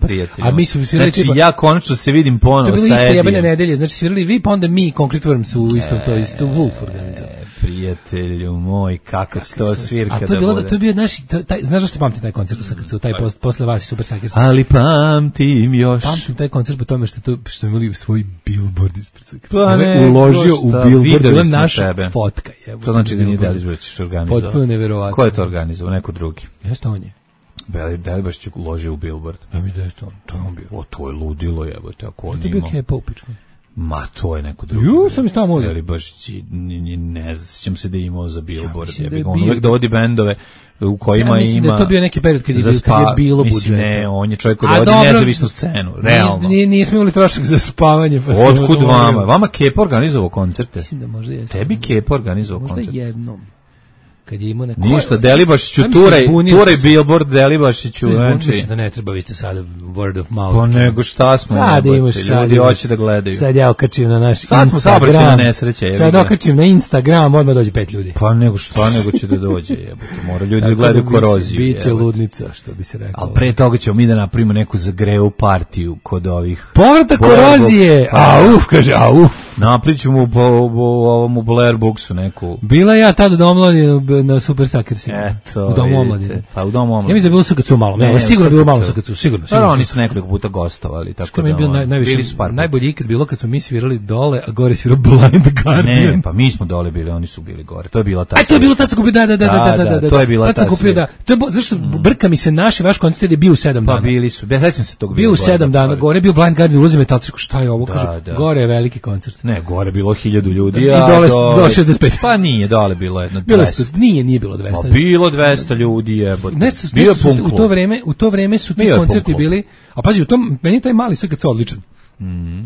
Prijatelj. A mi smo znači ja konačno se vidim ponovo sa Edijem. To je bilo isto jebene nedelje, znači svirali vi, pa onda mi, Concrete Worms u isto to isto Wolf organizao. Prijatelju moj, kako će to svirka da bude. To je bio naš, znaš da se pamti taj koncert u SKC-u, taj posle vas i Super Suckers. Ali pamtim još. Pamtim taj koncert po tome što smo imali svoj billboard ispred SKC-a. Uložio u billboard, bila naša fotka. To znači da nije Delibašić organizovao. Potpuno neverovatno. Ko je to organizovao? Neko drugi. Jeste on je. Delibašić uložio u billboard. Ja mi da je to on bio. O, to je ludilo, jebote, ako on ima. To je bio Kepa upičko. Ma, to je neko drugi. Sam iz tamo uzeo. Delibašić, ne sjećam se da je imao za billboard. On uvek dovodi bendove u kojima ima... Mislim da je to bio neki period kad je bilo budžeta. Ne, on je čovjek koji dovodi nezavisnu scenu, realno. Nismo imali trošak za spavanje. Otkud vama? Vama Kepa organizovao koncerte? Mislim da možda jeste. Tebi Kepa organizovao koncerte? Možda jednom. Kad je imao neko... Ništa, Delibašiću, turaj billboard Delibašiću. Mislim da ne treba, vi ste sad word of mouth. Pa nego šta smo, sad imaš, ljudi hoće da gledaju. Sad ja okačim na naš Instagram. Sad smo saobraćajna nesreća. Sad okačim na Instagram, odmah dođe 5 ljudi. Pa nego šta, nego će da dođe, jebote. Mora ljudi da gledaju Koroziju. Biće ludnica, što bi se rekao. Ali pre toga ćemo mi da napravimo neku zagrevu partiju kod ovih... Povratak Korozije! Kaže, napričamo u Blair Booksu neku... Bila ja tada do omladine na Super Suckers. Eto, u domu omladine. Pa u domu omladine. Ja mislim da je bilo SKC malo. Ne, sigurno bilo malo SKC, sigurno. Oni su nekoliko puta gostovali, tako da. Bili su najbolji ikad bilo kad smo mi svirali dole, a gore svirao Blind Guardian. Ne, pa mi smo dole bili, oni su bili gore. To je bila ta. To je bilo tad se kupio, da. To je bila ta. To je zašto brka mi se vaš koncert je bio u 7 dana. Pa bili su. Ja sećam se tog bio u 7 dana. Gore bio Blind Guardian, ulazi metalci, šta je ovo, kaže. Gore je veliki koncert. Ne, gore bilo 1000 ljudi. I dole 65. Pa nije, dole bilo jedno 200. Nije bilo 200. Pa bilo 200 ljudi, jebote. Bio punk. U to vreme su ti koncerti bili, a pazi, meni je taj mali SKC odličan.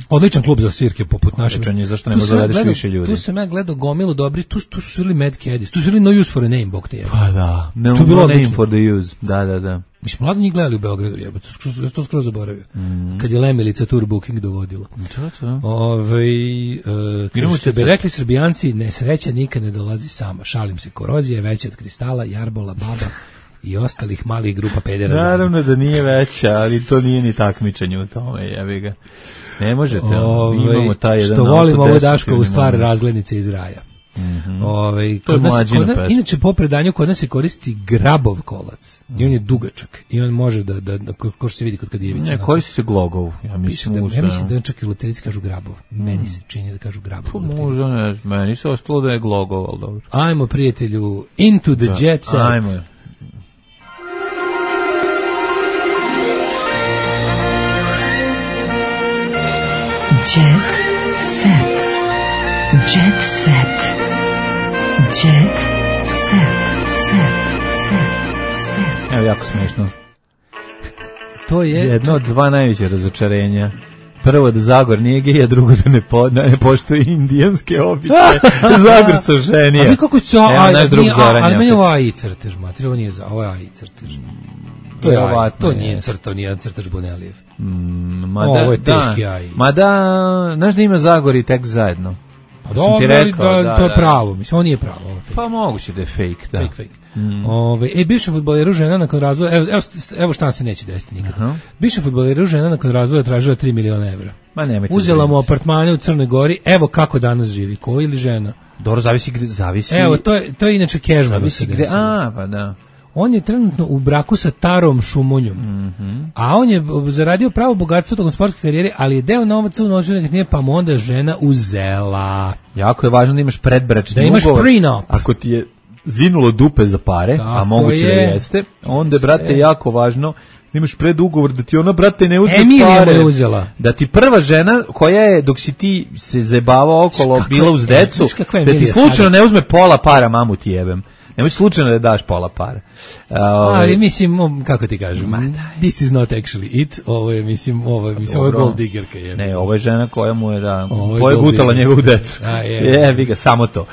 Odličan klub za svirke poput našeg. Zašto ne zavedeš više ljudi? Tu sam ja gledao gomilu dobri, tu su svirali Mad Caddies, tu su svirali No Use for a Name, bog te jebe. Pa da, no Name for the Use, da. Mi smo mladi njih gledali u Beogradu, jebote, to skroz zaboravio. Kad je Lemilica Tour Booking dovodila. Što bi rekli Srbijanci, nesreća nikad ne dolazi sama. Šalim se, Korozija je veća od Kristala, Jarbola, Baba i ostalih malih grupa pedera. Naravno da nije veća, ali to nije ni takmičenje u tome, jebi ga. Ne možete, imamo taj jedan... Što volimo ovu Daškovu stvar razglednice iz raja. Inače po predanju kod nas se koristi grabov kolac i on je dugačak i on može da ko što se vidi kod Kadijevića. Ne, koristi se glogov. Ja mislim da čak i luterici kažu grabov. Meni se čini da kažu grabov. Možda ne, meni se ostalo da je glogov, ali dobro. Ajmo, prijatelju, into the jet set. Ajmo. Jet set. Jet set. Jet set. Evo, jako smiješno. To je jedno od dva najveće razočarenja. Prvo da Zagor nije gej, a drugo da ne poštuje indijanske običaje. Zagor su ženije. A vi kako će... Ali meni je ovo AI crtež, mater, ovo nije ovo je AI crtež. To nije crtao, nijedan crtač Bonelijev. Ovo je teški AI. Mada, znaš da ima Zagor i tek zajedno. Pa dobro, to je pravo, mislim, ovo nije pravo. Pa moguće da je fake, da. Fake. Bivša fudbaleru žena nakon razvoja, evo šta se neće desiti nikad. Bivša fudbaleru žena nakon razvoja tražila 3 miliona evra. Uzela mu apartmane u Crnoj Gori, evo kako danas živi, ko ili žena? Dobro, zavisi gde, zavisi. Evo, to je inače Kežman. Zavisi gde, pa da. On je trenutno u braku sa Tarom Šumonjom, a on je zaradio pravo bogatstvo tokom sportske karijere, ali je deo novaca u novčane nekretnine, pa mu onda žena uzela. Jako je važno da imaš predbračni ugovor. Da imaš prenup. Ako ti je zinulo dupe za pare, tako a moguće da jeste, onda, brate, jako važno da imaš predugovor da ti ona, brate, ne uzme pare. Uzela. Da ti prva žena koja je, dok si ti se zajebavao okolo, bila uz decu, da ti slučajno ne uzme pola para, mamu ti jebem. Nemoj slučajno da daš pola para. Ali mislim, kako ti kažem, this is not actually it. Ovo je, mislim, ovo je gold diggerka. Ne, ovo je žena koja mu je, gutala njegovu decu. Jebi ga, samo to.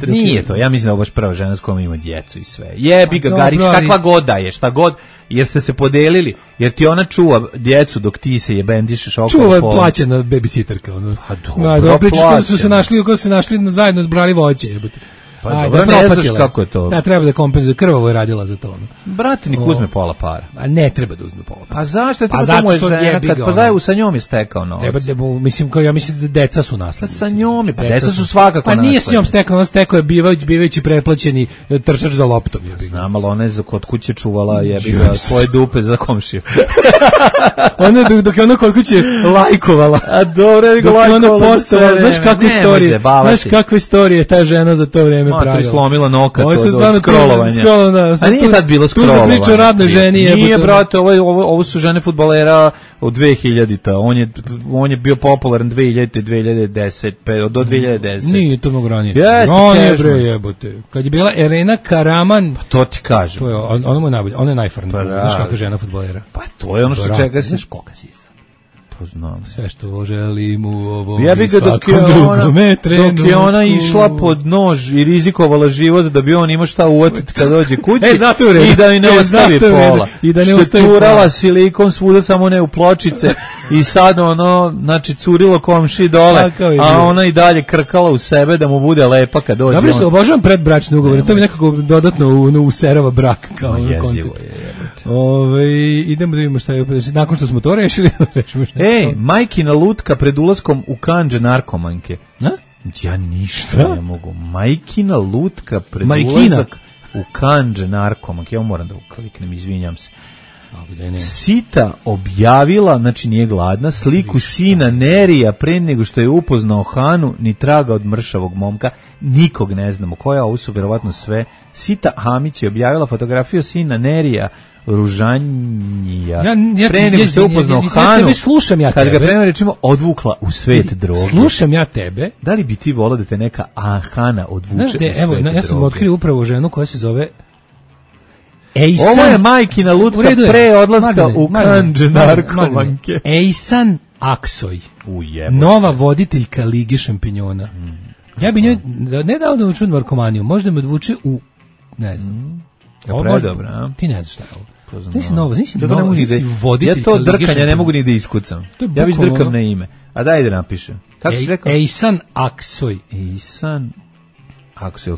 Nije to, ja mislim da je ovo baš prva žena s kojom ima djecu i sve. Jebi ga, Garić, kakva god da je, šta god, jer ste se podelili, jer ti ona čuva djecu dok ti se jebendišeš okolo. Čuva je plaćena babysitterka. Dobro, pričaš kada su se našli zajedno zbrali voće, jebote. Pa dobro, ne znaš kako je to. Da, treba da kompenzuje, krvavo je radila za to. Brate, nik uzme pola para. A ne treba da uzme pola para. Pa zašto je to je žena? Pa zajedno sa njom je stekao novac. Treba da, ja mislim da deca su naslednici. Pa sa njom je, pa deca su svakako naslednici. Pa nije s njom stekao, on stekao je bivajući preplaćeni trčač za loptom. Znam, ali ona je kod kuće čuvala svoje dupe za komšiju. Ona dok je ona kod kuće lajkovala. A dobro je ga lajkovala. Znaš kakve istorije ta žena za to vreme pravila. Slomila noka to od scrollovanja. A nije tad bilo scrollovanje. Tu se priča o radnoj ženi. Nije, brate, ovo su žene fudbalera od 2000-ta. On je bio popularan 2000-te, 2010, do 2010. Nije to mnogo ranije. Ranije, bre, jebote. Kad je bila Elena Karaman... Pa to ti kažem. Ona mu je najbolja. Ona je najfarnija. Znaš kakva žena fudbalera. Pa to je ono što čega se... Znaš koga si sam. Znam. Sve što želim u ovom i svakom dok je ona išla pod nož i rizikovala život da bi on imao šta uvatiti kad dođe kući i da joj ne ostavi pola. Što je turala silikon svuda, samo ne u pločice i sad ono, znači, curilo komši dole, a ona i dalje krkala u sebe da mu bude lepa kad dođe. Dobro se, obožavam predbračne ugovore, to mi nekako dodatno userava brak kao koncept. Idemo da vidimo šta je, nakon što smo to rešili, rešimo šta. Majkina lutka pred ulaskom u kandže narkomanke. Ja ništa ne mogu. Majkina lutka pred ulazak u kandže narkomanke. Ja moram da ukliknem, izvinjam se. Sita objavila, znači nije gladna, sliku sina Nerija pre nego što je upoznao Hanu, ni traga od mršavog momka. Nikog ne znamo koja, ovo su vjerovatno sve. Sita Hamić je objavila fotografiju sina Nerija Ružanjija. Pre nego što je upoznao Hanu, kad ga prema rečimo odvukla u svet droge. Slušam ja tebe. Da li bi ti volao da te neka Hana odvuče u svet droge? Ja sam otkrio upravo ženu koja se zove Ovo je majkina lutka pre odlaska u kandže narkomanke. Ejsan Aksoj, nova voditeljka Lige šampinjona. Ja bi njoj ne dao da odvuče u narkomaniju, možda me odvuče u, ne znam. Predobra. Ti ne znaš šta je ovo. Nisi novo, nisi voditeljka. Ja to drkanje ne mogu ni da iskucam. Ja bi drkam na ime. A daj da napišem. Kako si rekao? Ejsan Aksoj. Ejsan Aksoj, je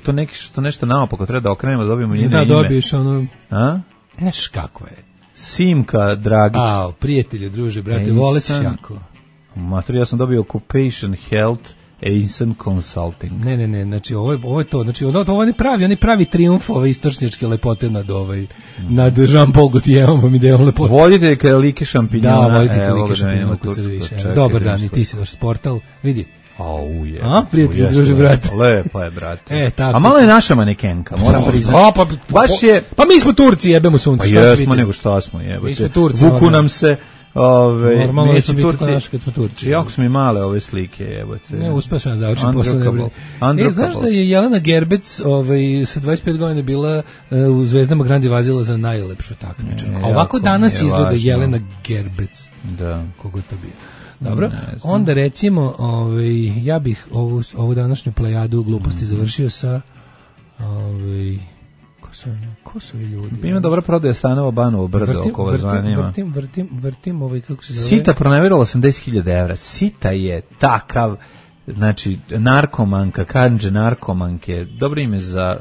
to nešto naopako treba da okrenemo, da dobijemo njeno ime? Da, dobiješ ono... A? Znaš kako je. Simka Dragić. Prijatelje, druže, brate, volećeš jako. Mater, ja sam dobio Occupation Health Ejsan Consulting. Ne, znači ovo je to, znači ovo ne pravi trijumf ove istočnjačke lepote nad Jean-Paul Gaultierom ideom lepote. Voditeljka Lige šampinjona. Da, voditeljka Lige šampinjona. Dobar dan, i ti si došli s Portal, vidi. Prijatelji, druže, brate. Lepo je, brate. A malo je naša manekenka, moram priznati. Pa mi smo Turci, jebemo sunce. Pa jesmo, nego šta smo, jebate. Vuku nam se Normalno neće biti kod naša kad smo Turci. Jako su mi male ove slike, jebote. Ne, uspeo sam ja završiti posle nebrine. Znaš da je Jelena Gerbec sa 25 godina bila u Zvezdama Grand Divazila za najlepšu takmičarku. Ovako danas izgleda Jelena Gerbec. Da. Kogo to bio. Dobro, onda recimo, ja bih ovu današnju plejadu gluposti završio sa ko su ljudi? Ima dobra prodaja stanova Banovo brdo oko vas zanima. Vrtim kako se zove. Sita proneverila 80.000 evra. Sita je takav, znači, narkomanka, kanđe narkomanke, dobro ime za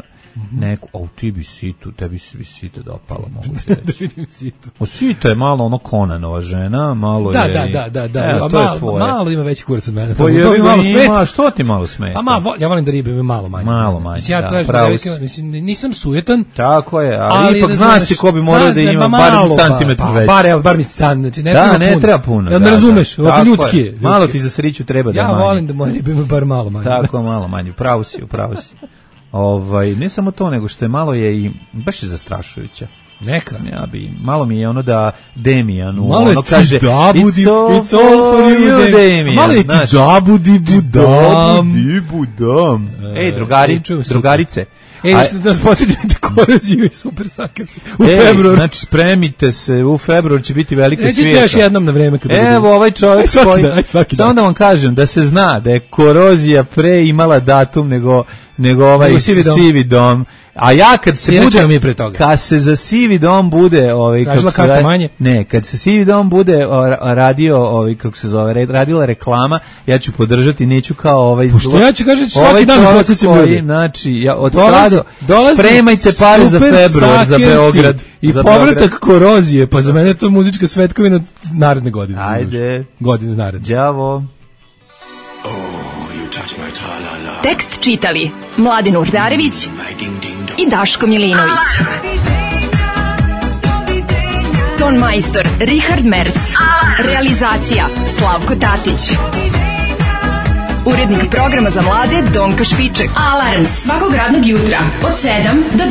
neku, tebi bi Sita dopala, mogu ti reći. Da vidim Situ. Sita je malo ono Konanova žena, malo je... Da, malo ima veći kurac od mene. Pa ima, što ti malo smeta? Pa ja volim da ribe ima malo manje. Malo manje, nisam sujetan. Tako je, ali ipak zna se ko bi morao da ima bar centimetar veći. Bar mi san, znači ne treba puno. Jel ne razumeš, ovako ljudski je. Malo ti za sriću treba da je manje. Ja volim da moje ribe ima bar malo manje. Tako, malo manje, upravo si. Ne samo to, nego što je malo je i baš je zastrašujuća. Neka. Malo mi je ono da Demijanu, malo ono kaže it's all for you, Demijan. Malo je ti dabudi budam. Ej, drugarice. Da nas podsjetite koroziju i super sakasi u februaru. Znači, spremite se, u februaru će biti velika svijeta. Neće još jednom na vreme. Evo, ovaj čovjek samo da vam kažem, da se zna da je korozija pre imala datum nego ovaj sivi dom. A ja kad se za sivi dom bude kad se sivi dom bude radio radila reklama, ja ću podržati, neću kao što ja ću kažem svaki dan podsjećam ljudi. Znači ja od sada spremajte pare za februar za Beograd i povratak korozije, pa za mene je to muzička svetkovina naredne godine. Ajde, godine naredne. Đavo. Tekst čitali Mladin Urdarević i Daško Milinović. Ton majstor Richard Merc. Realizacija Slavko Tatić. Urednik programa za mlade Donka Špiček. Alarms svakog radnog jutra od 7 do 10.